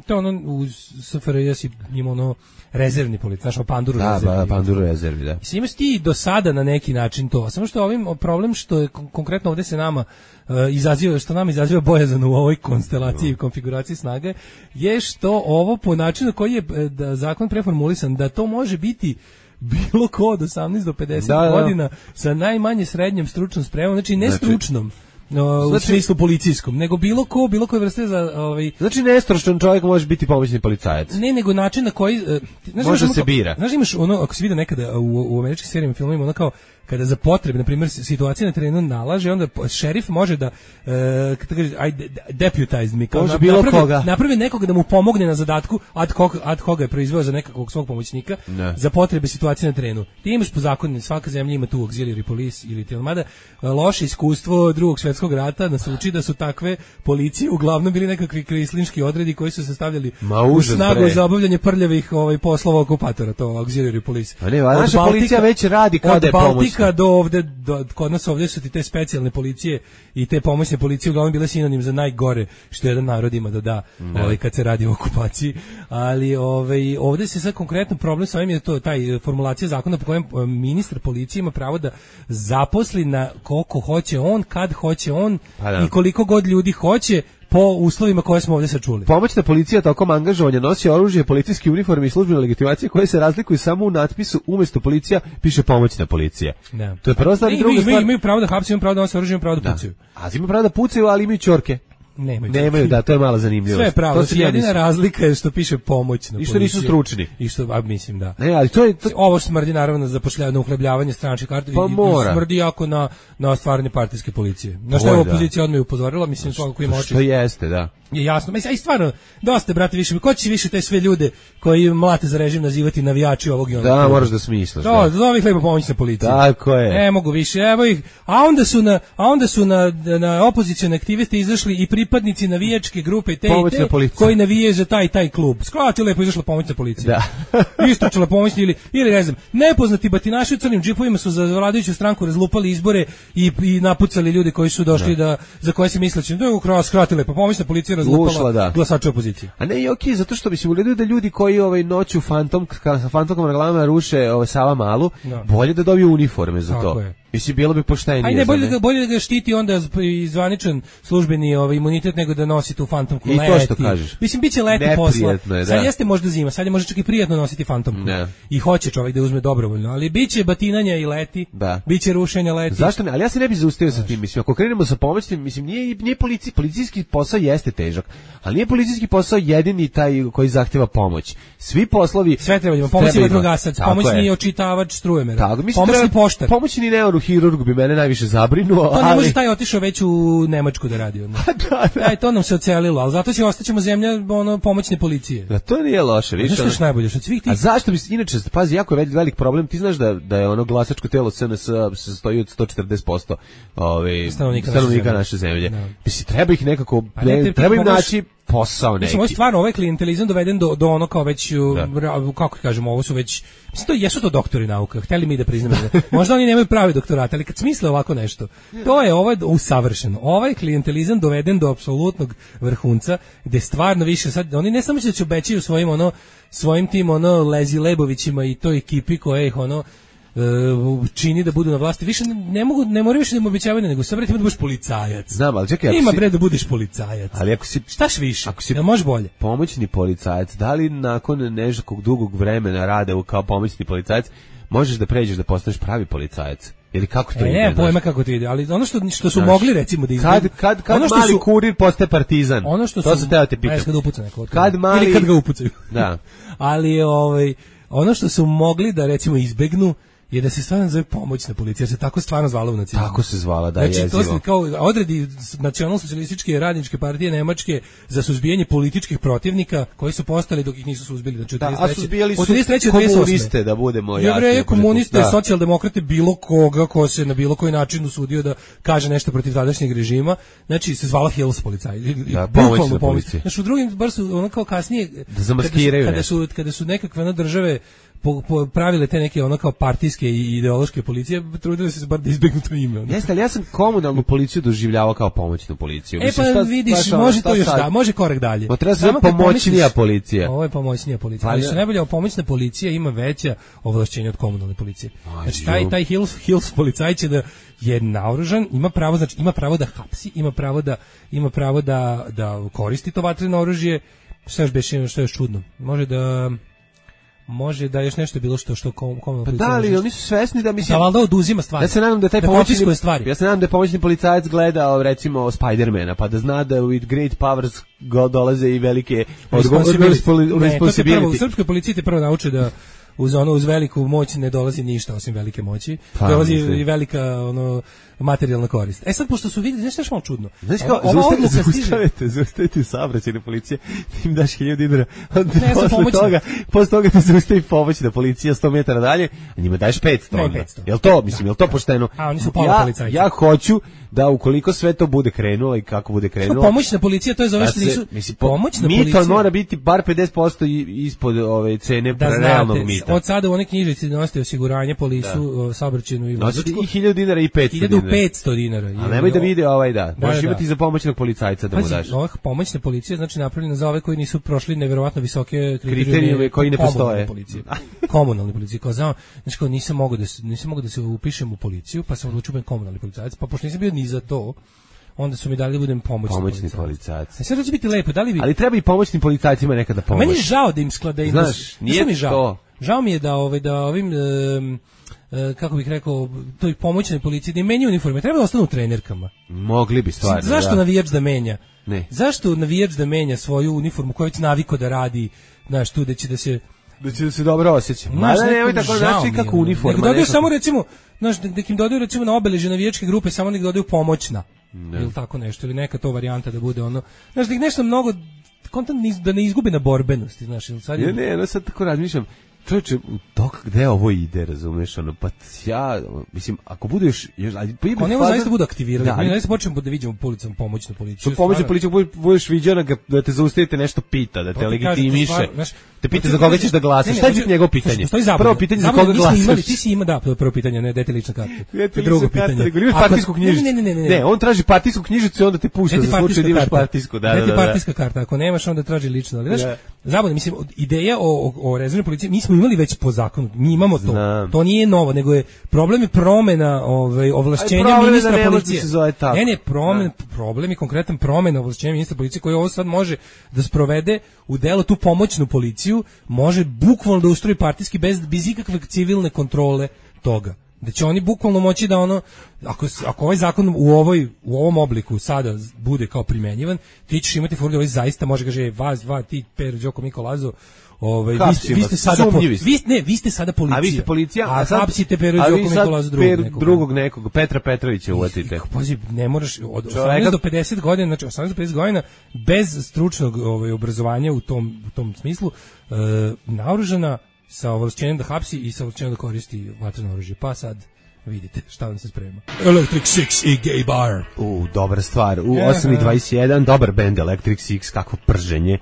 [SPEAKER 6] to u SFRJ ima rezervni policija, znaš, panduru rezervi.
[SPEAKER 7] Da, panduru rezervi, da.
[SPEAKER 6] Imaš ti do sada na neki način to, samo što problem što je konkretno ovdje se nama izaziva bojazan u ovoj konstelaciji i konfiguraciji snage, je što ovo po načinu koji je zakon preformulisan, da to može biti bilo ko od 18 do 50 godina sa najmanje srednjom stručnom spremom, znači ne stručnom, u smislu policijskom, nego bilo koje vrste za
[SPEAKER 7] Znači nestručan čovjek može biti pomoćni policajac.
[SPEAKER 6] Ne, nego način na koji
[SPEAKER 7] može se bira.
[SPEAKER 6] Znaš, imaš ako se vidi nekada u američkim serijama i filmovima, kao kada za potrebe, na primjer, situacija na terenu nalaže, onda šerif može da deputize mi, kao napravi nekoga da mu pomogne na zadatku, ad hoc je proizveo za nekakvog svog pomoćnika za potrebe situacije na terenu. Ti imaš po zakonu, svaka zemlja ima tu auxiliary police ili mada loše iskustvo Drugog svjetskog rata nas uči da su takve policije uglavnom bili nekakvi krislinški odredi koji su se stavljali u snagu za obavljanje prljavih poslova okupatora, to auxiliary police.
[SPEAKER 7] Pa ne, naša policija već radi kao da je pomoć.
[SPEAKER 6] Do ovde, kod nas ovdje su ti te specijalne policije i te pomoćne policije uglavnom bile sinonim za najgore što jedan narod ima da kad se radi o okupaciji, ali ovdje se sad konkretno problem sa ovim je to taj formulacija zakona po kojem ministar policije ima pravo da zaposli na koliko hoće on, kad hoće on i koliko god ljudi hoće po uslovima koje smo ovdje sad čuli.
[SPEAKER 7] Pomoćna policija tokom angažovanja nosi oružje, policijski uniforme i službene legitimacije koje se razlikuju samo u natpisu, umjesto policija piše pomoćna policija.
[SPEAKER 6] Da.
[SPEAKER 7] To je prva stvar i druga stvar.
[SPEAKER 6] Imaju pravo da hapse, imaju pravo da nose oružje, imaju pravo da pucaju.
[SPEAKER 7] A imaju pravo da pucaju, ali imaju ćorke. Nemaju, da, to je mala zanimljivost.
[SPEAKER 6] Sve je pravo, jedina razlika je što piše pomoćna policija.
[SPEAKER 7] I što nisu stručni.
[SPEAKER 6] I što, mislim, da.
[SPEAKER 7] Ne, ali to je...
[SPEAKER 6] Ovo smrdi naravno na uhlebljavanje stranačkih karti i smrdi jako na stvarne partijske policije. Na što je opozicija odmah upozorila, mislim, svakako ima oči.
[SPEAKER 7] Što jeste, da.
[SPEAKER 6] Je jasno, mislim, i stvarno, dosta, brate, više, ko će više te sve ljude koji mlate za režim nazivati navijači ovog i onog?
[SPEAKER 7] Da, moraš da smisliš.
[SPEAKER 6] Da, zove ih lepo pomoćna policija.
[SPEAKER 7] Tako je.
[SPEAKER 6] Ne mogu više, evo ih, a onda su na opozicione aktiviste izašli i pripadnici navijačke grupe te i te, koji navijaju za taj klub. Skrati lepo izašla pomoćna policija. Da. Istračila pomoćna ili ne znam, nepoznati batinaši u crnim džipovima su za vladajuću stranku razlupali izbore i napucali ljude koji su došli za koje se misleći, da skrati lepo pomoćna policija razlupala glasače opozicije.
[SPEAKER 7] A ne, i okej, zato što mislim, u redu da ljudi koji noću sa fantomkom na glavama ruše Sava Malu, bolje da dobiju uniforme za to. Mislim, bilo bi poštenije.
[SPEAKER 6] Ajde, bolje da ga štiti onda i zvaničan službeni imunitet nego da nosi tu fantomku
[SPEAKER 7] leti. I to što kažeš.
[SPEAKER 6] Mislim, biće leti posla. Sad jeste možda zima, sad je možda čak i prijatno nositi fantomku. I hoće čovjek da uzme dobrovoljno, ali biće batinanja i leti, biće rušenja leti.
[SPEAKER 7] Zašto ne? Ali ja se ne bih zaustavio sa tim. Mislim, ako krenemo sa pomoćnim, mislim, nije policijski posao jeste težak, ali nije policijski posao jedini taj koji zahtjeva pomoć. Svi poslovi...
[SPEAKER 6] Sve treba imati. Pomoćni vatrogasac, pomoćni očitavaj strujomera, pomoćni poštar.
[SPEAKER 7] Pomoćni neurohirurg bi mene najviše zabrinuo.
[SPEAKER 6] To ne može taj otišao već u Nemačku da radi. Da. To nam se ocelilo, ali zato ostaćemo zemlja pomoćne policije.
[SPEAKER 7] Da, to nije loše.
[SPEAKER 6] Znaš što je najbolje? Od svih tih...
[SPEAKER 7] A zašto bi se, inače, pazi, jako je velik problem. Ti znaš da je glasačko telo SNS se stoji od 140% stanovnika naše zemlje. Mislim, treba ih nekako, treba im naći posao neki.
[SPEAKER 6] Mislim, ovo je stvarno, ovaj klijentelizam doveden do ono kao već, kako kažemo, ovo su već, mislim, jesu to doktori nauka, hteli mi da priznamo. Možda oni nemaju pravi doktorat, ali kad smisle ovako nešto, to je ovo usavršeno. Ovaj klijentelizam doveden do apsolutnog vrhunca, gde stvarno više sad, oni ne samo da će obećaju svojim tim lezi lebovićima i toj ekipi koja ih čini da budu na vlasti, više ne moraju više da im obećavaju, nego sad, bre, ima da budeš policajac.
[SPEAKER 7] Znam, ali čekaj,
[SPEAKER 6] ima, bre, da budeš policajac.
[SPEAKER 7] Ali ako si...
[SPEAKER 6] Štaš više? Jel može bolje?
[SPEAKER 7] Pomoćni policajac, da li nakon nekog dugog vremena rade kao pomoćni policajac, možeš da pređeš da postaneš pravi policajac? Ili kako to ide?
[SPEAKER 6] Ne, pojma kako to ide, ali ono što su mogli, recimo, da izgledu...
[SPEAKER 7] Kad mali kurir postaje partizan? To se teo te pitam.
[SPEAKER 6] Kad upuca neko.
[SPEAKER 7] Ili
[SPEAKER 6] kad ga upucaju.
[SPEAKER 7] Da.
[SPEAKER 6] Ali, ono što su mogli da, recimo, izbegnu je da se stvarno zove pomoćna policija, jer se tako stvarno zvala u nacizmu.
[SPEAKER 7] Tako se zvala, da,
[SPEAKER 6] znači,
[SPEAKER 7] jezivo.
[SPEAKER 6] To su kao odredi nacionalno-socijalističke radničke partije Nemačke za suzbijanje političkih protivnika koji su postali dok ih nisu suzbili. Znači,
[SPEAKER 7] a suzbijali su komuniste, da budemo jasni.
[SPEAKER 6] Jevreje, komuniste, socijaldemokrate, bilo koga ko se na bilo koji način usudio da kaže nešto protiv tadašnjeg režima, znači se zvala Hills policaj.
[SPEAKER 7] Da, pomoćna policija.
[SPEAKER 6] Znači, u drugim bar su ono kao kasnije,
[SPEAKER 7] da zamaskiraju
[SPEAKER 6] kada su nekakve države pravile te neke kao partijske i ideološke policije, trudili se bar da izbegnu to ime.
[SPEAKER 7] Jeste, ali ja sam komuналnu policiju doživljavao kao pomoćnu policiju.
[SPEAKER 6] Pa vidiš, može to još može korak dalje.
[SPEAKER 7] Treba se pomoćnija policija.
[SPEAKER 6] Ovo je pomoćnija policija. Ali što najbolje, pomoćna policija ima veća ovlašćenja od komunalne policije. Znači, taj Hills policaj će da je naoružan, ima pravo da hapsi, ima pravo da koristi to vatreno oružje. Što je još čudno? Može da još nešto je bilo što komunalna policija.
[SPEAKER 7] Pa da, ali oni su svesni da mislim.
[SPEAKER 6] Da valjda oduzima stvari.
[SPEAKER 7] Ja se nadam da ja se nadam da je pomoćni policajac gledao recimo Spider-mana, pa da zna da with great powers dolaze i velike responsibility.
[SPEAKER 6] U srpskoj policiji te prvo nauče da uz veliku moć ne dolazi ništa osim velike moći. Dolazi i velika materijalna korist. Sad, pošto su vidjeli, znaš malo čudno.
[SPEAKER 7] Znaš kao, zaustavite saobraćajne policije, ti im daš 1000 dinara, posle toga te zaustavi pomoćna policija 100 metara dalje, a njima daješ 500. Jel to, mislim, jel to pošteno?
[SPEAKER 6] A oni su pola policajci.
[SPEAKER 7] Ja hoću da ukoliko sve to bude krenulo i kako bude krenulo.
[SPEAKER 6] Pomoćna policija, to je zove što nisu... Pomoćna policija...
[SPEAKER 7] Mito mora biti bar 50% ispod ove cene realnog mita.
[SPEAKER 6] Od sada u one knjižici nosite osiguranje, polisu, saobraćajnu i vozačku.
[SPEAKER 7] Nosite i 1000 dinara i 500 dinara.
[SPEAKER 6] 500 dinara.
[SPEAKER 7] A nemoj da vide da. Možeš imati za pomoćnog policajca da mu daš.
[SPEAKER 6] Pomoćna policija, znači napravljena za ove koji nisu prošli neverovatno visoke
[SPEAKER 7] kriterijume koji ne postoje.
[SPEAKER 6] Komunalne policije. Znači, nisam mogao da se upišem u policiju, pa sam odlučio biti komunalni policajac, pa pošto nisam bio ni za to, onda su mi dali da budem pomoćni policajac. Sad će biti lepo,
[SPEAKER 7] ali treba i pomoćnim policajcima nekada pomoći.
[SPEAKER 6] Meni je žao da im sklada.
[SPEAKER 7] Znaš, nije mi
[SPEAKER 6] to. Žao mi je da ovim kako bih rekao, toj pomoćnoj policiji da im menja uniforme, treba da ostanu u trenerkama.
[SPEAKER 7] Mogli bi stvarno.
[SPEAKER 6] Zašto navijač da menja?
[SPEAKER 7] Ne.
[SPEAKER 6] Zašto navijač da menja svoju uniformu koju već naviko da radi, znaš, tu da će da se
[SPEAKER 7] dobro osjeća. Nemoj tako znači kako uniforma.
[SPEAKER 6] Nek dodaju samo recimo, znaš, nek im dodaju recimo na obeležje navijačke grupe, samo nek dodaju pomoćna. Ili tako nešto, ili neka to varijanta da bude ono. Znaš, nek nešto mnogo kontant da ne izgubi na borbenosti, znaš, ili sad.
[SPEAKER 7] Ne, sad tako razmišljam. Čovječe, gde ovo ide, razumeš, ono, pa ja, mislim, ako budeš...
[SPEAKER 6] Ako nema zaista bude aktivirati, mi zaista počnemo da vidimo po ulicama pomoćnu policiju.
[SPEAKER 7] Pomoćnu policiju budeš viđena da te zaustavite nešto pita, da te legitimiše, te pita za koga ćeš da glasaš. Šta je biti njegovo pitanje? Prvo pitanje za koga glasaš.
[SPEAKER 6] Ti si ima, da, prvo pitanje, ne, dajte lična karta. Drugo pitanje.
[SPEAKER 7] Imaš partijsku knjižicu. Ne, on traži partijsku knjižicu i onda te pušta za slučaj da imaš partijsku.
[SPEAKER 6] Dajte partijska karta, ako nemaš onda traži lično. Ali, znaš, zabavno, mislim, ideja o rezervnoj policiji, mi smo imali već po zakonu, mi imamo to. To nije novo, nego je problem je promena ovlašćenja ministra policije. Problem je konkretan promena ovlašćenja ministra policije koji ovo sad može da sprovede u delo tu pomoćnu policiju, može bukvalno da ustroji partijski bez ikakve civilne kontrole toga. Da će oni bukvalno moći da ono, ako ovaj zakon u ovom obliku sada bude kao primenjivan, ti ćeš imati furdu, ovaj zaista može kaže vas dva, ti Per, Đoko, Miko, Lazo, vi ste sada vi ste sada policija.
[SPEAKER 7] A vi ste policija,
[SPEAKER 6] a sad hapsite Peru Đoku Mikolazu
[SPEAKER 7] drugog nekog Petra Petrovića uvatite.
[SPEAKER 6] Pazi, ne možeš od 18 do 50 godina, znači 18 do 50 godina bez stručnog obrazovanja u tom smislu, naoružana sa ovlašćenjem da hapsi i sa ovlašćenjem da koristi vatreno oružje. Pa sad vidite šta vam se sprema. Electric Six i Gay Bar.
[SPEAKER 7] Dobra stvar. U 8:21 dobar bend Electric Six, kakvo prženje.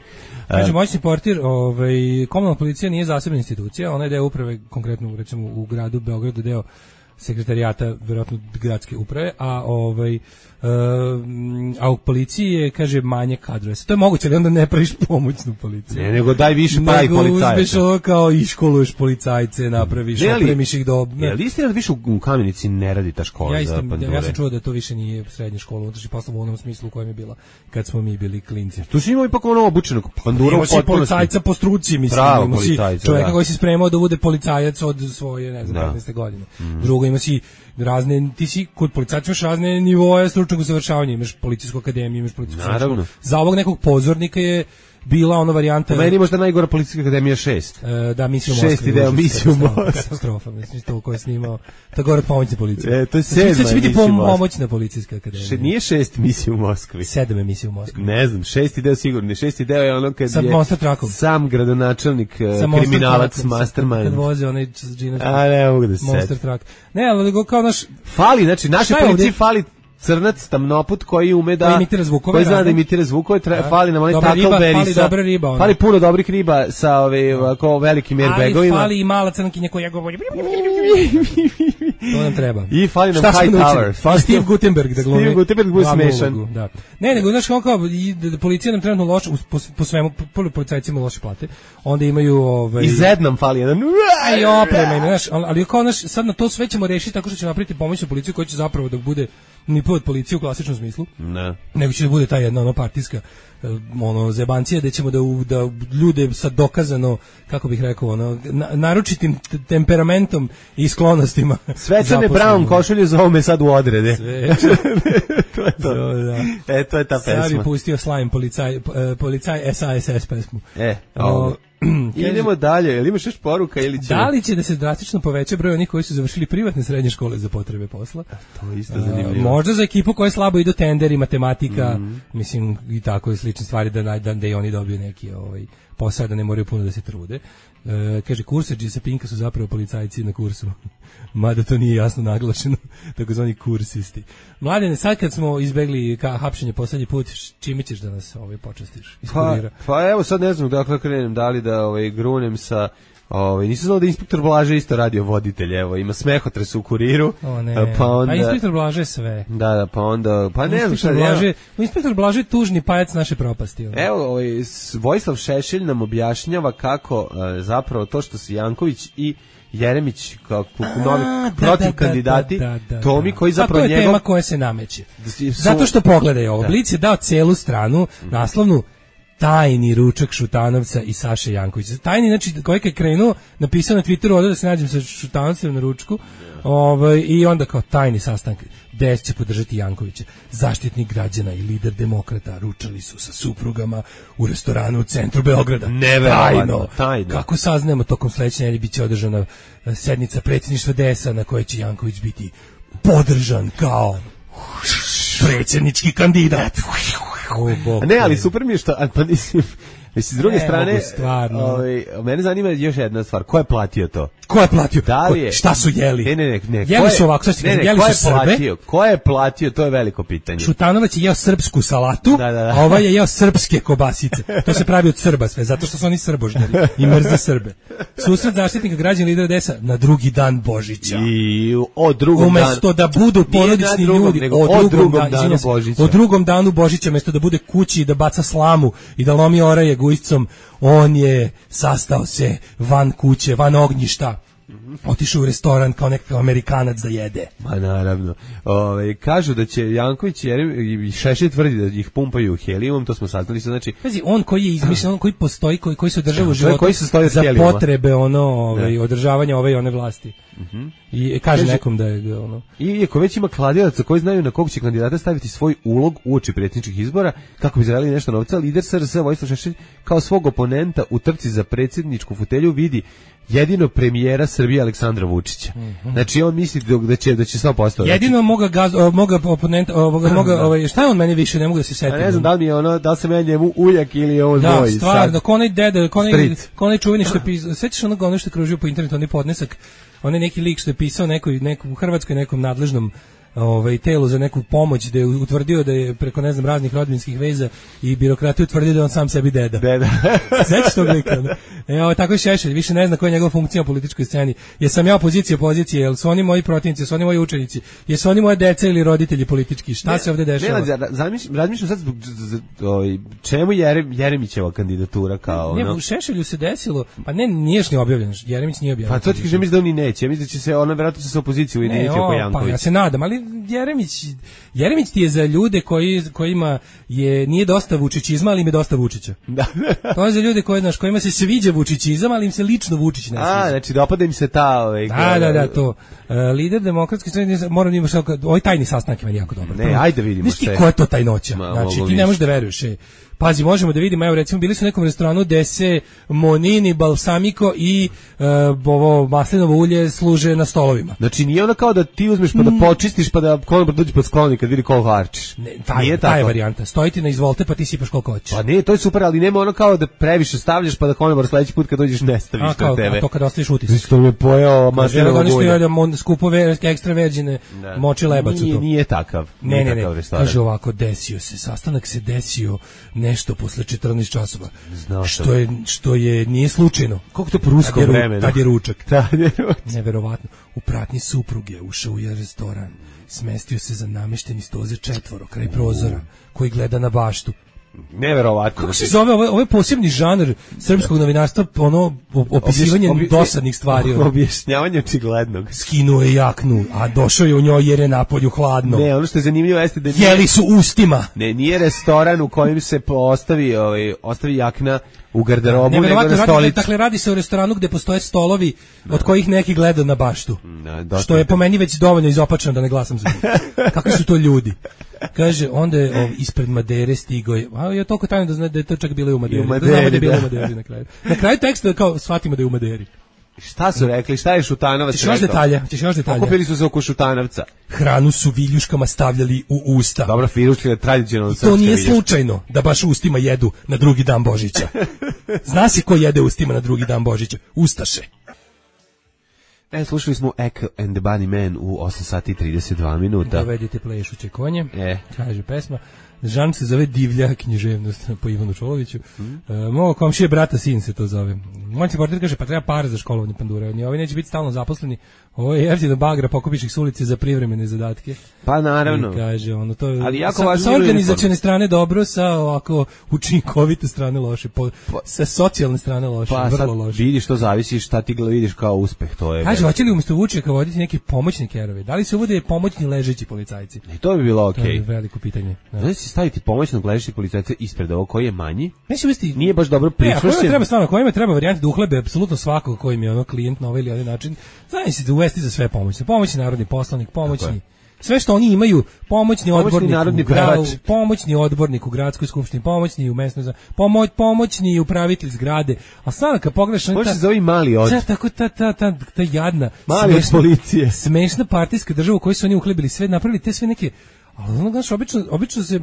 [SPEAKER 6] Znači, moćni portir, komunalna policija nije zasebna institucija, ona je deo uprave, konkretno recimo u gradu Beogradu, deo sekretarijata, verovatno gradske uprave, a u policiji je, kaže, manje kadrova. To je moguće, ali onda ne praviš pomoćnu policiju.
[SPEAKER 7] Ne, nego daj više pravi policajca.
[SPEAKER 6] Nego uzmeš ovo kao i školuješ policajce, napraviš, opremiš ih do...
[SPEAKER 7] Je li istina da više u Kamenici ne radi ta škola za pandure?
[SPEAKER 6] Ja sam čuo da to više nije srednja škola, unutrašnji poslov u onom smislu u kojem je bila kad smo mi bili klinci.
[SPEAKER 7] Tu si imao ipak ono obučenog pandura u potpunosti.
[SPEAKER 6] Imao si policajca po struci, mislim. Imao si čovjeka koji si spremao da bude policajac od svoje, ne znam, 15. godine. Drugo, ima si razne, ti si kod policajca imaš razne nivoe stručnog usavršavanja, imaš policijsku akademiju, imaš policijsku školu. Za ovog nekog pozornika je bila ona varijanta...
[SPEAKER 7] Meni možda najgora policijska akademija 6.
[SPEAKER 6] Da, misiju u Moskvi.
[SPEAKER 7] 6. deo misiju u Moskvi.
[SPEAKER 6] Katastrofa, mislim, to koje je snimao. To gore pomoćna policija.
[SPEAKER 7] To je 7.
[SPEAKER 6] Mislim, će biti pomoćna policijska akademija.
[SPEAKER 7] Nije 6 misiju u Moskvi.
[SPEAKER 6] 7 emisija u Moskvi.
[SPEAKER 7] Ne znam, 6. deo sigurno. 6. deo je ono kad
[SPEAKER 6] sad
[SPEAKER 7] je sam gradonačelnik, kriminalac, mastermind.
[SPEAKER 6] Kad voze onaj džinac.
[SPEAKER 7] A ne mogu da se
[SPEAKER 6] Monster Truck. Ne, ali kao naš...
[SPEAKER 7] Fali, znači, naše policiji fali crnac, tamnoput koji ume da
[SPEAKER 6] imitira zvukove,
[SPEAKER 7] koji zna da imitira zvukove, fali nam onaj Tackleberry, fali puno dobrih riba sa ovako velikim airbagovima.
[SPEAKER 6] Ali fali i mala crnkinja koja govori. To nam treba.
[SPEAKER 7] I fali nam Hightower.
[SPEAKER 6] Steve Gutenberg da glumi.
[SPEAKER 7] Steve Gutenberg bude smešan.
[SPEAKER 6] Da. Ne, nego znaš kao policija nam trenutno loše po svemu, policajcima loše plate. Onda imaju
[SPEAKER 7] i Zed nam fali jedan.
[SPEAKER 6] Aj oprema, znaš, ali kao naš sad na to sve ćemo rešiti tako što ćemo napraviti pomoćnu policiju koja će zapravo da bude ni pod policiju u klasičnom smislu.
[SPEAKER 7] Ne.
[SPEAKER 6] Nego će da bude ta jedna partijska zebancija da ćemo da ljude sa dokazano, kako bih rekao, naročitim temperamentom i sklonostima.
[SPEAKER 7] Svečane Brown košulje za ovome sad u odrede. To je to. To je ta pesma.
[SPEAKER 6] Sad bi pustio Slime policaj SASS pesmu.
[SPEAKER 7] Idemo dalje, jel imaš još poruka ili će...
[SPEAKER 6] Da li će da se drastično poveća broj onih koji su završili privatne srednje škole za potrebe posla?
[SPEAKER 7] To je isto zanimljivo.
[SPEAKER 6] Možda za ekipu koja slabo idu tenderi, matematika, mislim i tako i slične stvari da i oni dobiju neki posao da ne moraju puno da se trude. Kaže, kursađi sa Pinka su zapravo policajci na kursu. Mada to nije jasno naglašeno, takozvani kursisti. Mladene, sad kad smo izbegli hapšenje poslednji put, čime ćeš da nas počastiš?
[SPEAKER 7] Pa evo sad ne znam dakle krenem, da li da grunem sa... nisam znao da inspektor Blaže isto radio voditelj, evo, ima smehotres u Kuriru. Pa onda...
[SPEAKER 6] inspektor Blaže je sve.
[SPEAKER 7] Da, pa onda... Pa ne znam šta...
[SPEAKER 6] Inspektor Blaže je tužni pajac naše propasti.
[SPEAKER 7] Evo, Vojislav Šešelj nam objašnjava kako zapravo to što su Janković i Jeremić kao novi protiv kandidati, Tomi koji zapravo njegov...
[SPEAKER 6] To je tema koja se nameće. Zato što pogledaj ovo, Blic je dao celu stranu, naslovnu, tajni ručak Šutanovca i Saše Jankovića. Tajni, znači, kojeg je krenuo, napisao na Twitteru da se nađem sa Šutanovcem na ručku, i onda kao tajni sastanak. DS će podržati Jankovića. Zaštitnik građana i lider demokrata ručali su sa suprugama u restoranu u centru Beograda. Tajno. Kako saznajemo, tokom sledeće nedelje biće održana sednica predsjedništva DS-a na kojoj će Janković biti podržan kao predsjednički kandidat.
[SPEAKER 7] Ne, ali super mi je što, pa mislim, s druge strane, mene zanima još jedna stvar, ko je platio to?
[SPEAKER 6] Ko je platio?
[SPEAKER 7] Da li je?
[SPEAKER 6] Šta su jeli?
[SPEAKER 7] Ne.
[SPEAKER 6] Jeli su ovako, jeli su Srbe.
[SPEAKER 7] Ko je platio? To je veliko pitanje.
[SPEAKER 6] Šutanovac je jeo srpsku salatu, a ovaj je jeo srpske kobasice. To se pravi od Srba sve, zato što su oni srbožnjari i mrze Srbe. Susret zaštitnika građana lidera DS-a na drugi dan Božića. Umesto da budu porodični ljudi, o drugom danu Božića, umesto da bude kući i da baca slamu i da lomi oraje gujicom, on je sastao se van kuće, van ognjišta. Otišao u restoran kao nekakav Amerikanac da jede.
[SPEAKER 7] Ma naravno. Kažu da će Janković i Šešelj tvrdi da ih pumpaju helijumom, to smo saznali. Znači,
[SPEAKER 6] on koji je izmišljen, on koji postoji, koji se održava u životu za potrebe održavanja ove i one vlasti. I kaže nekom da je ono.
[SPEAKER 7] I ako već ima kladilaca koji znaju na kog će kandidata staviti svoj ulog uoči predsjedničkih izbora, kako bi zaradili nešto novca, lider SRS Vojislav Šešelj kao svog oponenta u trci za predsjedničku fotelju vidi jedino premijera Srbije Aleksandra Vučića. Znači on misli da će sve postati.
[SPEAKER 6] Jedino moga oponenta, šta je on meni više, ne mogu da se setim.
[SPEAKER 7] Ne znam da li mi je ono, da li se meni njemu ujak ili ovo
[SPEAKER 6] dvoji. Da, stvarno, ko onaj dede, ko onaj čuveni što je pisao, sećaš ono što je kružio po internetu, onaj podnesak, onaj neki lik što je pisao u Hrvatskoj nekom nadležnom telu za neku pomoć, da je utvrdio da je preko raznih rodbinskih veza i birokrati utvrdio da on sam sebi deda. Sećaš tog lika? Tako je Šešelj, više ne zna koja je njegova funkcija u političkoj sceni. Jesam ja opozicija, jel su oni moji protivnici, su oni moji učenici, jesu oni moje deca ili roditelji politički, šta se ovde dešava?
[SPEAKER 7] Razmišljam sad čemu Jeremićeva kandidatura kao...
[SPEAKER 6] Ne, u Šešelju se desilo, pa nije još ni objavljeno, Jeremić nije objavljeno.
[SPEAKER 7] Pa to ti kaže, mislim da oni neće, mislim da će se, ona vjerojatno će se opoziciju ujediniti oko Jankovića.
[SPEAKER 6] Pa ja se nadam, ali Jeremić ti je za ljude kojima nije dosta vučićizma, ali im je dosta Vučića. To je za ljude kojima se sviđa vučićizam, ali im se lično Vučić ne sviđa.
[SPEAKER 7] Znači dopada im se ta...
[SPEAKER 6] Da, to. Lider demokratske strane, moram da imaš ovaj tajni sastanak je meni jako dobar.
[SPEAKER 7] Ne, ajde vidimo
[SPEAKER 6] sve. Znaš ti ko je to tajnoća? Znači ti ne možeš da veruješ. Pazi, možemo da vidimo, evo recimo bili su u nekom restoranu gde se monini, balsamiko i ovo maslinovo ulje služe na stolovima.
[SPEAKER 7] Znači nije ono kao da ti uzmeš pa da počistiš pa da konobar dođe pod sklonik kad vidi koliko harčiš.
[SPEAKER 6] Ta je varijanta. Stoji ti na izvolte pa ti sipaš koliko hoćeš.
[SPEAKER 7] Pa ne, to je super, ali nema ono kao da previše stavljaš pa da konobar sledeći put kad dođeš ne staviš na tebe.
[SPEAKER 6] A to kad ostaviš utisak.
[SPEAKER 7] Što mi je pojeo maslinovo ulje.
[SPEAKER 6] Skupo ekstra verđine moči lebac u to.
[SPEAKER 7] Nije takav.
[SPEAKER 6] Ne. Kaže ovako, desio se, sastanak se desio nešto posle 14 časova. Što je nije slučajno.
[SPEAKER 7] Kako to po ruskom vremenu?
[SPEAKER 6] Tad je ručak. Neverovatno. U pratnji supruge ušao u restoran. Smestio se za namešteni sto za 4 kraj prozora koji gleda na baštu.
[SPEAKER 7] Neverovatno.
[SPEAKER 6] Kako se zove? Ovo je posebni žanr srpskog novinarstva, opisivanje dosadnih stvari.
[SPEAKER 7] Objašnjavanje očiglednog.
[SPEAKER 6] Skinuo je jaknu, a došao je u njoj jer je napolju hladno.
[SPEAKER 7] Ne, ono što je zanimljivo jeste da
[SPEAKER 6] jeli su ustima.
[SPEAKER 7] Ne, nije restoran u kojem se ostavi jakna u garderobu, nego na stolici.
[SPEAKER 6] Dakle, radi se o restoranu gde postoje stolovi od kojih neki gledaju na baštu. Što je po meni već dovoljno izopačeno da ne glasam za njih. Kakvi su to ljudi? Kaže, onda je ispred Madere stigao je, je toliko tajno da zna da je to čak bilo i u Maderi. Da znamo da je bilo u Maderi na kraju. Na kraju teksta kao shvatimo da je u Maderi.
[SPEAKER 7] Šta su rekli? Šta je Šutanovac
[SPEAKER 6] rekao? Ćeš još detalja.
[SPEAKER 7] Okupili su se oko Šutanovca.
[SPEAKER 6] Hranu su viljuškama stavljali u usta.
[SPEAKER 7] Dobro, viljuška je tradicionalno srpska.
[SPEAKER 6] To nije slučajno da baš ustima jedu na drugi dan Božića. Zna se ko jede ustima na drugi dan Božića? Ustaše.
[SPEAKER 7] Slušali smo Echo and the Bunnymen u 8 sati i 32 minuta.
[SPEAKER 6] Dovedite plešuće konje, kaže pesma. Žan se zove Divlja književnost po Ivanu Čoloviću. Mogo komšije brata sin se to zove. Moj se portir kaže pa treba para za školovanje pandura. Ni ovi neće biti stalno zaposleni. Ovo je jeftino bagra, pokupiš ih s ulice za privremene zadatke.
[SPEAKER 7] Pa naravno.
[SPEAKER 6] I kaže, ono, to je,
[SPEAKER 7] ali jako
[SPEAKER 6] sa organizacione strane dobro, sa ovako učinkovite strane loše, sa socijalne strane loše, vrlo loše.
[SPEAKER 7] Pa vidiš, to zavisi šta ti vidiš kao uspeh, to je.
[SPEAKER 6] Kaže, hoće li umjesto Vučeka voditi neki pomoćni kerovi? Da li se uvode pomoćni ležeći policajci?
[SPEAKER 7] I to bi bilo okej.
[SPEAKER 6] To je veliko pitanje.
[SPEAKER 7] Znači si staviti pomoćnog ležećeg policajca ispred ovog koji je manji?
[SPEAKER 6] Neće
[SPEAKER 7] nije baš dobro pričvršćen.
[SPEAKER 6] Kojima treba varijante da uhlebe apsolutno svakog kojim je ono klijent na ovaj ili onaj način. Znači da uvesti za sve pomoćni narodni poslanik, pomoćni. Sve što oni imaju, pomoćni odbornik u gradskoj skupštini, pomoćni u mesnoj pomoćni upravitelj zgrade. A sada kad pogledaš
[SPEAKER 7] on se zove mali od.
[SPEAKER 6] Tako ta jadna
[SPEAKER 7] mali od policije.
[SPEAKER 6] Smešna partijska država u kojoj su oni uhlebili sve, napravili te sve neke. Ali ono, znaš, obično se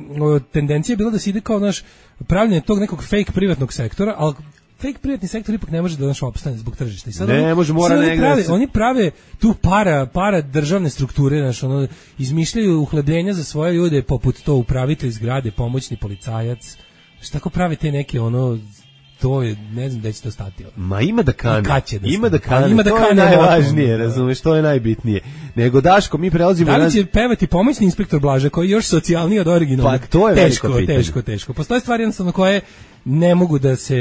[SPEAKER 6] tendencija je bila da se ide kao, znaš, pravljenje tog nekog fake privatnog sektora, ali fake privatni sektor ipak ne može da naš opstane zbog tržišta. I sad
[SPEAKER 7] ne može, mora negdje.
[SPEAKER 6] Oni prave tu para državne strukture, znaš, ono, izmišljaju uhlebljenja za svoje ljude, poput to upravitelj zgrade, pomoćni policajac. Što tako prave te neke, ono, to je, ne znam da će to stati.
[SPEAKER 7] Ma ima da kane.
[SPEAKER 6] Ima da kane,
[SPEAKER 7] to je najvažnije, razumeš, to je najbitnije. Nego Daško, mi prelazimo...
[SPEAKER 6] Da li će pevati pomoćni inspektor Blaža, koji je još socijalniji od originalnog?
[SPEAKER 7] Pa to je
[SPEAKER 6] teško. Postoje stvari jednostavno koje ne mogu da se...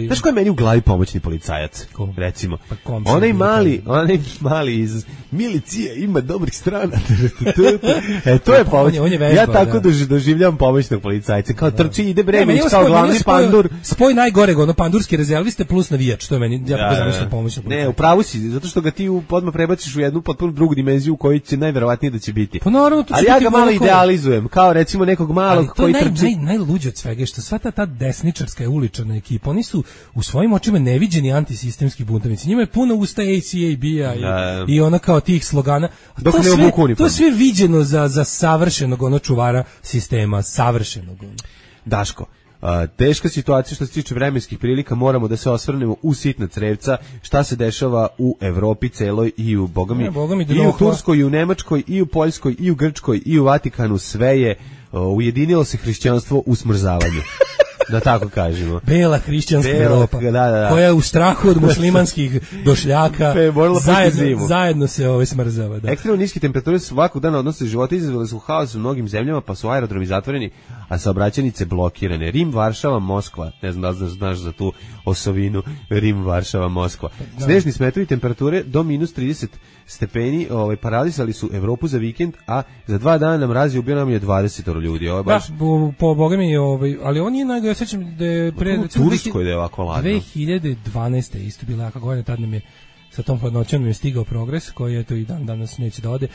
[SPEAKER 7] Znaš ko je meni u glavi pomoćni policajac?
[SPEAKER 6] Ko?
[SPEAKER 7] Recimo.
[SPEAKER 6] Pa
[SPEAKER 7] onaj mali iz milicije ima dobrih strana. To je pomoć. Ja tako doživljavam pomoćnog policajca. Kao trči, ide Bremić kao glavni pandur.
[SPEAKER 6] Spoj najgoreg, ono pandurski rezerviste plus navijač. To je meni, ja tako zamišljam pomoćnog policajca.
[SPEAKER 7] Ne, upravo si, zato što ga ti odmah prebaciš u jednu potpuno drugu dimenziju u kojoj će najverovatnije da će biti.
[SPEAKER 6] Pa naravno,
[SPEAKER 7] ali ja ga malo idealizujem, kao recimo nekog malog koji trči.
[SPEAKER 6] Najluđe od svega je što sva ta desničarska i uličarna ekipa, oni su u svojim očima neviđeni antisistemski buntovnici. Njima je puno usta ACAB-a i ona kao tih slogana. To je sve viđeno za savršenog ono čuvara sistema, savršenog.
[SPEAKER 7] Daško, teška situacija što se tiče vremenskih prilika, moramo da se osvrnemo u sitna crevca, šta se dešava u Evropi celoj i u bogami i u Turskoj, i u Nemačkoj, i u Poljskoj, i u Grčkoj, i u Vatikanu, sve je ujedinilo se hrišćanstvo u smrzavanju. Da tako kažemo.
[SPEAKER 6] Bela hrišćanska Evropa, koja je u strahu od muslimanskih došljaka, zajedno se smrzava. Da.
[SPEAKER 7] Ekstremno niske temperature svakog dana odnose života izazvale su haos u mnogim zemljama, pa su aerodromi zatvoreni, a saobraćajnice blokirane. Rim, Varšava, Moskva. Ne znam da li znaš za tu osovinu. Rim, Varšava, Moskva. Snežni smetrovi temperature do minus 30 stepeni paralisali su Evropu za vikend, a za 2 dana mraz je ubio nam je 20 ljudi.
[SPEAKER 6] Baš... Da, po Boga mi, ali on je najgore, ja sećam da je pre...
[SPEAKER 7] U Turskoj da je ovako ladno.
[SPEAKER 6] 2012. isto bila jaka godina, tad nam je sa tom hladnoćom nam je stigao progres, koji je to i danas neće da ode.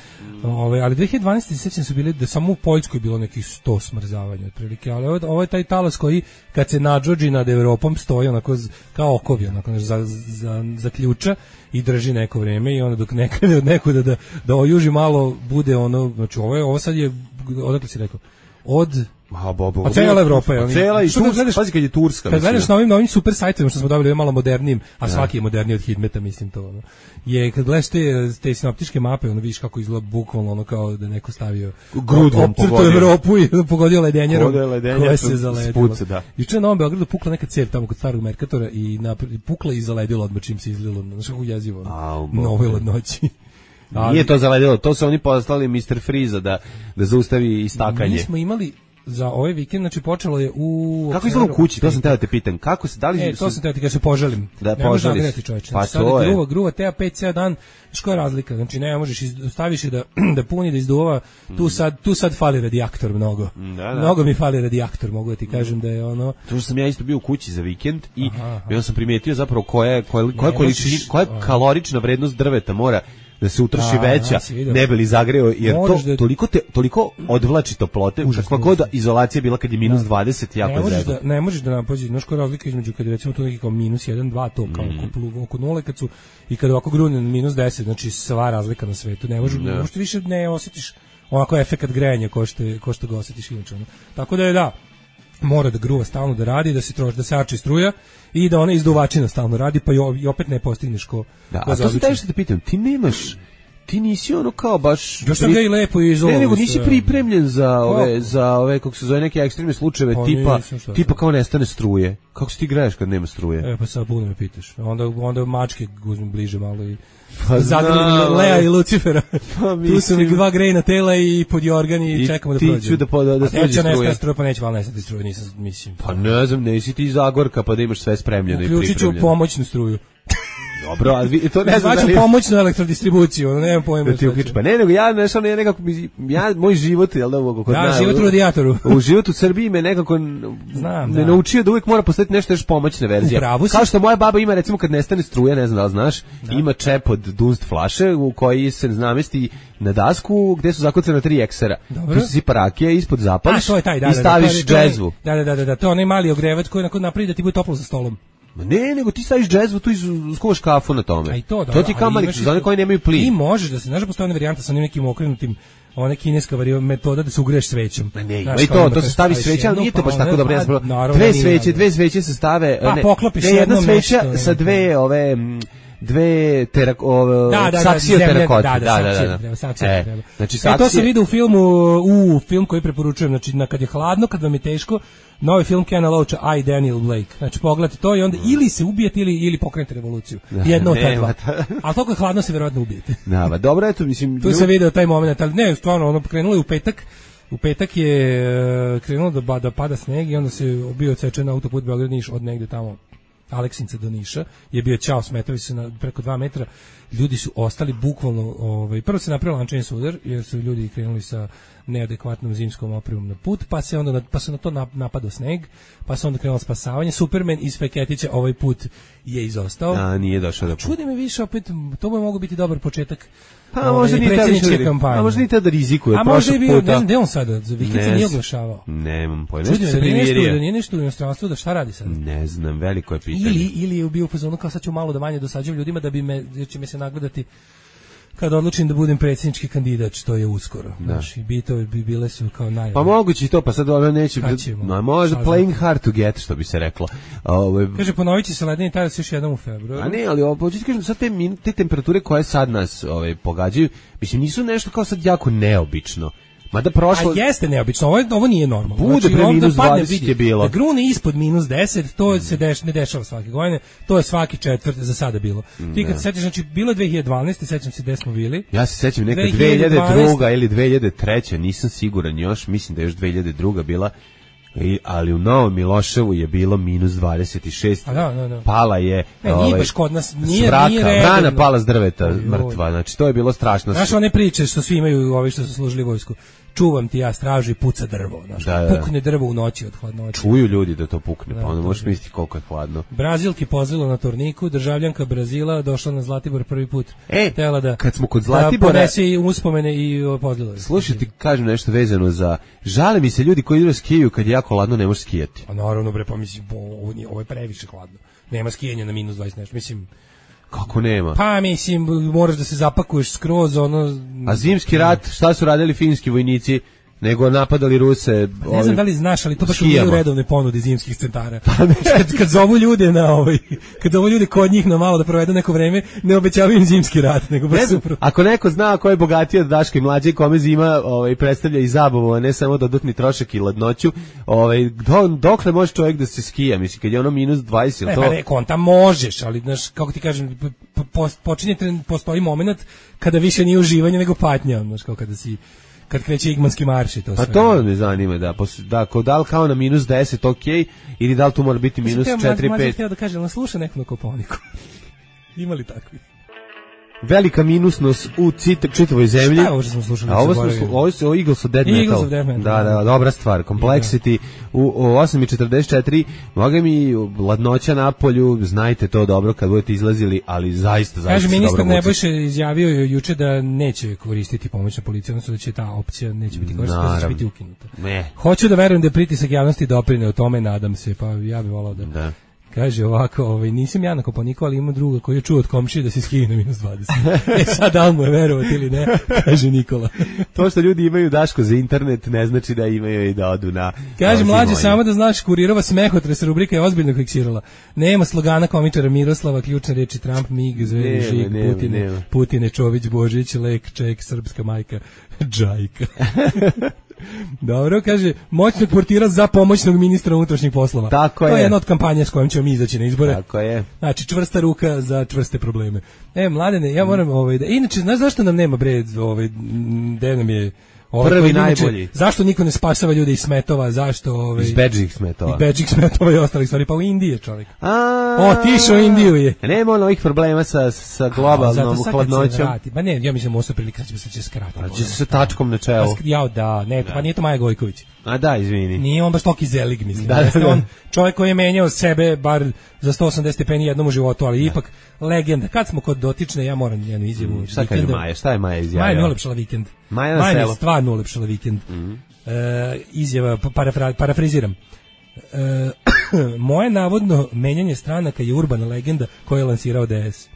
[SPEAKER 6] Ali 2012. sećam su bili da samo u Poljskoj bilo nekih 100 smrzavanja otprilike, ali ovo je taj talas koji kad se nadžođi nad Evropom stoji onako kao okovi, onako za ključa i drži neko vreme i onda dok ne krene od nekuda da ojuži malo bude ono, znači ovo sad je, odakle si rekao, a cijela Evropa je.
[SPEAKER 7] Cijela i Turska, pazi kad je Turska.
[SPEAKER 6] Kad gledaš na ovim super sajtovima što smo dobili malo modernijim, a svaki je moderniji od Hidmeta, mislim to. Ono. Je kad gledaš te sinoptičke mape, ono vidiš kako izgleda bukvalno ono kao da neko stavio
[SPEAKER 7] grudvom
[SPEAKER 6] pogodio Evropu i pogodio ledenjerom koja se zaledila. Juče na Novom Beogradu pukla neka cev tamo kod starog Merkatora i pukla i zaledila odmah čim se izlilo. Znaš kako jezivo. Na ovoj ladnoći.
[SPEAKER 7] Nije to zaledilo, to su oni poslali Mr. Freeza da zaustavi istakanje.
[SPEAKER 6] Mi smo imali za ovaj vikend, znači počelo je u...
[SPEAKER 7] Kako izgleda u kući, to sam teo da te pitam, kako se, da li...
[SPEAKER 6] to sam teo da ti kada se poželim.
[SPEAKER 7] Da poželiš.
[SPEAKER 6] Pa to je. Gruva teja 5 dan, što je razlika, znači ne možeš, staviš je da puni, da izduva, tu sad fali radijator mnogo. Mnogo mi fali radijator, mogu da ti kažem da je ono...
[SPEAKER 7] To što sam ja isto bio u kući za vikend i onda sam primijetio zapravo koja je kalorična vrednost drveta mora da se utroši veća, ne bi li zagreo, jer toliko odvlači toplote, kakva god izolacija bila kad je minus 20, jako zezno.
[SPEAKER 6] Ne možeš da napazi, znaš koja razlika između kad je recimo tu neki kao minus 1, 2, to kao oko nule, i kad ovako grune minus 10, znači sva razlika na svetu, ne možeš više ne osjetiš onako efekat grejanja ko što ga osjetiš inače. Tako da je mora da gruva stalno da radi, da se arči struja i da ona izduvačina stalno radi, pa i opet ne postigneš ko
[SPEAKER 7] a to se teže da pitam, ti nisi ono kao baš...
[SPEAKER 6] Ja sam ga i lepo izolovan.
[SPEAKER 7] Ne, nego nisi pripremljen za ove, kako se zove, neke ekstremne slučajeve, tipa kao nestane struje. Kako se ti greješ kad nema struje?
[SPEAKER 6] Pa sad puno me pitaš. Onda mačke uzmem bliže malo i... Zagrali Lea i Lucifera. Tu su mi 2 grejna tela i pod jorgan i čekamo da prođemo.
[SPEAKER 7] Da
[SPEAKER 6] neće nestati struje, pa neće val nestati struje, nisam, mislim.
[SPEAKER 7] Pa ne znam, nisi ti Zagorka pa da imaš sve spremljeno i pripremljeno.
[SPEAKER 6] Uključit ću pomoćnu struju.
[SPEAKER 7] Dobro, ali to ne znam da li...
[SPEAKER 6] pomoćnu elektrodistribuciju, ono, nemam pojma.
[SPEAKER 7] Pa ne, nego ja nešto ne nekako, moj život, jel da, kod nas...
[SPEAKER 6] život u radijatoru.
[SPEAKER 7] U životu u Srbiji me nekako ne naučio da uvijek mora postati nešto još pomoćna verzija. Kao što moja baba ima, recimo, kad nestane struja, ne znam da li znaš, ima čep od dunst flaše u koji se namesti na dasku gde su zakucane 3 eksera. Tu se sipa rakija, ispod zapališ i staviš džezvu.
[SPEAKER 6] Da, to je onaj mali ogrevač koji napravi da ti bude toplo za stolom.
[SPEAKER 7] Ne, nego ti staviš džezvu, tu skuvaš kafu na tome. To ti kamali, za one koji nemaju plin.
[SPEAKER 6] Ti možeš da se, znaš da postoji ona varijanta sa onim nekim okrenutim, ona kineska metoda da se ugreješ svećom.
[SPEAKER 7] Ne, ima i to se stavi sveća, ali nije to baš tako dobro. Dve sveće se stave, jedna sveća sa dve saksije od terakote.
[SPEAKER 6] Saksije treba. Znači, to se vidi u filmu, film koji preporučujem, znači kad je hladno, kad vam je teško, novi film Kena Loacha, I, Daniel Blake. Znači, pogledajte to i onda ili se ubijete ili pokrenete revoluciju. Jedno od ta dva. Ali toliko je hladno se verovatno ubijete.
[SPEAKER 7] Dobro, eto, mislim...
[SPEAKER 6] Tu se vidio taj moment, ali ne, stvarno, ono krenulo je u petak. U petak je krenulo da pada sneg i onda se bio odsečen autoput Beograd-Niš od negde tamo Aleksinca do Niša, je bio ćao, smetovi su preko 2 metra, ljudi su ostali bukvalno, prvo se napravio lančani sudar, jer su ljudi krenuli sa neadekvatnom zimskom opremom na put, pa se na to napadao sneg, pa se onda krenulo spasavanje. Superman iz Feketića ovaj put je izostao.
[SPEAKER 7] Nije došao da...
[SPEAKER 6] Čudi me više, opet, to bi mogao biti dobar početak
[SPEAKER 7] predsjedničke kampanje. A možda ni tada rizikuje.
[SPEAKER 6] A možda je bio, ne znam, gde on sada, za vikend se nije oglašavao.
[SPEAKER 7] Nemam pojma.
[SPEAKER 6] Čudi me, da nije nešto u inostranstvu, da šta radi sad?
[SPEAKER 7] Ne znam, veliko je pitanje.
[SPEAKER 6] Ili je bio u fazonu kao sad ću malo da manje dosađujem ljudima da jer će me se nagledati kad odlučim da budem predsjednički kandidat, što je uskoro. Znači, bile su kao najave.
[SPEAKER 7] Pa moguće i to, pa sad ono neće... Možda playing hard to get, što bi se reklo.
[SPEAKER 6] Kaže, ponovit će se ledeni tajas još jednom u februaru.
[SPEAKER 7] A ne, ali početi kažem, sad te temperature koje sad nas pogađaju, mislim, nisu nešto kao sad jako neobično. Mada prošlo...
[SPEAKER 6] A jeste neobično, ovo nije normalno.
[SPEAKER 7] Bude znači, pre minus 20 je bilo.
[SPEAKER 6] Da grune ispod minus 10, to se ne dešava svake godine, to je svaki četvrt za sada bilo. Ti kad se setiš, znači bilo 2012, sećam se gde smo bili.
[SPEAKER 7] Ja se sećam neka 2002 ili 2003, nisam siguran još, mislim da je još 2002 bila. Ali u Novom Miloševu je bilo minus 26. Pala je
[SPEAKER 6] nije baš kod nas, nije
[SPEAKER 7] vrana pala s drveta mrtva, znači to je bilo strašno.
[SPEAKER 6] Znaš one priče što svi imaju, ovi što su služili vojsku, čuvam ti ja stražu i puca drvo, pukne drvo u noći od hladnoće.
[SPEAKER 7] Čuju ljudi da to pukne, pa onda možeš misliti koliko je hladno.
[SPEAKER 6] Brazilki pozvilo na turniku, državljanka Brazila došla na Zlatibor prvi put.
[SPEAKER 7] Kad smo kod Zlatibora,
[SPEAKER 6] da ponese i uspomene i pozvilo.
[SPEAKER 7] Slušaj, ti kažem nešto vezano za, žale mi se ljudi koji idu skijaju kad je jako hladno, ne može skijati.
[SPEAKER 6] A naravno bre, pa mislim, ovo je previše hladno. Nema skijanja na minus 20 nešto, mislim.
[SPEAKER 7] Kako nema?
[SPEAKER 6] Pa mislim, moraš da se zapakuješ skroz, ono...
[SPEAKER 7] A zimski rat, šta su radili finski vojnici, nego napadali Ruse...
[SPEAKER 6] Ne znam da li znaš, ali to baš nije u redovne ponudi zimskih centara. Kad zovu ljude kad zovu ljude kod njih na malo da provedu neko vreme, ne obećavaju im zimski rat, nego baš super.
[SPEAKER 7] Ako neko zna ko je bogatiji od Daška i mlađe, kome zima predstavlja i zabavu, a ne samo dodatni trošak i ladnoću, dokle može čovjek da se skija, mislim, kad je ono minus 20, ili to...
[SPEAKER 6] Ne, konta možeš, ali, znaš, kako ti kažem, postoji moment kada više nije uživanje nego patnja, znaš, kao kad kreće igmanski marš i to sve.
[SPEAKER 7] Pa to me zanima, da li kao na minus 10, ok, ili da li tu mora biti minus 4-5.
[SPEAKER 6] Mlađe htio da kažem, ali sluša neko na Koponiku. Ima li takvi?
[SPEAKER 7] Velika minusnost u čitavoj zemlji.
[SPEAKER 6] Šta je ovo što smo slušali?
[SPEAKER 7] Ovo je Eagles of Death Metal. Da, dobra stvar. Complexity u 8.44. Moga mi ladnoća na polju, znajte to dobro kad budete izlazili, ali zaista
[SPEAKER 6] kaže, ministar Nebojša izjavio juče da neće koristiti pomoćna policija, odnosno da će ta opcija neće biti koristiti, da će biti ukinuta. Hoću da verujem da je pritisak javnosti doprineo tome, nadam se, pa ja bih volao da... Kaže ovako, nisam ja na Koponiku, ali imam druga koji je čuo od komšije da se skine na -20. Sad da li mu je verovati ili ne, kaže Nikola.
[SPEAKER 7] To što ljudi imaju Daško za internet ne znači da imaju i da odu na...
[SPEAKER 6] Kaže mlađe, samo da znaš, Kurirova smehotres rubrika je ozbiljno fiksirala. Nema slogana komičara Miroslava, ključne reči Trump, Mig, Zveri, Žig, Putine, Čović, Božić, Lek, Ček, srpska majka, Džajka. Dobro, kaže, moćnog portira za pomoćnog ministra unutrašnjih poslova.
[SPEAKER 7] Tako je.
[SPEAKER 6] To je jedna od kampanja s kojom ćemo mi izaći na izbore.
[SPEAKER 7] Tako je.
[SPEAKER 6] Znači, čvrsta ruka za čvrste probleme. Mladene, ja moram, inače, znaš zašto nam nema, bre, gde nam je...
[SPEAKER 7] Prvi najbolji.
[SPEAKER 6] Zašto niko ne spasava ljude iz smetova, zašto...
[SPEAKER 7] Iz bedžih smetova.
[SPEAKER 6] Iz bedžih smetova i ostalih stvari, pa u Indiji je čovjek. Otišao u Indiju je.
[SPEAKER 7] Nema ovih problema sa globalnom hladnoćom.
[SPEAKER 6] Pa ne, ja mislim, ovo su prilike da će skratiti.
[SPEAKER 7] Ali će se sa tačkom na čelu.
[SPEAKER 6] Pa nije to Maja Gojković.
[SPEAKER 7] A da, izvini.
[SPEAKER 6] Nije on baš toki zelig, mislim. Da. On čovjek koji je menjao sebe bar za 180 stepeni jednom u životu, ali ipak legenda. Kad smo kod dotične, ja moram njenu izjavu.
[SPEAKER 7] Šta kaže Maja? Šta je Maja izjavila?
[SPEAKER 6] Maja je ulepšala vikend. Maja je stvarno ulepšala vikend. Izjava, parafriziram. Moje navodno menjanje stranaka je urbana legenda koju je lansirao DS.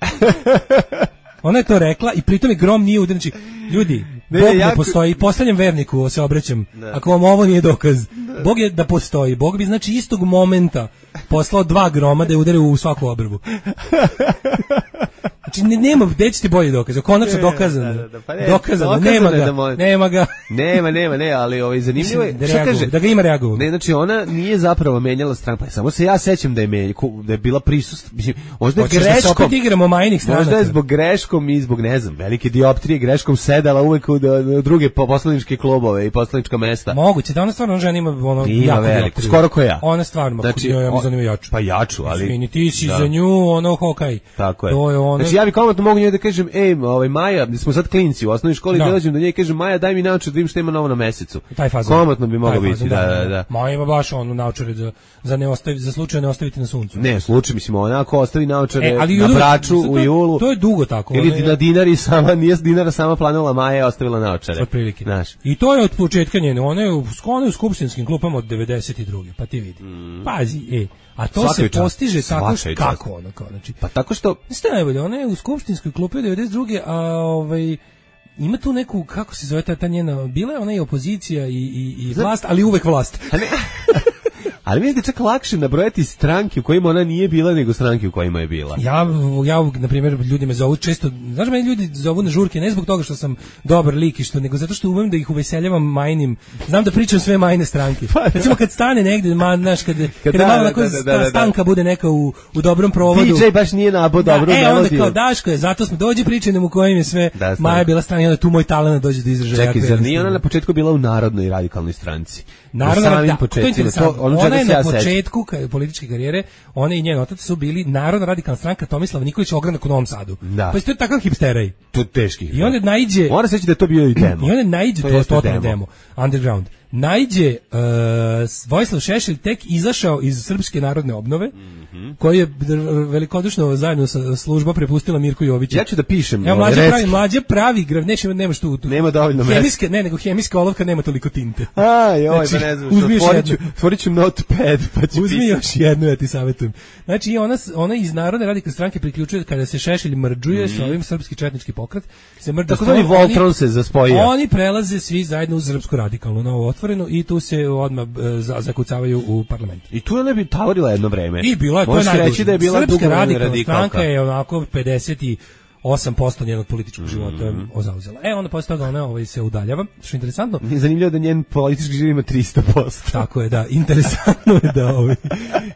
[SPEAKER 6] Ona je to rekla i pritom je grom nije udarniči. Ljudi, Bog ne postoji, postavljam verniku, se obraćam, ako vam ovo nije dokaz. Bog je da postoji, Bog bi znači istog momenta poslao 2 groma da je udare u svaku obrvu. Znači nema, gde će ti bolji dokaz, konačno dokazano. Dokazano, nema ga.
[SPEAKER 7] Nema, ali zanimljivo je, što kaže?
[SPEAKER 6] Da ga ima reagovao.
[SPEAKER 7] Ne, znači ona nije zapravo menjala stranku, samo se ja sećam da je bila prisutna, možda je greškom.
[SPEAKER 6] Opet igramo majnih stranaka.
[SPEAKER 7] Možda je zbog greškom i zbog, ne znam, velike dioptrije greškom sedala uvek u druge poslaničke klubove i poslanička mesta.
[SPEAKER 6] Moguće, da ona stvarno žena ima jako
[SPEAKER 7] veliko, skoro ko ja.
[SPEAKER 6] Ona stvarno, znači, ja mi zanima jaču.
[SPEAKER 7] Pa jaču, ali...
[SPEAKER 6] Svini, ti si za nju, hokaj.
[SPEAKER 7] Tako je. Znači ja bi komotno mogu njoj da kažem, Maja, smo sad klinci u osnovnoj školi, dolazim do nje i kažem, Maja, daj mi naočar da vidim što ima novo na mesecu. Komotno bi moglo biti, da.
[SPEAKER 6] Maja ima baš naočare za slučaj ne ostaviti na suncu.
[SPEAKER 7] Ne, slučaj, mislim, onako ostavi naočare na Braču u julu.
[SPEAKER 6] To je dugo tako.
[SPEAKER 7] Ili na Dinari sama, nije Dinara sama planula, Maja je ostavila naočare.
[SPEAKER 6] Otprilike. I to je od početka njene, ona je u skupštinskim klupama od 92. Pa ti vidi. Pazi, a to se postiže tako kako ono kao, znači.
[SPEAKER 7] Pa tako što
[SPEAKER 6] ste najbolje, ona je u skupštinskoj klupi od 92. a ima tu neku, kako se zove ta njena, bila je ona i opozicija i vlast, ali uvek vlast.
[SPEAKER 7] Ali mi je čak lakše nabrojati stranke u kojima ona nije bila nego stranke u kojima je bila.
[SPEAKER 6] Ja na primjer, ljudi me zovu često, znaš, meni ljudi zovu na žurke ne zbog toga što sam dobar lik i nego zato što umem da ih uveseljavam majnim, znam da pričam sve majne stranke. Recimo kad stane negde, znaš, kad malo stanka bude neka u dobrom provodu.
[SPEAKER 7] DJ baš nije nabo dobro melodiju.
[SPEAKER 6] Onda kao Daško je, zato smo dođi pričaj nam u kojim je sve Maja bila strana i onda tu moj talent dođe do izražaja.
[SPEAKER 7] Čekaj, zar nije ona na početku bila u Narodnoj radikalnoj stranci?
[SPEAKER 6] Naravno, ona je na početku političke karijere, ona i njen otac su bili Narodna radikalna stranka Tomislava Nikolića ogranak u Novom Sadu. Pa isto je takav hipsteraj.
[SPEAKER 7] To teški.
[SPEAKER 6] I onda naiđe...
[SPEAKER 7] Mora se reći da je to bio i demo.
[SPEAKER 6] I onda naiđe, to je totalno demo. Underground. Naiđe Vojislav Šešelj tek izašao iz Srpske narodne obnove, koji je velikodušno zajedno sa služba prepustila Mirku Joviću.
[SPEAKER 7] Ja ću da pišem.
[SPEAKER 6] Mlađe pravi grav, nemaš tu.
[SPEAKER 7] Nema dovoljno mesta.
[SPEAKER 6] Nego hemijska olovka nema toliko tinte.
[SPEAKER 7] Pa ne znam, otvorit ću notepad, pa ću pisati.
[SPEAKER 6] Uzmi još jednu, ja ti savjetujem. Znači, ona iz Narodne radikalne stranke priključuje kada se Šešelj mrđuje sa ovim srpski četnički pokret.
[SPEAKER 7] Tako da Voltron se zaspojio.
[SPEAKER 6] Oni prelaze svi zajedno u Srpsku radikalnu, novo otvorenu, i tu se odmah zakucavaju u parlamentu.
[SPEAKER 7] I tu je ne bi tavorila jedno vreme.
[SPEAKER 6] I bila je, to je najduže. Srpska radikalna stranka je onako 58% njenog političkog života zauzela. Onda posle toga ona se udaljava, što je interesantno.
[SPEAKER 7] Zanimljivo da njen politički život ima 300%.
[SPEAKER 6] Tako je, da.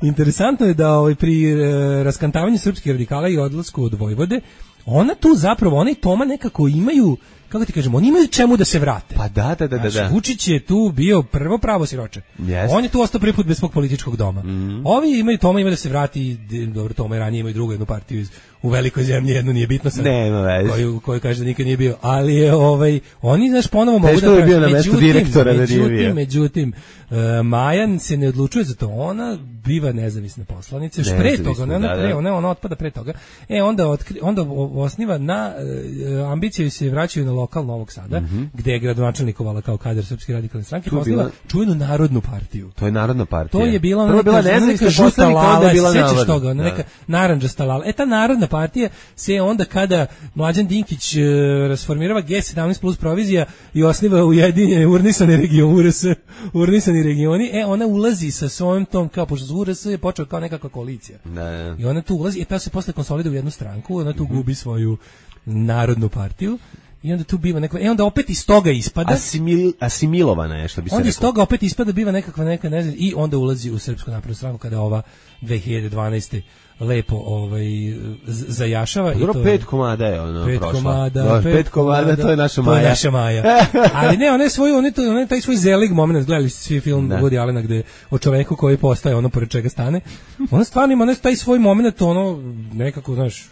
[SPEAKER 6] Interesantno je da pri raskantavanju srpskih radikala i odlasku od Vojvode, ona tu zapravo, ona i Toma nekako imaju, kako ti kažemo, oni imaju čemu da se vrate.
[SPEAKER 7] Pa da.
[SPEAKER 6] Vučić je tu bio prvo pravo siroče. On je tu ostao prvi put bez svog političkog doma. Ovi imaju, Toma ima da se vrati, dobro, Toma je ranije imaju drugu jednu partiju u velikoj zemlji, jednu nije bitno sad, koju kaže da nikad nije bio, ali je oni, znaš, ponovo mogu da
[SPEAKER 7] bio na mestu direktora da nije bio.
[SPEAKER 6] Međutim, Majan se ne odlučuje za to, ona biva nezavisna poslanica, još pre toga, ona otpada pre toga, onda osniva na ambiciju se vraćaju na lokal Novog Sada, gde je gradonačelnikovala kao kadar Srpske radikalne stranke, postavila čuvenu Narodnu partiju.
[SPEAKER 7] To je Narodna partija.
[SPEAKER 6] To je bila neka žuta lala, sećaš toga, neka narandžasta lala. Ta Narodna partija se onda kada Mlađan Dinkić rasformirava G17 plus provizija i osniva ujedinjene urnisani regioni, ona ulazi sa svojom tom, kao pošto URS je počeo kao nekakva koalicija. I ona tu ulazi, ta se posle konsoliduje u jednu stranku, ona tu gubi svoju Narodnu partiju. I onda tu biva neka, onda opet iz toga ispada
[SPEAKER 7] asimilovana je, što bi se rekao.
[SPEAKER 6] Onda iz toga opet ispada biva nekakva neka, ne znam, i onda ulazi u Srpsku naprednu stranku kada ova 2012. lepo zajašava.
[SPEAKER 7] Dobro, 5 komada je ono prošla.
[SPEAKER 6] 5 komada,
[SPEAKER 7] to je naša Maja.
[SPEAKER 6] To je naša Maja. Ali ne, ona taj svoj zelig moment, gledali ste svi film Woody Allena gde o čoveku koji postaje ono pored čega stane. Ona stvarno ima taj svoj moment, ono nekako, znaš,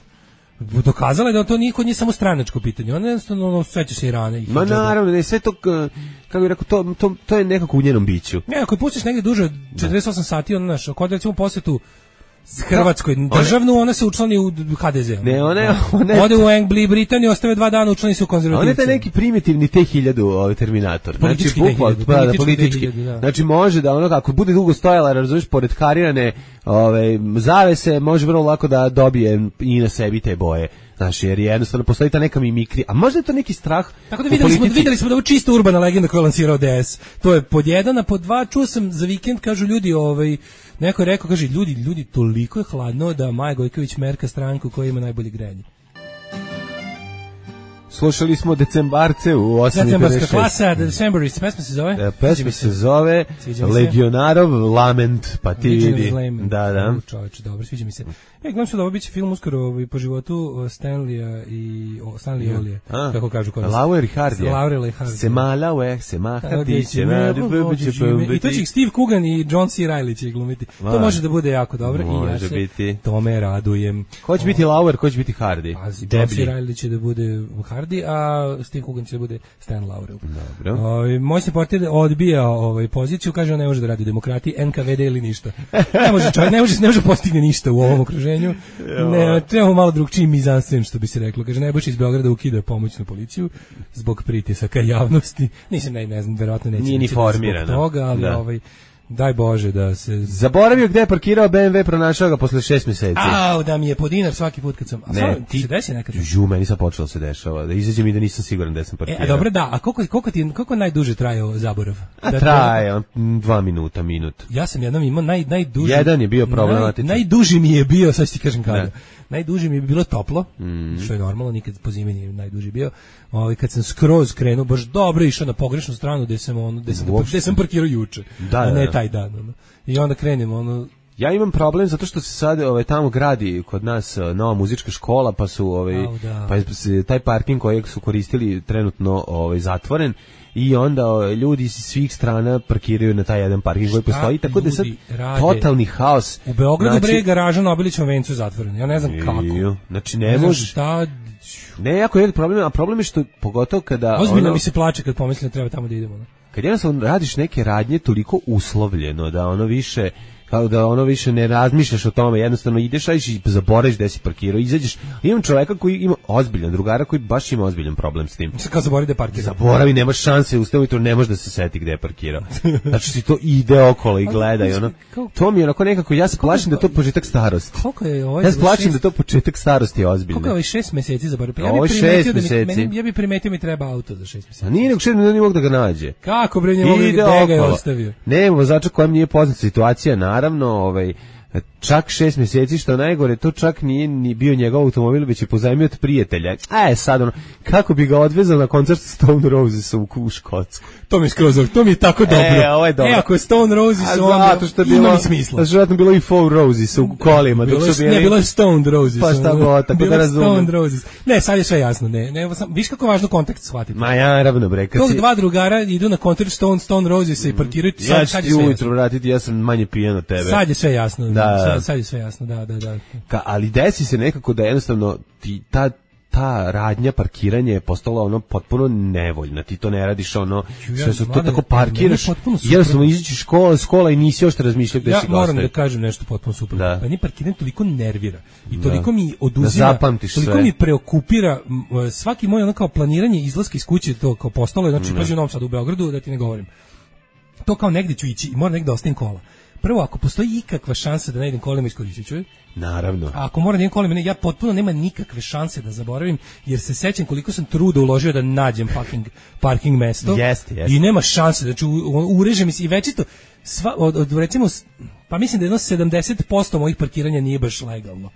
[SPEAKER 6] dokazala je da to nije kod nje samo stranačko pitanje. Ona jednostavno sveća se i rane.
[SPEAKER 7] Ma naravno, ne, sve to, kako bih rekao, to je nekako u njenom biću.
[SPEAKER 6] Ne, ako je pustiš negdje duže od 48 sati, ono naš, kod recimo posjetu Hrvatskoj državnu, ona se učlani u HDZ.
[SPEAKER 7] Ne,
[SPEAKER 6] ode u Angliji, Britaniju, ostave 2 dana, učlani se u konzervativci.
[SPEAKER 7] On je taj neki primitivni T-1000 Terminator.
[SPEAKER 6] Politički
[SPEAKER 7] politički. Znači može da ono, ako bude dugo stojala, razumiješ, pored karirane zavese, može vrlo lako da dobije i na sebi te boje. Znači, jer jednostavno postoji ta neka mimikri, a možda je to neki strah.
[SPEAKER 6] Tako da videli smo da je čisto urbana legenda koju je lansirao DS. To je pod 1, a pod 2 čuo sam za vikend, kažu ljudi, neko je rekao, kaže, ljudi, toliko je hladno da Maja Gojković merka stranku koja ima najbolje grejanje.
[SPEAKER 7] Slušali smo Decembarce u 8.56.
[SPEAKER 6] Decembarska klasa, Decemberist, pesma se zove?
[SPEAKER 7] Pesma se zove Legionarov Lament, pa ti vidi. Da.
[SPEAKER 6] Čovječe, dobro, sviđa mi se. Gledam se da ovo biće film uskoro po životu Stanleya i Stanley Olije, kako kažu kod nas.
[SPEAKER 7] Laurel i Hardy.
[SPEAKER 6] Laurel i Hardy.
[SPEAKER 7] Semala, Semahatiće.
[SPEAKER 6] I to će ih Steve Coogan i John C. Reilly će ih to može da bude jako dobro i ja se tome radujem.
[SPEAKER 7] Ko će biti Laurel, ko će biti Hardy?
[SPEAKER 6] John C. Reilly će da bude Hardy, a Steve Coogan će da bude Stan Laurel.
[SPEAKER 7] Dobro.
[SPEAKER 6] Moj se portir odbija poziciju, kaže on ne može da radi demokratiji, NKVD ili ništa. Ne može čovjek, ne može postigne ništa u ovom okruženju. Ne, trebamo malo drugčiji mizansen, što bi se reklo. Kaže, Nebojša iz Beograda ukida pomoćnu policiju zbog pritisaka javnosti. Nisam, ne znam, verovatno neće.
[SPEAKER 7] Nije ni formirano.
[SPEAKER 6] Zbog toga, ali daj Bože da se...
[SPEAKER 7] Zaboravio gde je parkirao BMW, pronašao ga posle 6 meseci.
[SPEAKER 6] Da mi je po dinar svaki put kad sam... Ti se desi nekad?
[SPEAKER 7] Meni sad počelo se dešava. Da izađem i da nisam siguran da sam parkirao.
[SPEAKER 6] Dobro, da. A koliko najduže trajao zaborav?
[SPEAKER 7] Traje 2 minuta, minut.
[SPEAKER 6] Ja sam jednom imao najduži...
[SPEAKER 7] Jedan je bio problematičan.
[SPEAKER 6] Najduži mi je bio, sad ću ti kažem kada. Najduži mi je bilo toplo, što je normalno, nikad po zimi nije najduži bio. Kad sam skroz krenuo, baš dobro išao na pogrešnu stranu gde sam parkirao juče, a ne taj dan. I onda krenem,
[SPEAKER 7] Ja imam problem zato što se sad tamo gradi kod nas nova muzička škola, pa su pa je taj parking kojeg su koristili trenutno zatvoren. I onda ljudi iz svih strana parkiraju na taj jedan parking koji postoji, tako da je sad totalni haos.
[SPEAKER 6] U Beogradu bre garaža na Obilićevom vencu zatvorena, ja ne znam kako.
[SPEAKER 7] Znači ne može. Ne, jako je problem, a problem je što pogotovo kada...
[SPEAKER 6] Ozbiljno mi se plače kad pomislim da treba tamo da idemo.
[SPEAKER 7] Kad jednostavno radiš neke radnje toliko uslovljeno da ono više ne razmišljaš o tome, jednostavno ideš i zaboraviš gde si parkirao, izađeš. Imam čoveka koji ima ozbiljan drugara koji baš ima ozbiljan problem s tim.
[SPEAKER 6] Kao zaboravi da je parkirao.
[SPEAKER 7] Zaboravi, nemaš šanse, ustao ujutro ne može da se seti gde je parkirao. Znači si to ide okolo i gleda i ono. To mi je onako nekako, ja se plašim da je to početak starosti. Ja se plašim da je to početak starosti je ozbiljno.
[SPEAKER 6] Koliko je 6 meseci zaboravio?
[SPEAKER 7] Ovo je 6 meseci.
[SPEAKER 6] Ja bih primetio mi treba auto za 6 meseci.
[SPEAKER 7] A nije nego 6 meseci ne mogu da ga nađe.
[SPEAKER 6] Kako bre, ne mogu da ga je ostavio?
[SPEAKER 7] Ne, vozača kojem nije poznata situacija, naravno, čak 6 meseci, što najgore, to čak nije ni bio njegov automobil, već je pozajmio od prijatelja. Sad kako bi ga odvezao na koncert Stone Roses u Škotsku.
[SPEAKER 6] To mi je skroz, to mi je tako dobro.
[SPEAKER 7] Ovo je dobro.
[SPEAKER 6] Ako je Stone Roses,
[SPEAKER 7] zato što je bilo smisla. Zato je bilo i Four Roses u kolima.
[SPEAKER 6] Bilo je Stone Roses.
[SPEAKER 7] Pa šta god, tako da razumem.
[SPEAKER 6] Stone Roses. Ne, sad je sve jasno. Viš kako važno kontekst shvatiti.
[SPEAKER 7] Ma ja, naravno, bre.
[SPEAKER 6] Tog dva drugara idu na koncert Stone Roses i parkiraju.
[SPEAKER 7] Ja ću ti ujutro vratiti, ja sam manje pijen od tebe.
[SPEAKER 6] Sad je sve jasno. Sad je sve jasno, da.
[SPEAKER 7] Ali desi se nekako da jednostavno ta ta radnja parkiranja je postala ono potpuno nevoljna. Ti to ne radiš ono, sve su to tako parkiraš. Jednostavno izađeš iz škola i nisi još razmišljao gde si gostaje.
[SPEAKER 6] Ja moram da kažem nešto potpuno suprotno. Meni parkiranje toliko nervira i toliko mi oduzima, toliko mi preokupira svaki moj ono kao planiranje izlaska iz kuće, to kao postalo je, znači pazi u Novom Sadu, u Beogradu, da ti ne govorim. To kao negde ću ići i moram negde ostavim kola. Prvo, ako postoji ikakva šansa da ne idem kolima, iskoristit ću je.
[SPEAKER 7] Naravno.
[SPEAKER 6] A ako moram da idem kolima, ja potpuno nema nikakve šanse da zaboravim, jer se sećam koliko sam truda uložio da nađem parking mesto.
[SPEAKER 7] Jeste.
[SPEAKER 6] I nema šanse, znači ureže mi se i večito, recimo, pa mislim da jedno 70% mojih parkiranja nije baš legalno.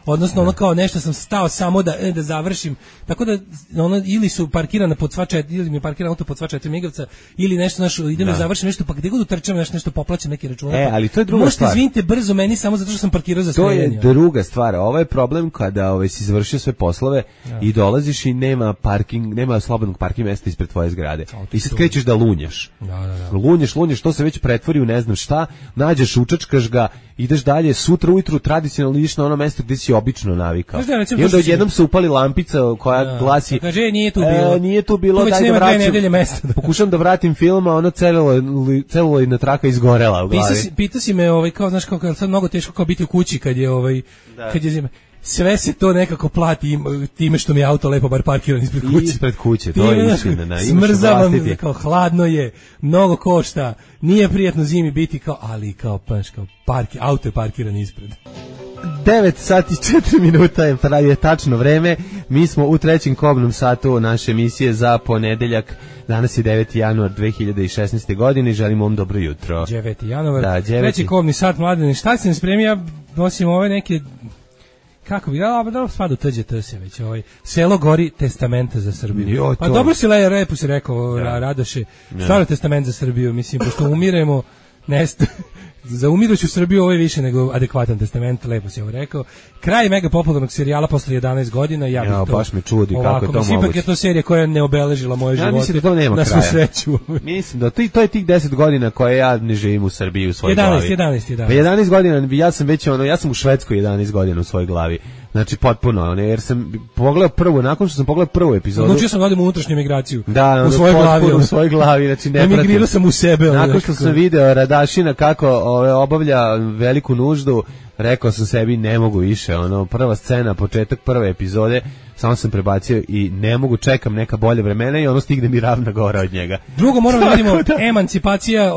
[SPEAKER 6] Odnosno ono kao nešto sam stao samo da završim, tako da ono ili su parkirana pod sva 4, ili mi je parkiran auto pod sva 4 migavca, ili nešto idem da završim nešto, pa gde god utrčam nešto poplaćam neki račun.
[SPEAKER 7] Ali to je druga stvar.
[SPEAKER 6] Možete izvinite brzo meni samo zato što sam parkirao za streljanje.
[SPEAKER 7] To je druga stvar. Ovo je problem kada si završio sve poslove i dolaziš i nema slobodnog parking mesta ispred tvoje zgrade. I sad krećeš da lunjaš. Lunjaš, to se već pretvori u ne znam šta, nađeš, učačkaš ga, ideš dalje, sutra ujutru tradicionalno ideš na ono mesto gde si obično navikao. I onda odjednom se upali lampica koja glasi,
[SPEAKER 6] kaže nije tu bilo,
[SPEAKER 7] daj da vraćam. Pokušam da vratim film, a ono celuloidna traka izgorela u glavi.
[SPEAKER 6] Pita si me, kao znaš, kao sad mnogo teško kao biti u kući kad je zima. Sve se to nekako plati time što mi je auto lepo bar parkiran ispred kuće.
[SPEAKER 7] To je istina.
[SPEAKER 6] Smrzavam, kao hladno je, mnogo košta, nije prijatno zimi biti ali auto je parkiran ispred.
[SPEAKER 7] 9 sati 4 minuta je tačno vreme. Mi smo u trećem kobnom satu naše emisije za ponedeljak. Danas je 9. januar 2016. godine i želimo vam dobro jutro.
[SPEAKER 6] 9. januar, treći kobni sat, Mladene. Šta sam spremio? Ja nosim ove neke... Kako bi, da spada u TGT se već, Selo gori testamenta za Srbiju. Pa dobro si lepo si rekao, Radoše, stvarno testament za Srbiju, mislim, pošto umiremo, za umiruću Srbiju ovo je više nego adekvatan testament, lepo si ovo rekao. Kraj mega popularnog serijala posle 11 godina, ja bih to...
[SPEAKER 7] baš me čudi kako je to moguće.
[SPEAKER 6] Ipak je to serija koja ne obeležila moje živote.
[SPEAKER 7] Ja mislim da to nema
[SPEAKER 6] na
[SPEAKER 7] kraja.
[SPEAKER 6] Svu sreću.
[SPEAKER 7] Mislim da to je tih 10 godina koje ja ne živim u Srbiji u svojoj glavi.
[SPEAKER 6] 11.
[SPEAKER 7] Pa 11 godina, ja sam u Švedskoj 11 godina u svojoj glavi. Znači potpuno, jer sam pogledao nakon što sam pogledao prvu epizodu.
[SPEAKER 6] Odlučio sam da odem u unutrašnju migraciju.
[SPEAKER 7] Da,
[SPEAKER 6] u svojoj glavi.
[SPEAKER 7] U svojoj glavi, znači ne pratim.
[SPEAKER 6] Emigrirao sam u sebe.
[SPEAKER 7] Nakon što sam video Radašina kako obavlja veliku nuždu, rekao sam sebi ne mogu više, prva scena, početak prve epizode, samo sam prebacio i ne mogu, čekam neka bolje vremena i stigne mi Ravna Gora od njega.
[SPEAKER 6] Drugo moramo da vidimo, emancipacija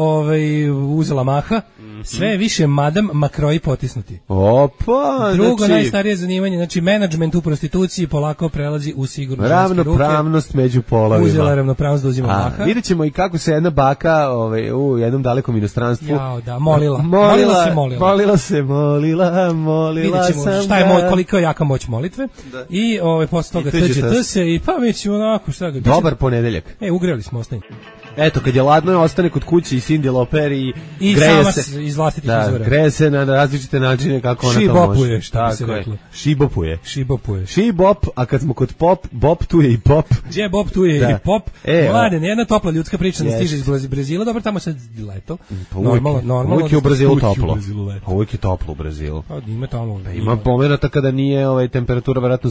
[SPEAKER 6] uzela maha. Sve je više madam makroji potisnuti.
[SPEAKER 7] Opa,
[SPEAKER 6] drugo najstarije zanimanje, znači menadžment u prostituciji polako prelazi u sigurno ženske ruke.
[SPEAKER 7] Ravnopravnost među polovima.
[SPEAKER 6] Uzela ravnopravnost da uzima maha.
[SPEAKER 7] Vidjet ćemo i kako se jedna baka u jednom dalekom inostranstvu
[SPEAKER 6] molila
[SPEAKER 7] sam.
[SPEAKER 6] Šta je koliko je jaka moć molitve. Da. I posle toga TGT se i pa mi ćemo onako šta ga.
[SPEAKER 7] Dobar ponedeljak.
[SPEAKER 6] Ugreli smo ostanje.
[SPEAKER 7] Eto, kad je ladno, ostane kod kuće i Cindy Lauper i greje se
[SPEAKER 6] iz vlastitih izvora.
[SPEAKER 7] Greje se na različite načine kako ona to može.
[SPEAKER 6] Šibopuje, šta bi se reklo.
[SPEAKER 7] Šibopuje. Šibop, a kad smo kod bop tu je i pop.
[SPEAKER 6] Gdje bop tu je i pop. Mladen, jedna topla ljudska priča nas stiže iz Brazila, dobro, tamo sad leto. Normalno.
[SPEAKER 7] Uvijek je u Brazilu toplo. Uvijek je toplo u Brazilu.
[SPEAKER 6] Ima tamo.
[SPEAKER 7] Ima momenata kada nije temperatura vjerojatno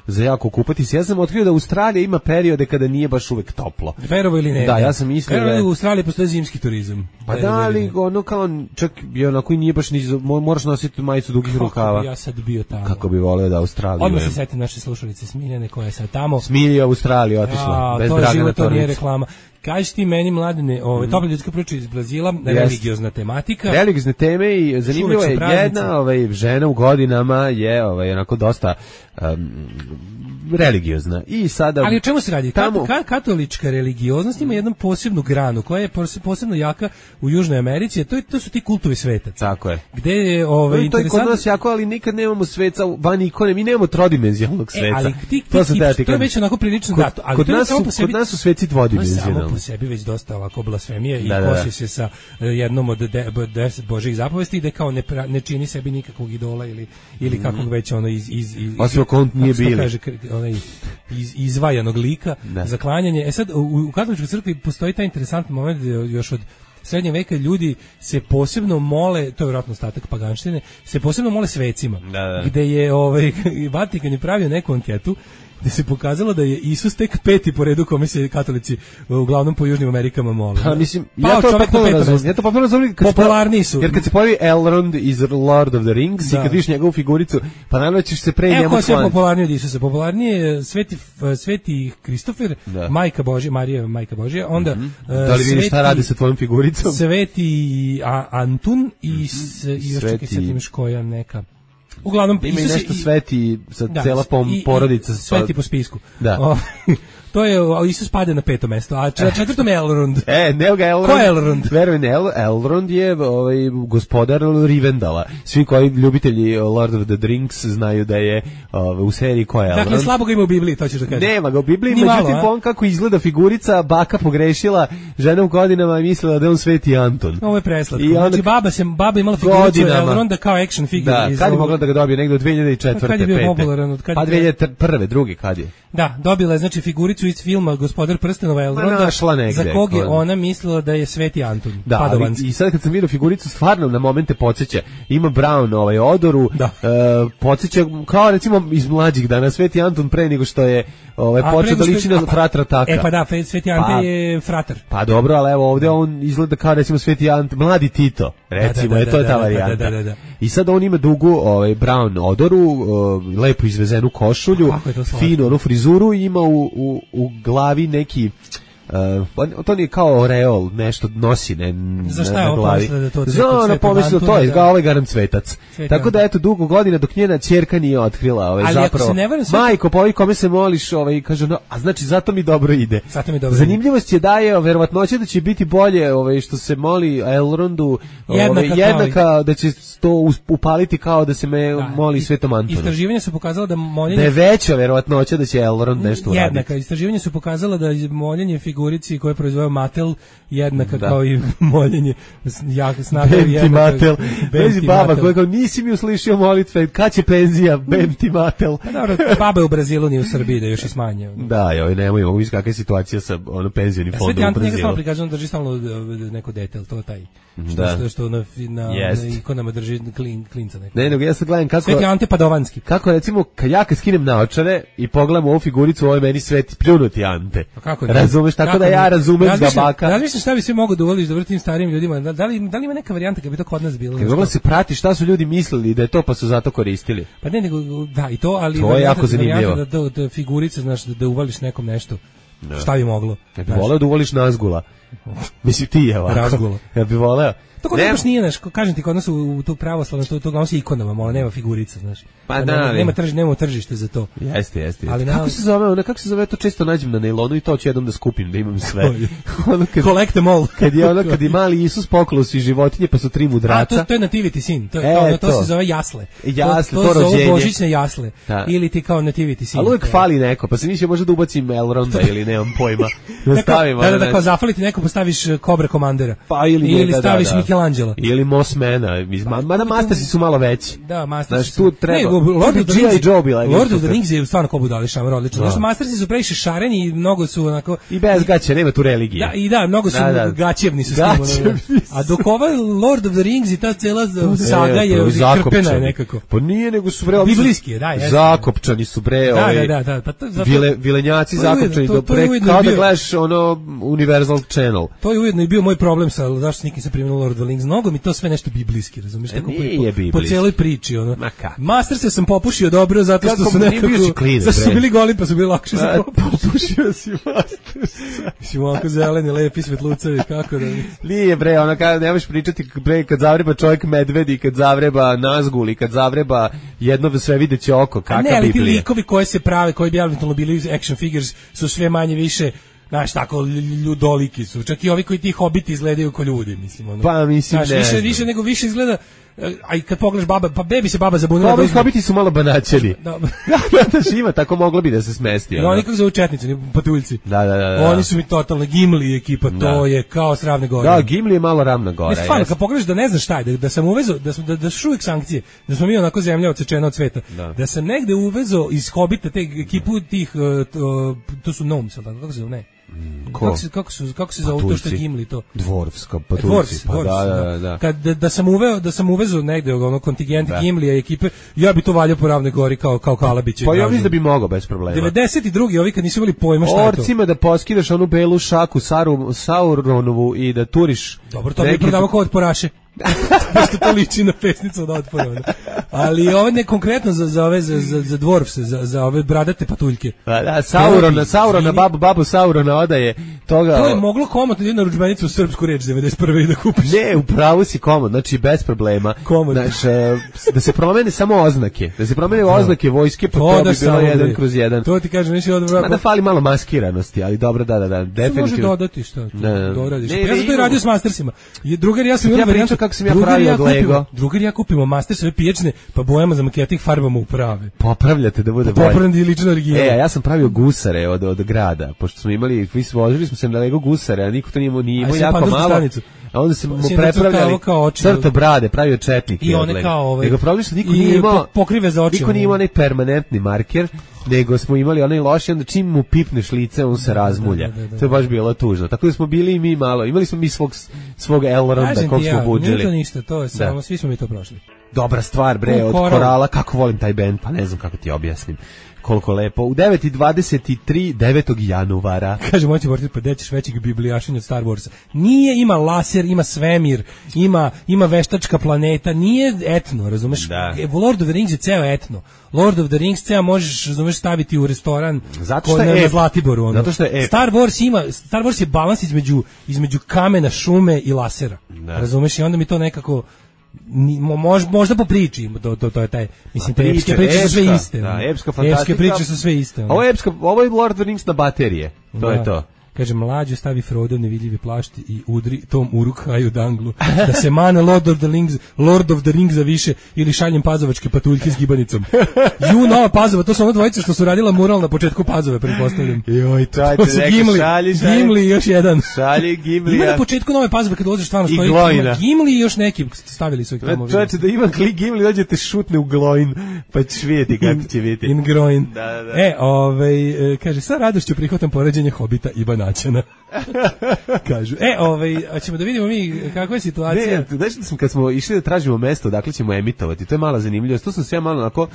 [SPEAKER 7] za jako kupati se. Ja sam otkrio da Australija ima periode kada nije baš uvek toplo.
[SPEAKER 6] Verovo ili ne?
[SPEAKER 7] Da, ja sam mislio da
[SPEAKER 6] u Australiji postoji zimski turizam.
[SPEAKER 7] Pa da, ali kao čak je onako i nije baš moraš nositi majicu dugih rukava.
[SPEAKER 6] Ja sad bio tamo.
[SPEAKER 7] Kako bi voleo da Australiju.
[SPEAKER 6] Odmah se setim naše slušalice Smiljane koja je sad tamo.
[SPEAKER 7] Smilja u Australiju otišla, bez Dragana Tornića. To nije
[SPEAKER 6] reklama. Kaži ti meni, Mladene, topla ljudska priča iz Brazila, religiozna tematika.
[SPEAKER 7] Religiozne teme i zanimljivo je jedna žena u godinama je onako dosta religiozna. I sada,
[SPEAKER 6] ali o čemu se radi? Katolička religioznost ima jednu posebnu granu koja je posebno jaka u Južnoj Americi, to su ti kultovi svetaca.
[SPEAKER 7] Tako je.
[SPEAKER 6] Gde je
[SPEAKER 7] to je kod nas jako, ali nikad nemamo sveca van ikone, mi nemamo trodimenzionalnog sveca.
[SPEAKER 6] Ali to je već onako prilično dato.
[SPEAKER 7] Kod nas su sveci dvodimenzionalni.
[SPEAKER 6] Samo po sebi već dosta ovako blasfemije i kosi se sa jednom od 10 Božjih zapovesti i da kao ne čini sebi nikakvog idola ili kakvog već
[SPEAKER 7] osim ako on nije bili.
[SPEAKER 6] Izvajanog lika za klanjanje. Sad, u katoličkoj crkvi postoji taj interesantni moment još od srednjeg veka ljudi se posebno mole, to je vjerojatno ostatak paganštine, se posebno mole svecima. Gde je Vatikan je pravio neku anketu gde se pokazalo da je Isus tek 5. po redu kome se katolici uglavnom po Južnim Amerikama mole.
[SPEAKER 7] Pa mislim, ja to potpuno razumijem.
[SPEAKER 6] Popularni su.
[SPEAKER 7] Jer kad se pojavi Elrond iz Lord of the Rings i kad vidiš njegovu figuricu, pa naravno ćeš se pre njemu
[SPEAKER 6] ko je sve popularniji od Isusa? Popularniji je Sveti Kristofer, Majka Božja, Marija Majka Božja, onda
[SPEAKER 7] da li vidiš šta radi sa tvojom figuricom?
[SPEAKER 6] Sveti Antun i još čekaj sad imaš koja neka. Uglavnom
[SPEAKER 7] ima Isus nešto sveti sa cela porodica
[SPEAKER 6] sveti po spisku.
[SPEAKER 7] Da.
[SPEAKER 6] To je Isus pade na 5. mesto, a na 4. je Elrond.
[SPEAKER 7] Ne ga Elrond.
[SPEAKER 6] Ko je Elrond?
[SPEAKER 7] Verujem, Elrond je gospodar Rivendala. Svi koji ljubitelji Lord of the Rings znaju da je u seriji ko je Elrond.
[SPEAKER 6] Dakle, slabo ga ima u Bibliji, to ćeš da kažeš.
[SPEAKER 7] Nema ga u Bibliji, međutim on kako izgleda figurica, baka pogrešila, žena u godinama je mislila da je on Sveti Anton.
[SPEAKER 6] Ovo je preslatko. Znači, baba imala figuricu Elronda kao action figure.
[SPEAKER 7] Da, kad je mogla da ga dobije? Negde od 2004.
[SPEAKER 6] Kad je bio popularan?
[SPEAKER 7] Pa 2001. drugi kad je?
[SPEAKER 6] Da, dobila je znači figuricu iz filma Gospodar prstenova Elronda, za kog je ona mislila da je Sveti Anton, Padovanski.
[SPEAKER 7] I sad kad sam vidio figuricu, stvarno na momente podsjeća. Ima Brown odoru, podsjeća kao recimo iz mlađih dana Sveti Anton pre nego što je počeo da liči na fratra Taka.
[SPEAKER 6] Pa da, Sveti Ante je fratar.
[SPEAKER 7] Pa dobro, ali evo ovdje on izgleda kao recimo Sveti Ante, mladi Tito, recimo, to je ta varijanta. I sad on ima dugu Brown odoru, lepo izvezenu košulju, finu onu frizuru i ima u glavi neki to nije kao oreol, nešto nosi
[SPEAKER 6] za šta je ovo pomislila da to
[SPEAKER 7] pomislila to je, ovaj garant Svetac. Tako da eto, dugo godina dok njena ćerka nije otkrila zapravo. Majko, pa ovi kome se moliš, kaže, a znači zato mi dobro ide. Zanimljivost je da je verovatnoća da će biti bolje što se moli Elrondu jednaka, da će to upaliti kao da se moli Svetom Antonu.
[SPEAKER 6] Istraživanja su pokazala da moljenje...
[SPEAKER 7] Da je veća verovatnoća da će Elrond nešto uraditi.
[SPEAKER 6] Jednaka. Istraživanja su pokazala da moljenje figurici koje proizveo Mattel jednaka kao i moljenje snaga
[SPEAKER 7] jednaka. Matel. Vezi baba koja kao nisi mi uslišio molitve, kad će penzija, Bemti Matel.
[SPEAKER 6] Dobro, baba u Brazilu nije u Srbiji da još i smanje.
[SPEAKER 7] Da, nemoj, mogu vidjeti kakva je situacija sa penzionim fondom u Brazilu.
[SPEAKER 6] Sveti Ante njega samo prikazujem drži stalno neko dete, to taj. Što na ikonama drži klinca neko.
[SPEAKER 7] Ne, nego ja sad gledam kako...
[SPEAKER 6] Sveti Ante Padovanski.
[SPEAKER 7] Kako recimo, kad ja skinem naočare i pogledam ovu figuricu, ovo je meni Sveti pljunuti Ante. Razumeš, tako da ja razumem da baka...
[SPEAKER 6] Razmišljam šta bi sve mogo da uvoliš da vrtim starijim ljudima. Da li ima neka varijanta kad bi to kod nas bilo?
[SPEAKER 7] Kad mogla se prati šta su ljudi mislili da je to pa su zato koristili.
[SPEAKER 6] Pa ne, nego, da, i to, ali...
[SPEAKER 7] To je jako zanimljivo.
[SPEAKER 6] Da figurice, znaš, da uvališ nekom nešto. Šta bi moglo?
[SPEAKER 7] Ja bi voleo da uvoliš Nazgula. Mislim, ti je ovako.
[SPEAKER 6] Razgula.
[SPEAKER 7] Ja bi voleo.
[SPEAKER 6] To kod nas nije, znaš, kažem ti, kod nas u to pravoslavno, to uglavnom se ikonama, mola, nema figurica, znaš.
[SPEAKER 7] Pa da,
[SPEAKER 6] nema tržište za to.
[SPEAKER 7] Jeste. Ali kako se zove, to često nađem na nailonu i to ću jednom da skupim, da imam sve.
[SPEAKER 6] Collect them all.
[SPEAKER 7] Kad je mali Isus poklao svi životinje, pa su 3 mudraca.
[SPEAKER 6] To je nativity sin, to se zove jasle.
[SPEAKER 7] Jasle,
[SPEAKER 6] to zove božićne jasle. Ili ti kao nativity sin.
[SPEAKER 7] Ali uvijek fali neko, pa se mislio možda da ubacim Elronda ili nemam pojma.
[SPEAKER 6] Da, kao zafaliti neko, postaviš Cobra Komandera. Ili staviš Michelangelo.
[SPEAKER 7] Ili Mossmana, mada Mastersi su malo veći.
[SPEAKER 6] Da, Mastersi
[SPEAKER 7] su... Tu treba... Lord
[SPEAKER 6] of the Rings je stvarno ko budali šamar, odlično. Znaš, Mastersi su previše šareni i mnogo su onako...
[SPEAKER 7] I bez gaće, nema tu religije.
[SPEAKER 6] Da, mnogo su gaćevni su s tim. A dok ovaj Lord of the Rings i ta cela saga je krpena nekako.
[SPEAKER 7] Pa nije, nego su
[SPEAKER 6] biblijski je, da.
[SPEAKER 7] Zakopčani su bre, vilenjaci zakopčani, kao da gledaš ono Universal Channel.
[SPEAKER 6] To je ujedno i bio moj problem sa zašto nikim se primilo Lord of the Rings. Mnogo mi to sve nešto biblijski, razumiješ? Po cijeloj priči, ono. Master sam popušio dobro, zato što su nekako... Zato su bili goli, pa su bili lakše za
[SPEAKER 7] popušio si Master.
[SPEAKER 6] Mislim, ovako zeleni, lepi svetlucavi, kako da...
[SPEAKER 7] Nije bre, ono kada nemaš pričati, bre, kad zavreba čovjek medvedi, kad zavreba Nazgul i kad zavreba jedno sve videće oko, kakva Biblija.
[SPEAKER 6] Ne, ali ti likovi koje se prave, koji bi eventualno bili action figures, su sve manje više... Znaš, tako ljudoliki su. Čak i ovi koji ti hobiti izgledaju kao ljudi, mislim. Ono.
[SPEAKER 7] Pa mislim,
[SPEAKER 6] znaš, više izgleda... A i kad pogledaš baba, pa bebi se baba zabunila.
[SPEAKER 7] Ovi hobiti su malo banaćeni. Da, ima, tako moglo bi da se smesti.
[SPEAKER 6] No, oni kako zovu četnici, patuljci.
[SPEAKER 7] Da.
[SPEAKER 6] Oni su mi totalno Gimli ekipa, to je kao s Ravne gore.
[SPEAKER 7] Da, Gimli je malo Ravna gora.
[SPEAKER 6] Ne, stvarno, kad pogledaš da ne znaš šta je, da sam uvezo, da su uvijek sankcije, da smo mi onako zemlja odsečena od sveta, da sam negde uvezo iz hobita te ekipu tih, to su gnomes, kako se zove, ne? Kako se zove to što je Gimli to?
[SPEAKER 7] Dvorfska, pa Turci. Pa da.
[SPEAKER 6] Kad da sam uvezao negde ono kontingent Gimlija i ekipe, ja bi to valjao po Ravnoj Gori kao Kalabić.
[SPEAKER 7] Pa ja mislim da bi mogao bez problema.
[SPEAKER 6] 92. ovi kad nisu imali pojma šta je to.
[SPEAKER 7] Orcima da poskidaš onu belu šaku Sauronovu i da turiš.
[SPEAKER 6] Dobro, to bi prodavao kao otporaše. Pošto to liči na pesnicu od otpora. Ali ovo ne konkretno za ove za dvorfse, za ove bradate patuljke.
[SPEAKER 7] Da, Saurona, babu Saurona odaje toga.
[SPEAKER 6] To je moglo komotno da na ručbenicu u srpsku reč 91. da kupiš.
[SPEAKER 7] Ne, upravo si komod, znači bez problema. Znači, da se promene samo oznake. Da se promene oznake vojske, pa to bi bilo 1/1.
[SPEAKER 6] To ti kažem, nisi odvrlo.
[SPEAKER 7] Da fali malo maskiranosti, ali dobro, da, definitivno.
[SPEAKER 6] Može dodati šta doradiš. Ja sam to i radio s Mastersima. Drugar ja sam imao varijantu
[SPEAKER 7] kako sam ja pravio od Lego.
[SPEAKER 6] Drugar ja kupimo Mastersove pijačne, pa bojama za maketing farbama u prave.
[SPEAKER 7] Popravljate da bude bolje.
[SPEAKER 6] Popravljate lično original.
[SPEAKER 7] Ja sam pravio gusare od grada, pošto smo imali, vozili smo se na Lego gusare, a niko to nije imao jako malo. A onda se mu prepravljali crto brade, pravio četnike.
[SPEAKER 6] I one kao
[SPEAKER 7] nego pravili što niko nije imao
[SPEAKER 6] pokrive za oči.
[SPEAKER 7] Niko nije imao onaj permanentni marker, nego smo imali onaj loši, onda čim mu pipneš lice, on se razmulja. To je baš bilo tužno. Tako da smo bili i mi malo, imali smo mi svog Elronda kog smo budžili.
[SPEAKER 6] Nije to ništa, to je samo, svi smo mi to prošli.
[SPEAKER 7] Dobra stvar, bre, od Korala, kako volim taj bend, pa ne znam kako ti objasnim. Koliko lepo. U 9:23 9. januara.
[SPEAKER 6] Kaže, moći voriti, pa dećeš većeg biblijašenja od Star Warsa. Nije, ima laser, ima svemir, ima veštačka planeta, nije etno, razumeš?
[SPEAKER 7] Da.
[SPEAKER 6] Lord of the Rings je ceo etno. Lord of the Rings ceo možeš, razumeš, staviti u restoran
[SPEAKER 7] na
[SPEAKER 6] Zlatiboru. Ono.
[SPEAKER 7] Zato što je
[SPEAKER 6] Star Wars je balans između kamena, šume i lasera. Da. Razumeš? I onda mi to nekako možda po priči, to je taj, mislim, te epske priče su sve iste.
[SPEAKER 7] Da, epska fantastika.
[SPEAKER 6] Epske priče su sve iste.
[SPEAKER 7] Ovo je Lord of the Rings na baterije. To je to.
[SPEAKER 6] Kaže, mlađo stavi Frodo nevidljivi plašt i udri tom Uruk-haju danglu, da se mane Lord of the Rings za više, ili šaljem pazovačke patuljke s gibanicom. Nova Pazova, to su ono dvojice što su radila mural na početku Pazove, pretpostavljam.
[SPEAKER 7] Joj,
[SPEAKER 6] to su Gimli i još jedan.
[SPEAKER 7] Šalje Gimli.
[SPEAKER 6] Ima na početku Nove Pazove, kad ulaziš stvarno stoji Gimli i još neki, stavili su ih tamo.
[SPEAKER 7] Čovječe, da ima klik Gimli, dođete šutne u Glojn, pa ćeš vidjeti kako će biti.
[SPEAKER 6] In Groin. Kaže, sa radošću prihvatam poređenje Hobita i Banaćana. Kažu. Ćemo da vidimo mi kakva je situacija.
[SPEAKER 7] Ne, znači da smo kad smo išli da tražimo mesto, dakle ćemo emitovati. To je mala zanimljivost. To sam se ja malo onako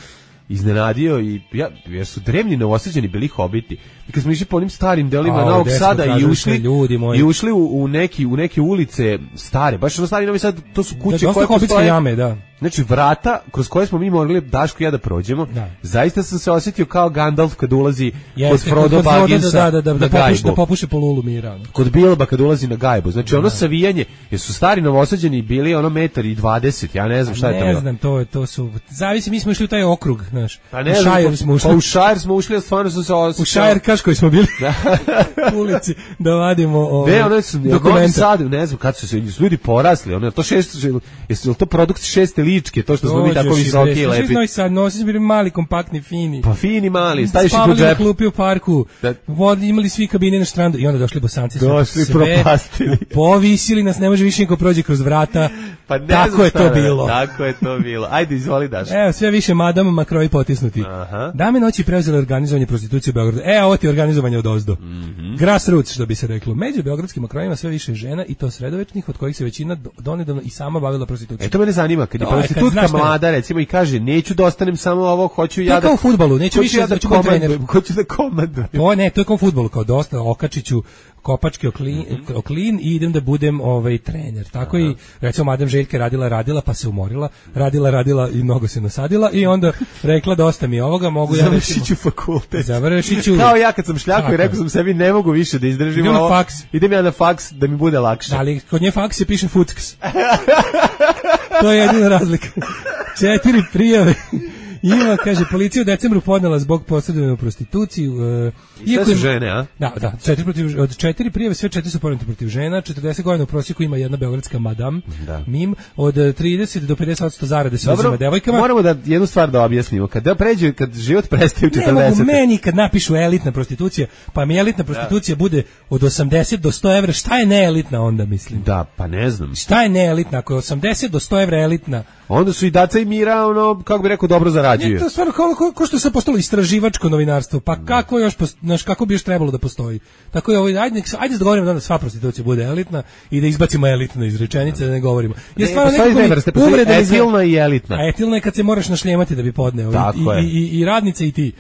[SPEAKER 7] iznenadio i jer su drevni Novosađani bili Hobiti. I kad smo išli po onim starim delima Novog Sada i ušli u neke ulice stare, baš ono stari Novi Sad, to su kuće koje postoje.
[SPEAKER 6] Jame, da.
[SPEAKER 7] Znači vrata kroz koje smo mi morali Daško i ja da prođemo. Da. Zaista sam se osjetio kao Gandalf kad ulazi kod Frodo Bagginsa
[SPEAKER 6] da popuše po lulu mira.
[SPEAKER 7] Kod Bilba kad ulazi na gajbu. Znači ono savijanje, jer su stari Novosađani bili ono 1,20 m, ja ne znam šta je to.
[SPEAKER 6] Ne znam, to su, zavisi, mi smo išli u taj okrug, znaš.
[SPEAKER 7] U Šajer smo ušli, a stvarno sam se osjećao.
[SPEAKER 6] U Šajer koji smo bili u ulici da vadimo
[SPEAKER 7] dokumenta. Ne znam kad su se ljudi porasli, jesu to produkt 6. ličke, to što smo mi tako visoki i lepi.
[SPEAKER 6] Nosi smo bili mali, kompaktni, fini.
[SPEAKER 7] Pa fini, mali, staviš ih u džep.
[SPEAKER 6] Spavali na klupi u parku, imali svi kabine na štrandu i onda došli Bosanci.
[SPEAKER 7] Došli, propastili.
[SPEAKER 6] Povisili nas, ne može više niko prođe kroz vrata.
[SPEAKER 7] Pa ne
[SPEAKER 6] tako je to bilo.
[SPEAKER 7] Tako je to bilo. Ajde, izvoli Daš.
[SPEAKER 6] Evo, sve više madama makrovi potisnuti. Dame noći preuzele organizovanje prostitucije u Beogradu. Ovo ti je organizovanje od ozdo. Grassroots, što bi se reklo. Među beogradskim makrojima sve više žena i to sredovečnih, od kojih se većina donedavno i sama bavila prostitucijom.
[SPEAKER 7] To mene zanima, kad je prostitutka mlada, recimo, i kaže, neću da ostanem samo ovo, hoću ja da...
[SPEAKER 6] To je kao u fudbalu, neću više da ću biti trener.
[SPEAKER 7] Hoću da komandujem.
[SPEAKER 6] To je kao u fudbalu, kao dosta okačiću kopačke oklin i idem da budem trener. Tako i recimo Madam Željka radila pa se umorila, radila i mnogo se nasadila i onda rekla dosta mi ovoga, mogu ja
[SPEAKER 7] završiću fakultet.
[SPEAKER 6] Završiću.
[SPEAKER 7] Kao ja kad sam šljako i rekao sam sebi ne mogu više da izdržim ovo. Idem ja na faks da mi bude lakše.
[SPEAKER 6] Ali kod nje faks se piše futks. To je jedina razlika. 4 prijave. Ima, kaže, policija u decembru podnela zbog posredovanja u prostituciji.
[SPEAKER 7] Sve su žene, a?
[SPEAKER 6] Da, od 4 prijave, sve 4 su podnete protiv žena, 40 godina u prosjeku ima jedna beogradska madam, mim, od 30 do 50% zarade se uzima devojkama.
[SPEAKER 7] Moramo da jednu stvar da objasnimo, kad život prestaje u 40.
[SPEAKER 6] Ne mogu meni kad napišu elitna prostitucija, pa mi elitna prostitucija bude od 80 do 100 evra, šta je neelitna onda, mislim?
[SPEAKER 7] Da, pa ne znam.
[SPEAKER 6] Šta je neelitna, ako je 80 do 100 evra elitna?
[SPEAKER 7] Onda su i Daca i Mira, kako bi rekao, dobro zarađuju. zarađuju.
[SPEAKER 6] To je stvarno kao što se postalo istraživačko novinarstvo, pa kako još, kako bi još trebalo da postoji. Tako je ajde se dogovorimo da sva prostitucija bude elitna i da izbacimo elitno iz rečenice, da ne govorimo.
[SPEAKER 7] Je stvarno etilna i elitna.
[SPEAKER 6] A etilna je kad se moraš našljemati da bi podneo i radnice i ti.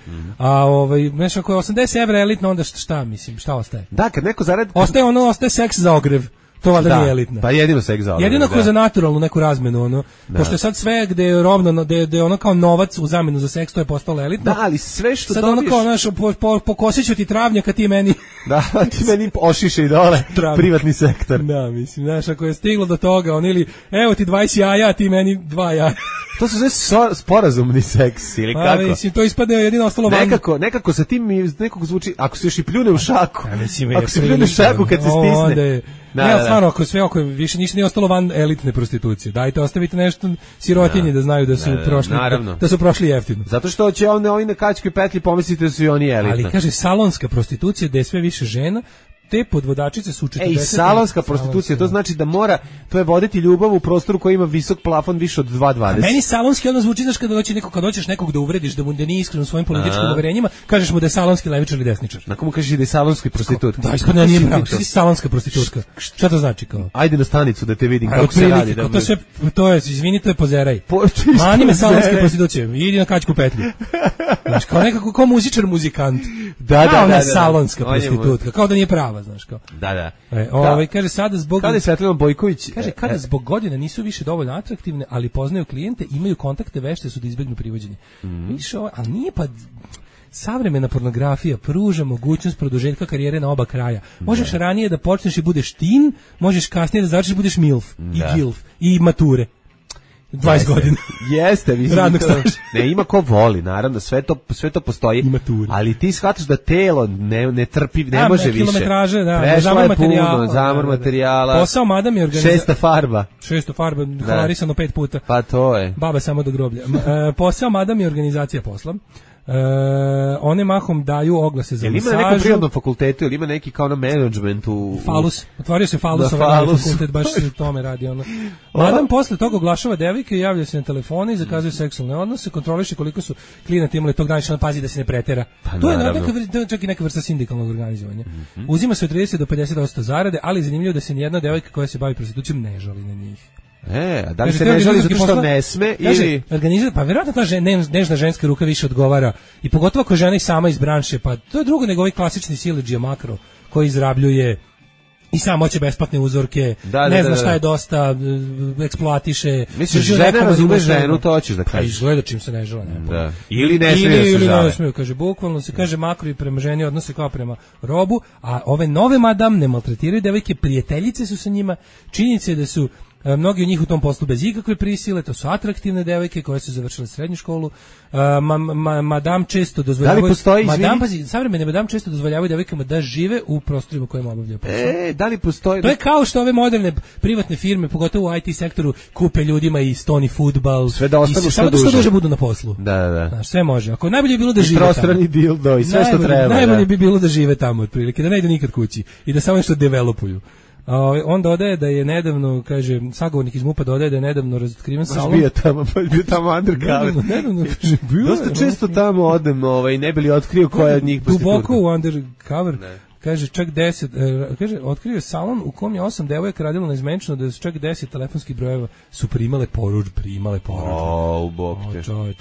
[SPEAKER 6] Nešto ako je 80 evra elitna, onda šta ostaje?
[SPEAKER 7] Da, kad neko zaradi...
[SPEAKER 6] Ostaje seks za ogrev. To valjda nije elitna.
[SPEAKER 7] Pa jedino seks za ogrev.
[SPEAKER 6] Jedino za naturalnu neku razmenu, pošto je sad sve gde je rovno, gde je ono kao novac u zamenu za seks, to je postalo elitno.
[SPEAKER 7] Da, ali sve što
[SPEAKER 6] sad
[SPEAKER 7] dobiješ...
[SPEAKER 6] Sad ono kao, pokosit ću ti travnjaka, ti meni...
[SPEAKER 7] Da, ti meni ošiše i dole privatni sektor.
[SPEAKER 6] Da, mislim, znaš, ako je stiglo do toga, ili evo ti 20 jaja, ti meni 2 jaja.
[SPEAKER 7] To su sve sporazumni seks, ili kako?
[SPEAKER 6] Mislim, to ispadne jedino ostalo van.
[SPEAKER 7] Nekako sa tim nekako zvuči, ako se još i pljune u šaku, ako se pljune u šaku kad se stisne.
[SPEAKER 6] Stvarno, ako više ništa nije ostalo van elitne prostitucije. Dajte, ostavite nešto sirotinji da znaju da su prošli jeftino.
[SPEAKER 7] Zato što će ovi na kačkoj petlji pomisliti da su i oni elitna.
[SPEAKER 6] Ali kaže, salonska prostitucija, da je sve više žena, te podvodačice su 40.
[SPEAKER 7] Ej, salonska prostitucija, to znači da to je voditi ljubav u prostoru koji ima visok plafon više od 2,20.
[SPEAKER 6] Meni salonski ono zvuči, znaš, kad hoćeš nekog da uvrediš, da nije iskren u svojim političkim uverenjima, kažeš mu da je salonski levičar ili desničar.
[SPEAKER 7] Na komu kažeš da je salonski prostitut?
[SPEAKER 6] Da, ispadne nije pravo, ti si salonska prostitutka. Šta to znači kao?
[SPEAKER 7] Ajde na stanicu da te vidim kako se radi.
[SPEAKER 6] To je, izvini, to je pozeraj. Mani me salonske prostitucije, idi na kačku petlju. Znaš, kao nekako kao muzičar muzikant. Da, salonska prostitutka, kao da nije prava, znaš kao.
[SPEAKER 7] Da.
[SPEAKER 6] Kaže sada zbog
[SPEAKER 7] Kada je Svetlana Bojković,
[SPEAKER 6] kaže kada zbog godina nisu više dovoljno atraktivne, ali poznaju klijente, imaju kontakte, vešte su da izbegnu privođenje. Više ali nije pa savremena pornografija pruža mogućnost produžetka karijere na oba kraja. Možeš ranije da počneš i budeš teen, možeš kasnije da završiš budeš milf i gilf i mature. 20 godina.
[SPEAKER 7] Jeste, mislim.
[SPEAKER 6] Radnog staža.
[SPEAKER 7] Ne, ima ko voli, naravno, sve to postoji. Ali ti shvataš da telo ne trpi, ne može više.
[SPEAKER 6] Kilometraže,
[SPEAKER 7] prešla je puno, zamor materijala.
[SPEAKER 6] Posao madam je organizacija.
[SPEAKER 7] 600 farba.
[SPEAKER 6] Halarisano 5 puta.
[SPEAKER 7] Pa to je.
[SPEAKER 6] Baba samo do groblja. Posao madam je organizacija posla. One mahom daju oglase za masažu.
[SPEAKER 7] Ima na nekom prirodnom fakultetu ili ima neki kao na managementu?
[SPEAKER 6] Falus. Otvorio se Falus, fakultet, baš se tome radi. Madam posle toga oglašava devojke, javlja se na telefone i zakazuje seksualne odnose, kontroliše koliko su klijenti imali tog dana, pazi da se ne pretera. To je čak i neka vrsta sindikalnog organizovanja. Uzima se od 30 do 50% zarade, ali zanimljivo da se nijedna devojka koja se bavi prostitucijom ne žali na njih.
[SPEAKER 7] Da li se ne želi zato što ne sme ili...
[SPEAKER 6] Pa vjerojatno ta nežna ženska ruka više odgovara i pogotovo ako žena i sama iz branše, pa to je drugo nego ovaj klasični siledžija makro koji izrabljuje i sam hoće besplatne uzorke, ne zna šta je dosta, eksploatiše.
[SPEAKER 7] Misliš, žena razume ženu, to hoćeš da kažeš.
[SPEAKER 6] Pa izgleda čim se ne žele.
[SPEAKER 7] Ili ne smije da se žale.
[SPEAKER 6] Smiju, kaže, bukvalno se kaže makro i prema ženi odnose kao prema robu, a ove nove madam ne maltretiraju devojke, prijateljice su sa njima, činjenica je da su mnogi od njih u tom poslu bez ikakve prisile, to su atraktivne devojke koje su završile srednju školu. Madam često dozvoljavaju...
[SPEAKER 7] Da li postoji,
[SPEAKER 6] savremene madam često dozvoljavaju devojkama da žive u prostorima kojima obavljaju posao.
[SPEAKER 7] Da li postoji...
[SPEAKER 6] To je kao što ove moderne privatne firme, pogotovo u IT sektoru, kupe ljudima i stoni fudbal.
[SPEAKER 7] Sve da ostanu
[SPEAKER 6] što duže budu na poslu.
[SPEAKER 7] Da.
[SPEAKER 6] Znaš, sve može. Ako najbolje bi bilo da žive
[SPEAKER 7] tamo. I prostrani dildo i sve što treba.
[SPEAKER 6] Najbolje bi bilo da žive tamo, otprilike, da ne idu nikad kući i da samo nešto developuju. On dodaje da je nedavno, kaže, sagovornik iz MUP-a dodaje da je nedavno razotkriven salon.
[SPEAKER 7] Bio tamo undercover.
[SPEAKER 6] Nedavno, kaže, bio.
[SPEAKER 7] Dosta često tamo odem, ne bi li otkrio koja je od njih prostitutka.
[SPEAKER 6] Duboko u undercover. Kaže, čak 10, kaže, otkrio je salon u kom je 8 devojaka radilo neizmenčno, da su čak 10 telefonskih brojeva su primale porudžbe.
[SPEAKER 7] U bok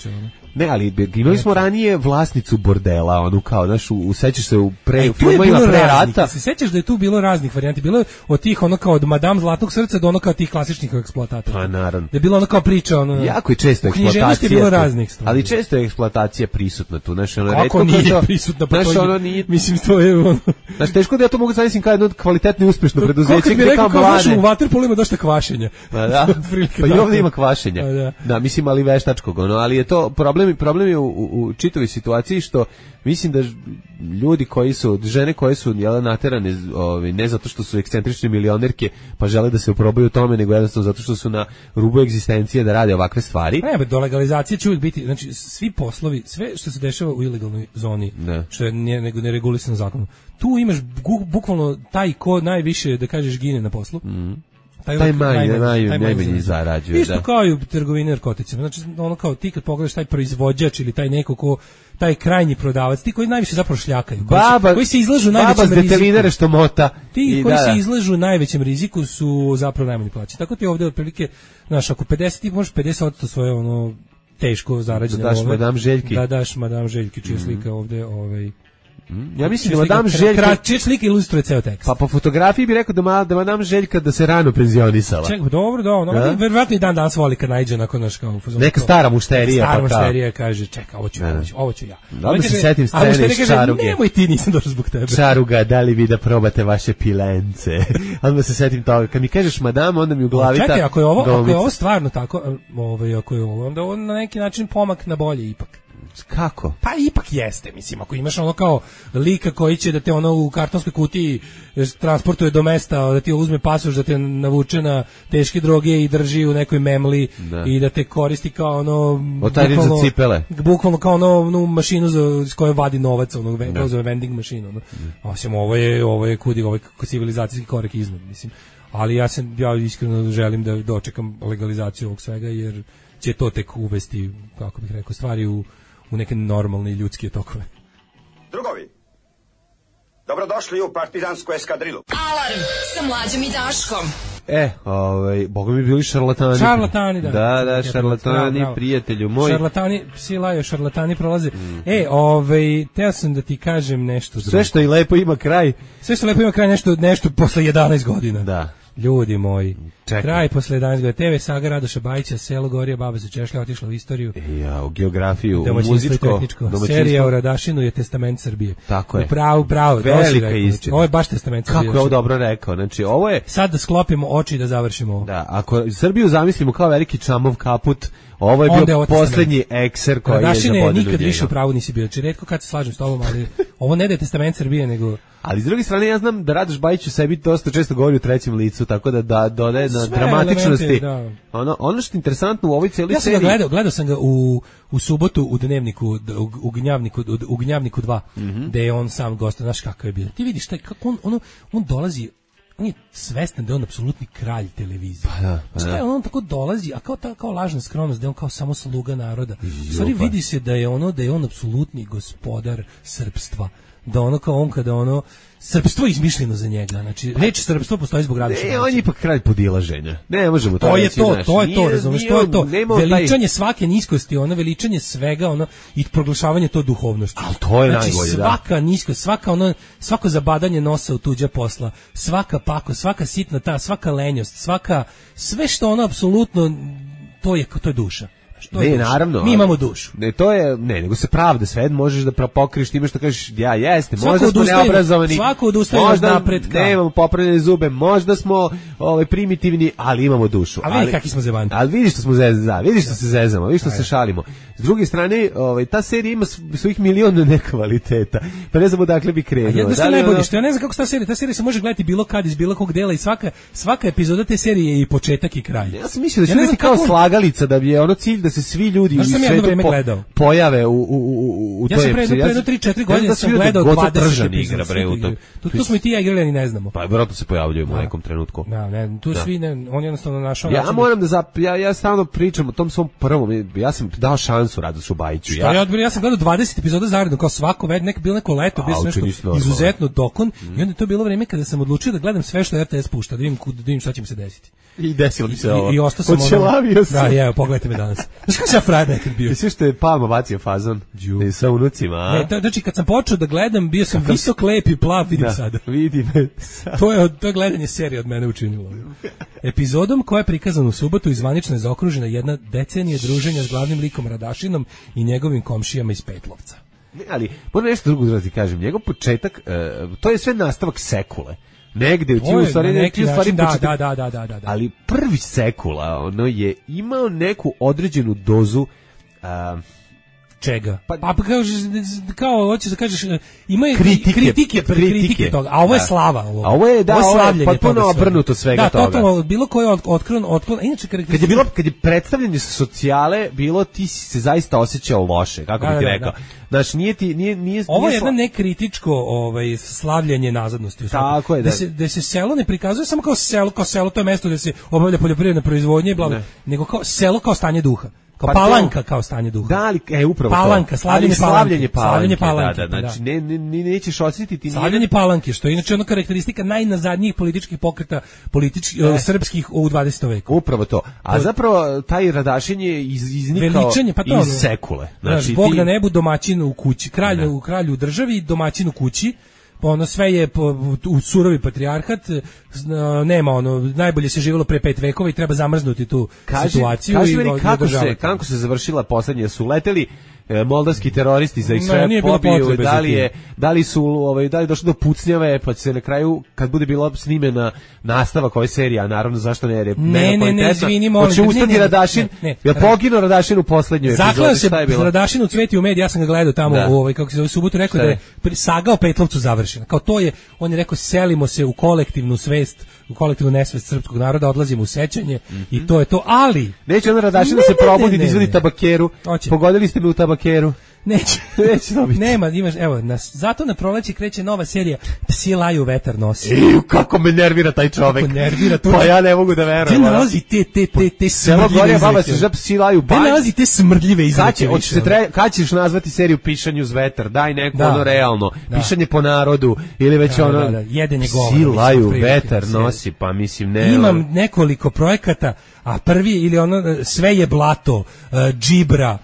[SPEAKER 7] te. Ne, ali imali smo ranije vlasnicu bordela, onu kao, znaš, sećaš se u filmovima pre rata.
[SPEAKER 6] Se sećaš da je tu bilo raznih varijanti, bilo je od tih ono kao od Madame Zlatnog srca do ono kao tih klasičnih eksploatatora.
[SPEAKER 7] Pa naravno.
[SPEAKER 6] Da je bilo ono kao priča, ono.
[SPEAKER 7] Jako je često eksploatacija.
[SPEAKER 6] Bilo raznih stvari.
[SPEAKER 7] Ali često je eksploatacija prisutna tu, znaš, ono
[SPEAKER 6] retko nije prisutna, pa to
[SPEAKER 7] nije.
[SPEAKER 6] Mislim to je ono.
[SPEAKER 7] Znaš, teško da ja to mogu zamislim kao jedno kvalitetno i uspešno preduzeće gde kao mlade.
[SPEAKER 6] U vaterpolu ima dosta kvašenja.
[SPEAKER 7] Pa i ovdje ima kvašenja. Da, mislim, ali veštačkog, ali je to problem je u čitavoj situaciji što mislim da ljudi koji su, žene koje su naterane ne zato što su ekscentrične milionerke pa žele da se oprobaju u tome, nego jednostavno zato što su na rubu egzistencije da rade ovakve stvari.
[SPEAKER 6] Ne, do legalizacije će uvijek biti, znači svi poslovi, sve što se dešava u ilegalnoj zoni, što je ne regulisano zakonom, tu imaš bukvalno taj ko najviše, da kažeš, gine na poslu.
[SPEAKER 7] taj najmanji zarađuje.
[SPEAKER 6] Isto kao i u trgovini narkoticima. Znači, ono kao ti kad pogledaš taj proizvođač ili taj neko ko, taj krajnji prodavac, ti koji najviše zapravo šljakaju, koji se izlažu najvećem riziku. Baba s detelinare
[SPEAKER 7] što mota.
[SPEAKER 6] Ti koji se izlažu najvećem riziku su zapravo najmanji plaći. Tako ti ovde otprilike, znaš, ako 50, ti možeš 50% svoje ono teško zarađene
[SPEAKER 7] daš Madame Željki.
[SPEAKER 6] Da daš Madame Željki, čija slika ovde,
[SPEAKER 7] ja mislim da Madame Željka
[SPEAKER 6] čija slika ilustruje ceo tekst.
[SPEAKER 7] Pa po fotografiji bi rekao da Madame Željka da se rano penzionisala.
[SPEAKER 6] Čekaj, dobro, verovatno i dan danas voli kad naiđe nakon naš kao
[SPEAKER 7] neka stara mušterija,
[SPEAKER 6] stara mušterija kaže čeka, ovo ću ja.
[SPEAKER 7] Dobro se setim scene iz Čaruge.
[SPEAKER 6] Nemoj ti, nisam došao zbog tebe.
[SPEAKER 7] Čaruga, da li vi da probate vaše pilence? Onda se setim toga. Kad mi kažeš Madame, onda mi u glavi ta.
[SPEAKER 6] Čekaj, ako je ovo stvarno tako, ako je ovo, onda on na neki način pomak na bolje ipak.
[SPEAKER 7] Kako?
[SPEAKER 6] Pa ipak jeste, mislim, ako imaš ono kao lika koji će da te ono u kartonskoj kutiji transportuje do mesta, da ti uzme pasoš, da te navuče na teške droge i drži u nekoj memli i da te koristi kao ono
[SPEAKER 7] za cipele.
[SPEAKER 6] Bukvalno kao ono mašinu s kojoj vadi novac, ono za vending mašinu. Osim ovo je kudi, ovo je civilizacijski korak iznad, mislim. Ali ja iskreno želim da dočekam legalizaciju ovog svega, jer će to tek uvesti, kako bih rekao, stvari u neke normalne ljudske tokove.
[SPEAKER 8] Drugovi, dobrodošli u partizansku eskadrilu.
[SPEAKER 5] Alarm sa Mlađom i Daškom.
[SPEAKER 7] Boga mi bili šarlatani.
[SPEAKER 6] Šarlatani, da.
[SPEAKER 7] Da, šarlatani, bravo. Prijatelju moj.
[SPEAKER 6] Šarlatani, psi laju, šarlatani prolaze. Teo sam da ti kažem nešto.
[SPEAKER 7] Sve što i lepo ima kraj.
[SPEAKER 6] Sve što lepo ima kraj, nešto posle 11 godina.
[SPEAKER 7] Da.
[SPEAKER 6] Ljudi moji, kraj posle 11 godina. TV saga Radoša Bajića, Selo Gorija, Baba se češlja, otišla u istoriju.
[SPEAKER 7] U geografiju, u muzičko.
[SPEAKER 6] Serija o Radašinu je Testament Srbije.
[SPEAKER 7] Tako je.
[SPEAKER 6] Pravo.
[SPEAKER 7] Velika istina.
[SPEAKER 6] Ovo je baš Testament Srbije.
[SPEAKER 7] Kako je ovo dobro rekao. Znači, ovo je...
[SPEAKER 6] Sad da sklopimo oči i da završimo ovo.
[SPEAKER 7] Da, ako Srbiju zamislimo kao veliki čamov kaput, ovo je bio poslednji ekser koji je za bodinu njega.
[SPEAKER 6] Nikad više u pravu nisi bio. Znači, retko kad se slažem s tobom, ali ovo ne da je Testament Srbije, nego...
[SPEAKER 7] Ali s druge strane ja znam da Radoš Bajić u sebi dosta često govori u trećem licu, tako da dodaje na dramatičnosti. Ono što je interesantno u ovoj celoj seriji...
[SPEAKER 6] Ja sam ga gledao sam ga u subotu u Dnevniku, u Gnjavniku 2, gde je on sam gost, znaš kakav je bio. Ti vidiš kako on dolazi, on je svestan da je on apsolutni kralj televizije. On tako dolazi, a kao lažna skromnost, da je on kao samo sluga naroda. Stvari vidi se da je on apsolutni gospodar srpstva. Da ono kao on kada srpstvo je izmišljeno za njega. Znači, reč srpstvo postoji zbog Radoša Bajića.
[SPEAKER 7] On je ipak kralj podilaženja. Ne možemo to reći.
[SPEAKER 6] To je to, razumiješ, to je to. Veličanje svake niskosti, veličanje svega, i proglašavanje to duhovnošću.
[SPEAKER 7] Ali to je najbolje, da.
[SPEAKER 6] Svaka niskost, svako zabadanje nosa u tuđa posla, svaka pakost, svaka sitna svaka lenjost, sve što apsolutno, to je duša.
[SPEAKER 7] Naravno.
[SPEAKER 6] Mi imamo dušu.
[SPEAKER 7] Nego se pravda, sve možeš da pokriješ time što kažeš, možda smo neobrazovani,
[SPEAKER 6] svako odustaje od napretka.
[SPEAKER 7] Nemamo popravljene zube, možda smo primitivni, ali imamo dušu.
[SPEAKER 6] A vidi kakvi smo zebanti.
[SPEAKER 7] Ali vidi što smo vidi što se zezamo, vidi što se šalimo. S druge strane, ta serija ima svojih miliona nekvaliteta. Pa ne znam odakle bi krenuo.
[SPEAKER 6] Jedno što najbolje, što ja ne znam kako ta serija se može gledati bilo kad iz bilo kog dela i svaka epizoda te serije je i početak i kraj.
[SPEAKER 7] Ja sam mislio da će biti kao slagalica, da bi je cilj da se svi ljudi u svetu pojave u toj emisiji.
[SPEAKER 6] Ja sam pre 3-4 godine sam gledao 20 epizoda. Tu smo i ti ja igrali, ne znamo.
[SPEAKER 7] Pa vjerojatno se pojavljujemo u nekom trenutku.
[SPEAKER 6] Tu svi, on jednostavno našao.
[SPEAKER 7] Ja moram da ja stalno pričam o tom svom prvom, ja sam dao šansu Radošu Bajiću.
[SPEAKER 6] Ja sam gledao 20 epizoda zaredno, kao svako bilo neko leto, bio sam nešto izuzetno dokon i onda je to bilo vreme kada sam odlučio da gledam sve što RTS pušta, da vidim šta će mi se desiti.
[SPEAKER 7] I desilo mi se ovo.
[SPEAKER 6] I ostao sam
[SPEAKER 7] Počelavio sam.
[SPEAKER 6] Da, pogledajte me danas. Znaš kako sam frajer nekad bio?
[SPEAKER 7] I sve što je Palma bacio fazon sa unucima, a?
[SPEAKER 6] Znači, kad sam počeo da gledam, bio sam visok, lep i plav, vidim sada.
[SPEAKER 7] Vidi me sada.
[SPEAKER 6] To je gledanje serije od mene učinilo. Epizodom koja je prikazana u subotu i zvanično je zaokružena jedna decenija druženja s glavnim likom Radašinom i njegovim komšijama iz Petlovca.
[SPEAKER 7] Ne, ali moram nešto drugo da ti kažem. Njegov početak, to je sve nastavak Sekule. Negde u stvari
[SPEAKER 6] da.
[SPEAKER 7] Ali prvi Sekula je imao neku određenu dozu
[SPEAKER 6] Čega? Pa kao hoćeš da kažeš ima kritike toga, a ovo je slava,
[SPEAKER 7] ovo je potpuno obrnuto svega toga.
[SPEAKER 6] Da, totalno bilo koji otklon. Inače
[SPEAKER 7] kad je predstavljanje socijale bilo, ti si se zaista osjećao loše, kako bih ti rekao. Znači nije
[SPEAKER 6] ovo je jedno nekritičko slavljenje nazadnosti.
[SPEAKER 7] Tako je,
[SPEAKER 6] da se selo ne prikazuje samo kao selo, to je mesto gde se obavlja poljoprivredna proizvodnja i bla, nego kao selo kao stanje duha. Kao Palanka kao stanje duha.
[SPEAKER 7] Da, ali upravo
[SPEAKER 6] Palanka, slavljenje Palanke.
[SPEAKER 7] Da, znači nećeš osjetiti
[SPEAKER 6] slavljenje Palanke, što je inače ona karakteristika najnazadnijih političkih pokreta srpskih u 20. veku.
[SPEAKER 7] Upravo to. A zapravo taj Radašin je iznikao iz sekule.
[SPEAKER 6] Znači Bog na nebu, domaćin u kući, kralj u državi, domaćin u kući. Ono sve je u surovi patrijarhat, nema najbolje se živjelo pre 5 vekova i treba zamrznuti tu situaciju.
[SPEAKER 7] Kaži meni kako se završila poslednja, su leteli moldavski teroristi za ih sve pobiju, da li došlo do pucnjave, pa će se na kraju, kad bude bila snimena nastavak ove serije, a naravno zašto
[SPEAKER 6] ne, izvini, molim.
[SPEAKER 7] Hoće ustati Radašin, jer poginuo Radašin u poslednjoj epizodi.
[SPEAKER 6] Zaklao se Radašin u Cveti u mediji, ja sam ga gledao tamo, kako se zove, subotu, rekao da je saga o Petlovcu završena. Kao to je, on je rekao, selimo se u kolektivnu svest, u kolektivnu nesvest srpskog naroda, odlazimo u sećanje i to je to, ali...
[SPEAKER 7] Neće onda Radašin da se probudi, da izvodi tabakeru. Pogodili ste me u tabakeru.
[SPEAKER 6] Neće dobiti. Nema, imaš, evo, zato na proleće kreće nova serija Psi laju, vetar nosi.
[SPEAKER 7] Kako me nervira taj čovek.
[SPEAKER 6] Kako nervira to.
[SPEAKER 7] Pa ja ne mogu da verujem.
[SPEAKER 6] Gde nalazi te smrdljive
[SPEAKER 7] baba se žab Psi laju.
[SPEAKER 6] Gde nalazi te smrdljive izreke?
[SPEAKER 7] Kad ćeš nazvati seriju Pišanju uz vetar? Daj neko ono realno. Pišanje po narodu ili već ono
[SPEAKER 6] jedenje govora.
[SPEAKER 7] Psi laju, vetar nosi, pa mislim ne.
[SPEAKER 6] Imam nekoliko projekata, a prvi ili ono sve je blato, džibra.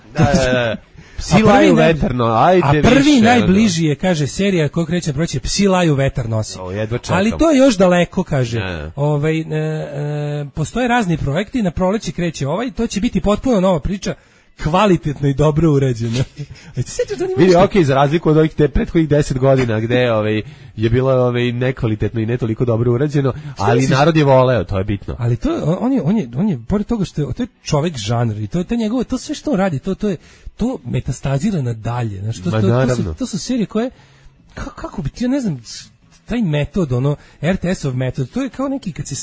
[SPEAKER 7] Psi laju vetarno, ajde više.
[SPEAKER 6] A prvi najbliži je, kaže, serija koju kreće proći, Psi laju, vetar nosi. Ali to je još daleko, kaže. Postoje razni projekti, na proleće kreće to će biti potpuno nova priča, kvalitetno i dobro urađeno.
[SPEAKER 7] Vidi, okej, za razliku od ovih prethodnih 10 godina gde je bilo nekvalitetno i ne toliko dobro urađeno, ali narod je voleo, to je bitno.
[SPEAKER 6] Ali to on je pored toga što to je čovjek žanr i to njegovo, to sve što on radi, to metastazira nadalje. Znači to su serije koje kako bi ti, ja ne znam, taj metod, RTS-ov metod, to je kao neki kad se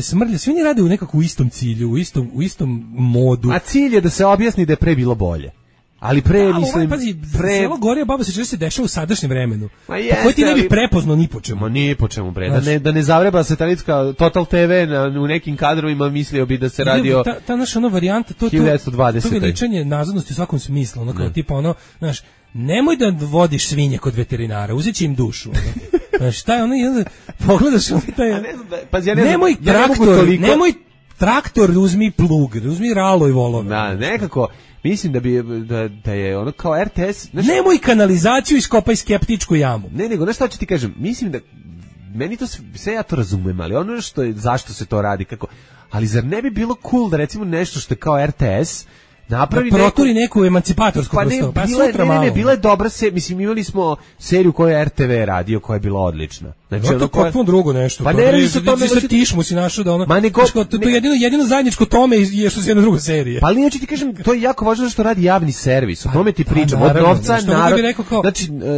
[SPEAKER 6] smrlja, svi oni rade u nekako u istom cilju, u istom modu.
[SPEAKER 7] A cilj je da se objasni da je pre bilo bolje. Ali
[SPEAKER 6] Selo Gorija baba se dešava u sadašnjem vremenu. Koji ti ne bi prepoznao ni po čemu.
[SPEAKER 7] Ni po čemu, bre. Da ne zavreba satelitska Total TV u nekim kadrovima, mislio bi da se radi o...
[SPEAKER 6] Ta naša varijanta, to
[SPEAKER 7] 1920.
[SPEAKER 6] To veličanje nazadnosti u svakom smislu. Kao tipa znaš, nemoj da vodiš svinje kod veterinara, uzet će im dušu. Znaš, šta je pogledaš nemoj traktor, uzmi plug, uzmi ralo i volove.
[SPEAKER 7] Da, nekako... Mislim da je ono kao RTS...
[SPEAKER 6] Nemoj kanalizaciju, iskopaj skeptičku jamu.
[SPEAKER 7] Ne, nego, znaš šta ću ti kažem, mislim da, meni to sve ja to razumem, ali ono zašto se to radi, kako, ali zar ne bi bilo cool da recimo nešto što je kao RTS, napravi
[SPEAKER 6] proturi neku emancipatorsku prostoru,
[SPEAKER 7] bila je dobra se, mislim, imali smo seriju koju je RTV radio, koja je bila odlična.
[SPEAKER 6] Znači, to je potpuno drugo nešto.
[SPEAKER 7] Pa ne radi se to,
[SPEAKER 6] tišmu si našao da to jedino zajedničko tome je što se jedna druga serija.
[SPEAKER 7] Pa ali ja ću ti kažem, to je jako važno što radi javni servis, o tome ti pričam, od novca, narod,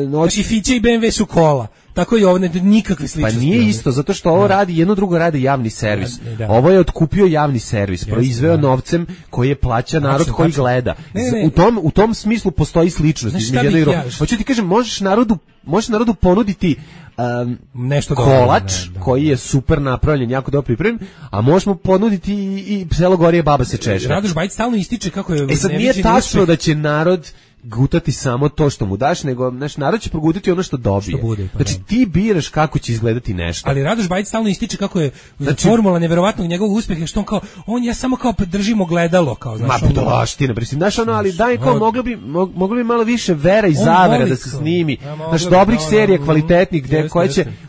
[SPEAKER 6] znači Fiće i BMW su kola. Tako i ovo, nikakve sličnosti.
[SPEAKER 7] Pa nije isto, zato što ovo radi, jedno drugo radi javni servis. Ovo je otkupio javni servis, proizveo novcem koji je plaća narod koji gleda. U tom smislu postoji sličnost između jedno i drugo. Hoću ti kažem, možeš narodu ponuditi
[SPEAKER 6] nešto
[SPEAKER 7] kolač koji je super napravljen, jako dobro pripremljen, a možemo ponuditi i Selo Gorije, baba se češe.
[SPEAKER 6] Radoš Bajić stalno ističe kako je...
[SPEAKER 7] Sad nije tačno da će narod gutati samo to što mu daš, nego narod će progutati ono što dobije. Znači ti biraš kako će izgledati nešto.
[SPEAKER 6] Ali Radoš Bajić stalno ističe kako je formula neverovatnog njegovog uspeha, što on kao, ja samo kao držimo gledalo, kao, znaš.
[SPEAKER 7] Ma budalaština, znaš ono, ali daj kao moglo bi malo više vera i zavere da se snimi. Znaš, dobrih serija, kvalitetnih,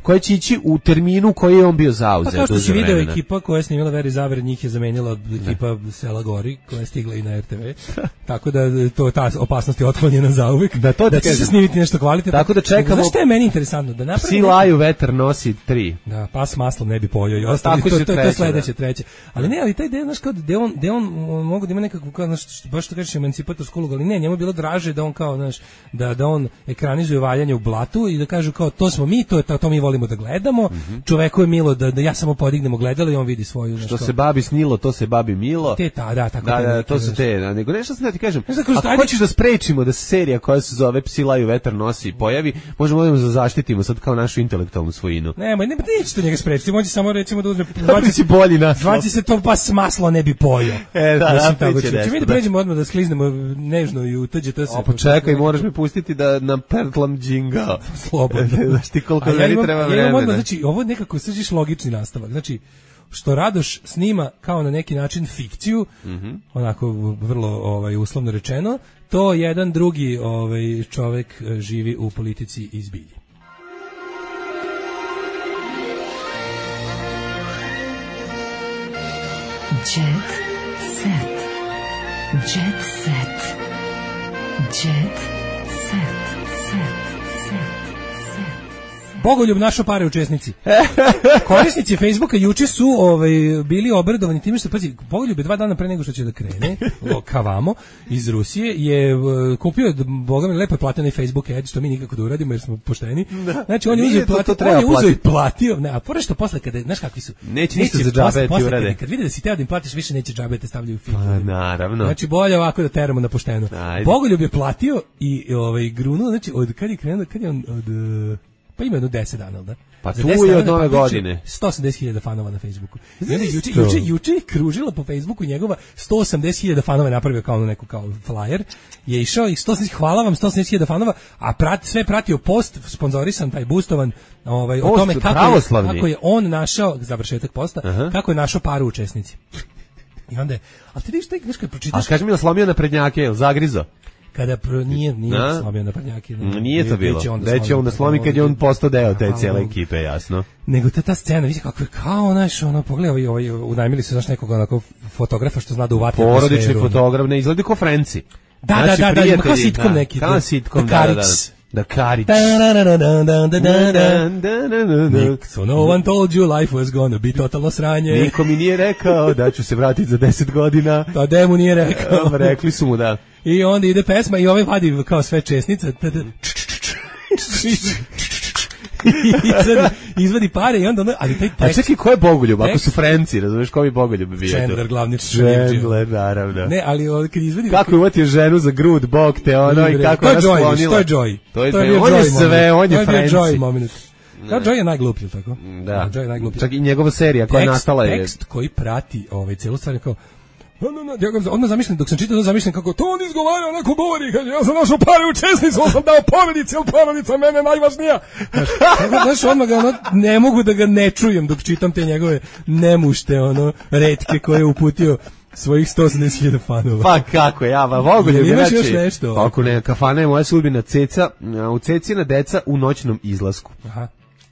[SPEAKER 7] koje će ići u terminu koji je on bio zauzet.
[SPEAKER 6] Pa kao što si video, ekipa koja je snimila Vera i zavere, njih je zamenila ekipa Sela Gori, koja je stigla i na RTV. Tako da to ta opasnost biti otklonjena zauvek, da će se snimiti nešto kvalitetno.
[SPEAKER 7] Tako da čekamo.
[SPEAKER 6] Znaš što je meni interesantno? Da napravi
[SPEAKER 7] Psi laju, vetar nosi 3.
[SPEAKER 6] Da, pas maslom ne bi pojeo i ostali, to je sledeće, treće. Ali ne, ali taj deo, znaš, kao da on mogu da ima nekakvu, kao, znaš, baš što kažeš, emancipatorsku ulogu, ali ne, njemu je bilo draže da on kao, znaš, da on ekranizuje valjanje u blatu i da kažu kao, to smo mi, to mi volimo da gledamo, čoveku je milo da ja samo podignemo gledalo i on vidi svoju, znaš,
[SPEAKER 7] što se babi snilo, to se babi milo.
[SPEAKER 6] Tako
[SPEAKER 7] to su te, nego nešto sam da ti kažem, ako hoćeš da sprečimo da se serija koja se zove Psi laju, vetar nosi pojavi, možemo da zaštitimo sad kao našu intelektualnu svojinu.
[SPEAKER 6] Ne, neće to njega sprečiti, može samo recimo da uzme, zvaći se to pas maslo ne bi pojeo. Ćemo mi da pređemo odmah da skliznemo nežno i uđe to se.
[SPEAKER 7] Pa čekaj, moraš me pustiti da nam pertlam džinga.
[SPEAKER 6] Slobodno.
[SPEAKER 7] Znaš ti koliko meni treba vremena.
[SPEAKER 6] Znači, ovo nekako sržiš logični nastavak. Znači, što Radoš snima kao na neki način fikciju, onako vrlo uslovno rečeno, to jedan drugi čovek živi u politici i zbilji.
[SPEAKER 4] Jet set. Jet set. Jet set.
[SPEAKER 6] Bogoljub našo pare učesnici. Korisnici Facebooka juče su bili obradovani time što, pazi, Bogoljub je 2 dana pre nego što će da krene, kavamo, iz Rusije, je kupio, boga mi, lepo je platio na Facebook ad, što mi nikako da uradimo jer smo pošteni. Znači, on je uzeo i platio, ne, a pored što posle, kada, znaš kakvi su?
[SPEAKER 7] Neće ništa za džabe ti urade.
[SPEAKER 6] Kad vide da si teo da im platiš, više neće džabe te stavljaju u film.
[SPEAKER 7] Pa, naravno.
[SPEAKER 6] Znači, bolje ovako da teramo na pošteno. Bogoljub je platio i grunuo, znači, kad je on pa ima jedno 10 dana, da?
[SPEAKER 7] Pa tu je od nove godine.
[SPEAKER 6] 180.000 fanova na Facebooku. I onda juče je kružila po Facebooku njegova 180.000 fanova je napravio kao neku kao flyer. Je išao i hvala vam 180.000 fanova, a sve pratio post sponzorisan, taj boostovan, o tome kako je on našao, završetak posta, kako je našao paru učesnici. I onda ali ti vidiš taj kad pročitaš.
[SPEAKER 7] A kaži mi da slomio na prednjake, je li zagrizo?
[SPEAKER 6] Kada nije slomio na prednjaki.
[SPEAKER 7] Nije to bilo. Da će onda slomi kad je on postao deo te cijele ekipe, jasno.
[SPEAKER 6] Nego ta scena, vidi kako je kao, znaš, pogledaj, unajmili su, znaš, nekog onako fotografa što zna da uvati atmosferu. Porodični fotograf, ne izgleda kao Frenci. Da, kao sitkom neki.
[SPEAKER 7] Kao sitkom, da Karić.
[SPEAKER 6] So no one told you life was gonna be totalno sranje.
[SPEAKER 7] Niko mi nije rekao da ću se vratiti za 10 godina.
[SPEAKER 6] Pa da mu nije rekao.
[SPEAKER 7] Rekli su mu da.
[SPEAKER 6] I onda ide pesma i vadi kao sve česnice. Izvadi pare i onda ali taj tekst.
[SPEAKER 7] A čekaj, ko je Bogoljub? Ako su Frenci, razumeš, ko bi Bogoljub bio?
[SPEAKER 6] Chandler, glavni
[SPEAKER 7] Chandler, naravno.
[SPEAKER 6] Ne, ali kad izvadi...
[SPEAKER 7] Kako je uvatio ženu za grud, bok te ono i kako je rasklonila.
[SPEAKER 6] To je Joy.
[SPEAKER 7] On je sve, on je Frenci.
[SPEAKER 6] To je Joy moment. Joy je najgluplji, tako?
[SPEAKER 7] Da. Čak i njegova serija koja je nastala je...
[SPEAKER 6] Tekst koji prati celu stvar je kao... Odmah zamišljam, dok sam čitao, zamišljam kako to on izgovara, onako govori, kaže, ja sam našao pare u česnicu, on sam dao porodici, ali porodica mene najvažnija. Znaš, odmah ne mogu da ga ne čujem dok čitam te njegove nemušte, retke koje je uputio svojih 180.000 fanova.
[SPEAKER 7] Pa kako, Bogoljub je
[SPEAKER 6] imaš još nešto?
[SPEAKER 7] Ako ne, kafana je moja sudbina, u Cecina deca u noćnom izlasku.
[SPEAKER 6] Aha.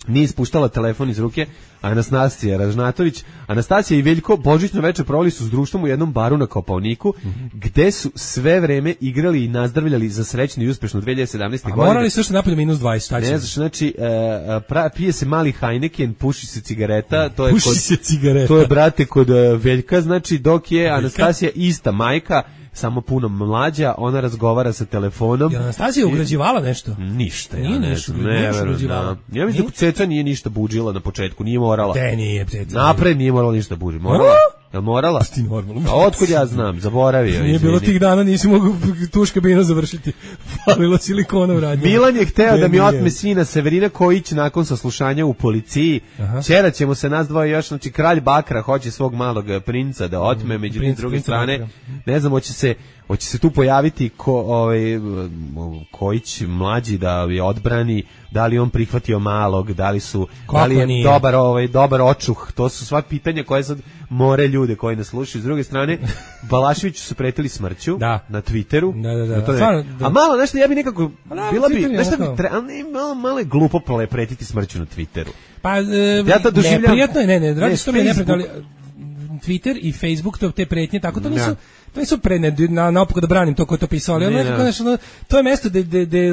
[SPEAKER 7] Nije ispuštala telefon iz ruke, Anastasija Ražnatović. Anastasija i Veljko božićno večer proveli su s društvom u jednom baru na Kopaoniku, gde su sve vreme igrali i nazdravljali za srećnu i uspešnu 2017. godine.
[SPEAKER 6] A morali su što napolje minus 20, šta će?
[SPEAKER 7] Ne znaš, znači, pije se mali Heineken, puši se cigareta. To je, brate, kod Veljka, znači, dok je Anastasija ista majka, samo puno mlađa, ona razgovara sa telefonom.
[SPEAKER 6] Je Anastasija ugrađivala nešto?
[SPEAKER 7] Ništa,
[SPEAKER 6] ja ne znam.
[SPEAKER 7] Ja mislim da Ceca nije ništa buđila na početku, nije morala.
[SPEAKER 6] Te nije Ceca.
[SPEAKER 7] Napred nije morala ništa buđiti. Morala? Jel morala?
[SPEAKER 6] Ti normalno.
[SPEAKER 7] A otkud ja znam, zaboravio.
[SPEAKER 6] Nije bilo tih dana, nisi mogu tuš kabinu završiti. Falilo silikona u radnju.
[SPEAKER 7] Milan je hteo da mi otme sina Severina Kojić nakon saslušanja u policiji. Ćera ćemo se nas dvoje još, znači kralj Bakra hoće svog malog princa da otme, međutim s druge strane, ne znam, hoće se tu pojaviti Kojić mlađi da je odbrani, da li on prihvatio malog, da li je dobar očuh, to su sva pitanja koje sad more ljude koji nas slušaju. S druge strane, Balaševiću su pretili smrću na Twitteru. Da. A malo, nešto, ja bi nekako, bila bi, nešto bi, malo je glupo pretiti smrću na Twitteru.
[SPEAKER 6] Pa, neprijatno je, radi što mi je neprijatno, ali Twitter i Facebook, te pretnje, tako to to nisu naopako da branim to ko je to pisao, ali to je mesto gde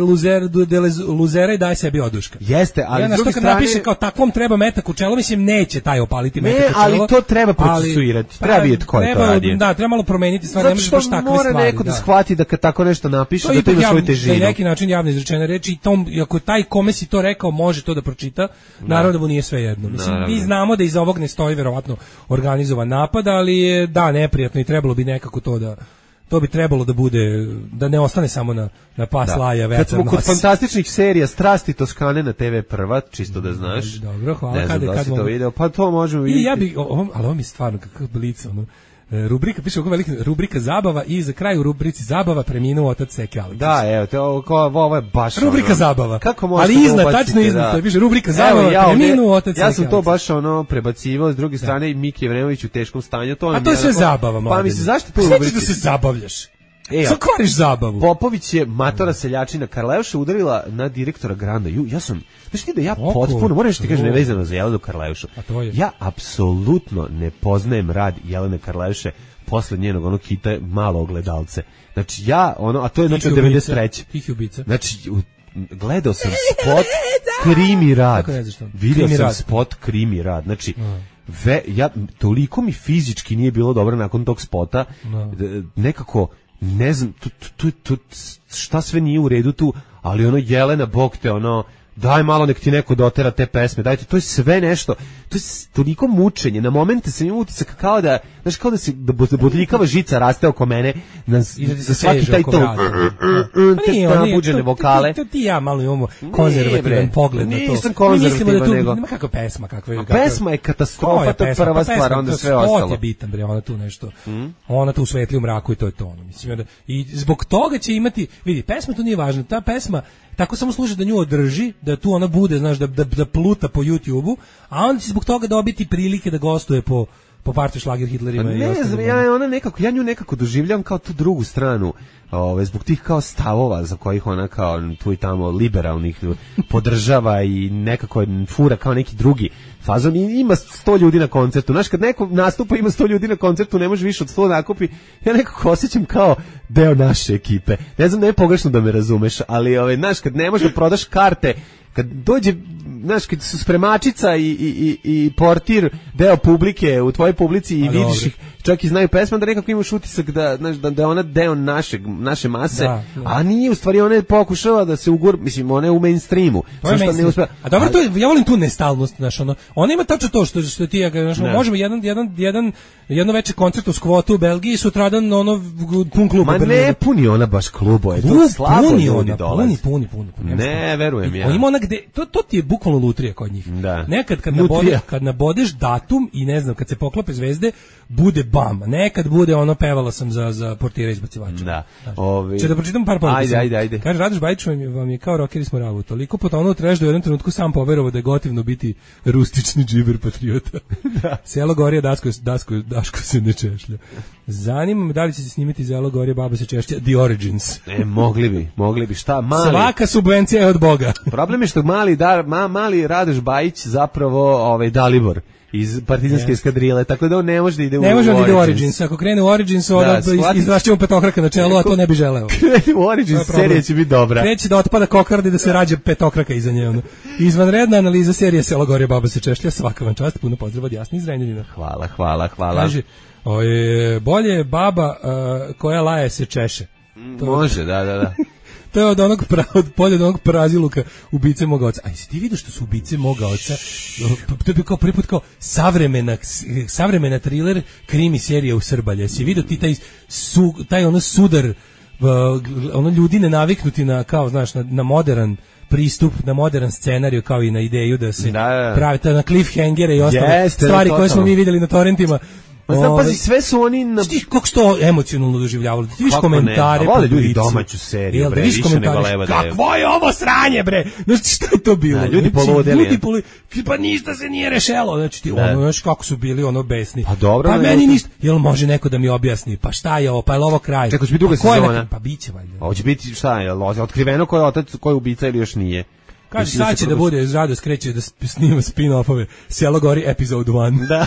[SPEAKER 6] luzera i daje sebi oduška.
[SPEAKER 7] Jeste, ali s druge strane...
[SPEAKER 6] napiše kao takvom treba metak u čelo, mislim, neće taj opaliti metak u čelo.
[SPEAKER 7] Ali to treba procesuirati, treba vidjeti ko je to radio.
[SPEAKER 6] Da, treba malo promeniti stvari, ne možeš baš takve stvari.
[SPEAKER 7] Zato što mora neko da shvati da kad tako nešto napiše, da to ima svoju težinu.
[SPEAKER 6] Na neki način javno izrečene reči i ako taj kome si to rekao može to da pročita, naravno da mu nije sve jedno. Mislim, mi znamo da iza ovog ne stoji verovatno organizovan napad, ali je neprijatno i trebalo bi nekako to bi trebalo da bude, da ne ostane samo na pas laja vetar nos.
[SPEAKER 7] Kad smo kod fantastičnih serija Strasti Toskane na TV Prva, čisto da znaš.
[SPEAKER 6] Dobro, hvala.
[SPEAKER 7] Ne znam da si to video, pa to možemo vidjeti.
[SPEAKER 6] Ali ovo mi je stvarno kakav blic, rubrika, piše oko velika rubrika zabava i za kraj u rubrici zabava preminuo otac Seke Aleksić.
[SPEAKER 7] Da, evo, ovo je baš
[SPEAKER 6] rubrika zabava.
[SPEAKER 7] Kako možete
[SPEAKER 6] ali iznad, tačno iznad, piše rubrika zabava preminuo otac Seke Aleksić.
[SPEAKER 7] Ja sam to baš prebacivao, s druge strane Miki Jevrenović u teškom stanju.
[SPEAKER 6] A to je sve zabava, mladine.
[SPEAKER 7] Pa misli, zašto to u rubrici?
[SPEAKER 6] Šta ćeš da se zabavljaš? Sad kvariš zabavu.
[SPEAKER 7] Popović je matora seljačina Karleuša udarila na direktora Granda. Ja sam, znaš ti da ja potpuno, moram što ti kažem nevezano za Jelenu Karleušu. Ja apsolutno ne poznajem rad Jelene Karleuše posle njenog onog hita Malo ogledalce. Znači a to je znači od 93.
[SPEAKER 6] Tih ubica.
[SPEAKER 7] Znači, gledao sam spot Krimi rad. Vidio sam spot Krimi rad. Znači, toliko mi fizički nije bilo dobro nakon tog spota. Nekako, ne znam, šta sve nije u redu tu, ali Jelena, bog te, daj malo nek ti neko dotera te pesme, dajte, to je sve nešto, to je toliko mučenje, na momente sam imao utisak kao da se bodljikava žica raste oko mene, za svaki taj ton, te nabuđene vokale.
[SPEAKER 6] Ti ja malo imamo konzervativan pogled na to.
[SPEAKER 7] Nisam konzervativan, nego...
[SPEAKER 6] Nema kakva pesma,
[SPEAKER 7] pesma je katastrofa, to je prva stvar, onda sve ostalo.
[SPEAKER 6] Spot je bitan, bre, ona tu nešto, ona tu u svetli u mraku i to je to. I zbog toga će imati, vidi, pesma tu nije važna, ta pesma tako samo služi da nju održi, da tu ona bude, znaš, da pluta po YouTube-u, a onda će zbog toga dobiti prilike da gostuje po partiju šlager Hitlerima i ostalim.
[SPEAKER 7] Ja nju nekako doživljam kao tu drugu stranu, zbog tih kao stavova za kojih ona kao tu i tamo liberalnih podržava i nekako fura kao neki drugi fazon i ima 100 ljudi na koncertu. Znaš, kad neko nastupa ima 100 ljudi na koncertu, ne može više od 100 nakupi, ja nekako osjećam kao deo naše ekipe. Ne znam, ne je pogrešno da me razumeš, ali znaš, kad ne možeš da prodaš karte, kad dođe, znaš, kad su spremačica i portir deo publike u tvojoj publici i vidiš ih, čak i znaju pesma, da nekako imaš utisak da je ona deo naše mase, a nije, u stvari ona je pokušala da se mislim, ona je u mainstreamu.
[SPEAKER 6] A dobro, ja volim tu nestalnost, znaš, ona ima tačno to što ti ja, znaš, možemo jedno veče koncert u Skvotu u Belgiji, sutradan pun klub.
[SPEAKER 7] Ma ne puni ona baš klubove, to slabo ljudi dolaze.
[SPEAKER 6] Puni.
[SPEAKER 7] Ne, verujem ja.
[SPEAKER 6] Ima ona gde, to ti je bukvalno lutrija kod njih. Nekad kad nabodeš datum i ne znam, kad se poklope zvezde, bude bam. Nekad bude pevala sam za portira izbacivača.
[SPEAKER 7] Da.
[SPEAKER 6] Če da pročitam par poruka.
[SPEAKER 7] Ajde.
[SPEAKER 6] Kaže, Radoš Bajić vam je kao rokeri s moralu. Toliko potonuo treš da u jednom trenutku sam poverovao da je gotivno biti rustični džiber patriota. Selo Gorje, Daško se ne češlja. Zanima me da li će se snimiti Selo Gorje, baba se češlja, The Origins.
[SPEAKER 7] Mogli bi, šta?
[SPEAKER 6] Svaka subvencija je od Boga.
[SPEAKER 7] Problem je što mali Radoš Bajić zapravo Dalibor iz partizanske eskadrile, tako da on ne može da ide u
[SPEAKER 6] Origins. Ako krene u Origins, onda izvašćemo petokraka na čelu, a to ne bi želeo.
[SPEAKER 7] Krene u Origins, serija će biti dobra.
[SPEAKER 6] Kreće da otpada kokarda i da se rađe petokraka iza nje. Izvanredna analiza serije Selo Gorje, baba se češlja, svaka vam čast, puno pozdrav od Jasni iz Renjanina.
[SPEAKER 7] Hvala.
[SPEAKER 6] Kaže, bolje je baba koja laje se češe.
[SPEAKER 7] Može, da.
[SPEAKER 6] To je od onog praziluka ubice moga oca. A jesi ti vidio što su ubice moga oca? To je kao prvi put kao savremena thriller krimi serija u Srbalje. Jesi vidio ti taj sudar, ljudi nenaviknuti na, kao, znaš, na modern pristup, na modern scenariju, kao i na ideju da se pravi na cliffhangere i ostale stvari koje smo mi vidjeli na torrentima.
[SPEAKER 7] Pazi, sve su oni
[SPEAKER 6] kako što emocionalno doživljavali. Ti vidiš komentare,
[SPEAKER 7] vole ljudi domaću seriju, bre, više nego leva da je.
[SPEAKER 6] Kakvo je ovo sranje, bre? Znači, šta je to bilo?
[SPEAKER 7] Ljudi poludeli.
[SPEAKER 6] Pa ništa se nije rešelo. Znači, ti znaš kako su bili besni.
[SPEAKER 7] Pa dobro.
[SPEAKER 6] Pa meni ništa. Jel može neko da mi objasni? Pa šta je ovo? Pa je ovo kraj?
[SPEAKER 7] Kako će biti druga sezona?
[SPEAKER 6] Pa biće valjda.
[SPEAKER 7] Hoće biti šta je? Otkriveno ko je otac, ko je ubica ili još nije?
[SPEAKER 6] Kaže, sad će da bude, Rado skreće da snima spin-offove Selo Gori Episode 1.
[SPEAKER 7] Da,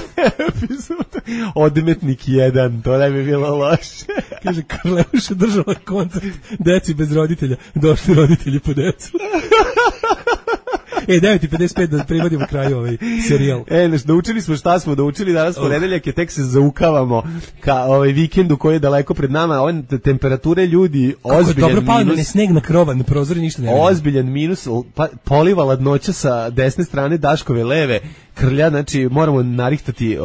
[SPEAKER 7] Odmetnik 1, to ne bi bilo loše.
[SPEAKER 6] Kaže, Karleuša držala koncert deci bez roditelja, došli roditelji po decu. 9:55 da privodimo kraju ovaj serijal.
[SPEAKER 7] Naučili smo šta smo naučili danas ponedeljak je, tek se zaukavamo ka ovaj vikendu koji je daleko pred nama. Ove temperature ljudi ozbiljan minus. Dobro
[SPEAKER 6] pao sneg na krova, na prozori ništa ne vidi.
[SPEAKER 7] Ozbiljan minus, poliva ladnoća sa desne strane Daškove leve. Krlja, znači moramo narihtati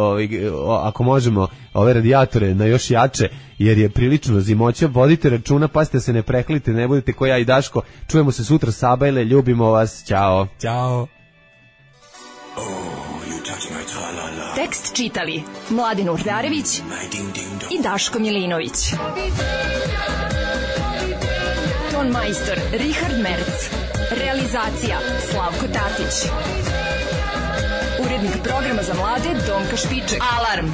[SPEAKER 7] ako možemo ove radijatore na još jače, jer je prilično zimoća. Vodite računa, pazite se, ne prehlite, ne budete ko ja i Daško. Čujemo se sutra, Sabajle, ljubimo vas, ćao.
[SPEAKER 6] Ćao.
[SPEAKER 5] Tekst čitali Mladin Urdarević i Daško Milinović. Ton majstor Richard Merc. Realizacija Slavko Tatić. Urednik programa za mlade Donka Špiček. Alarm!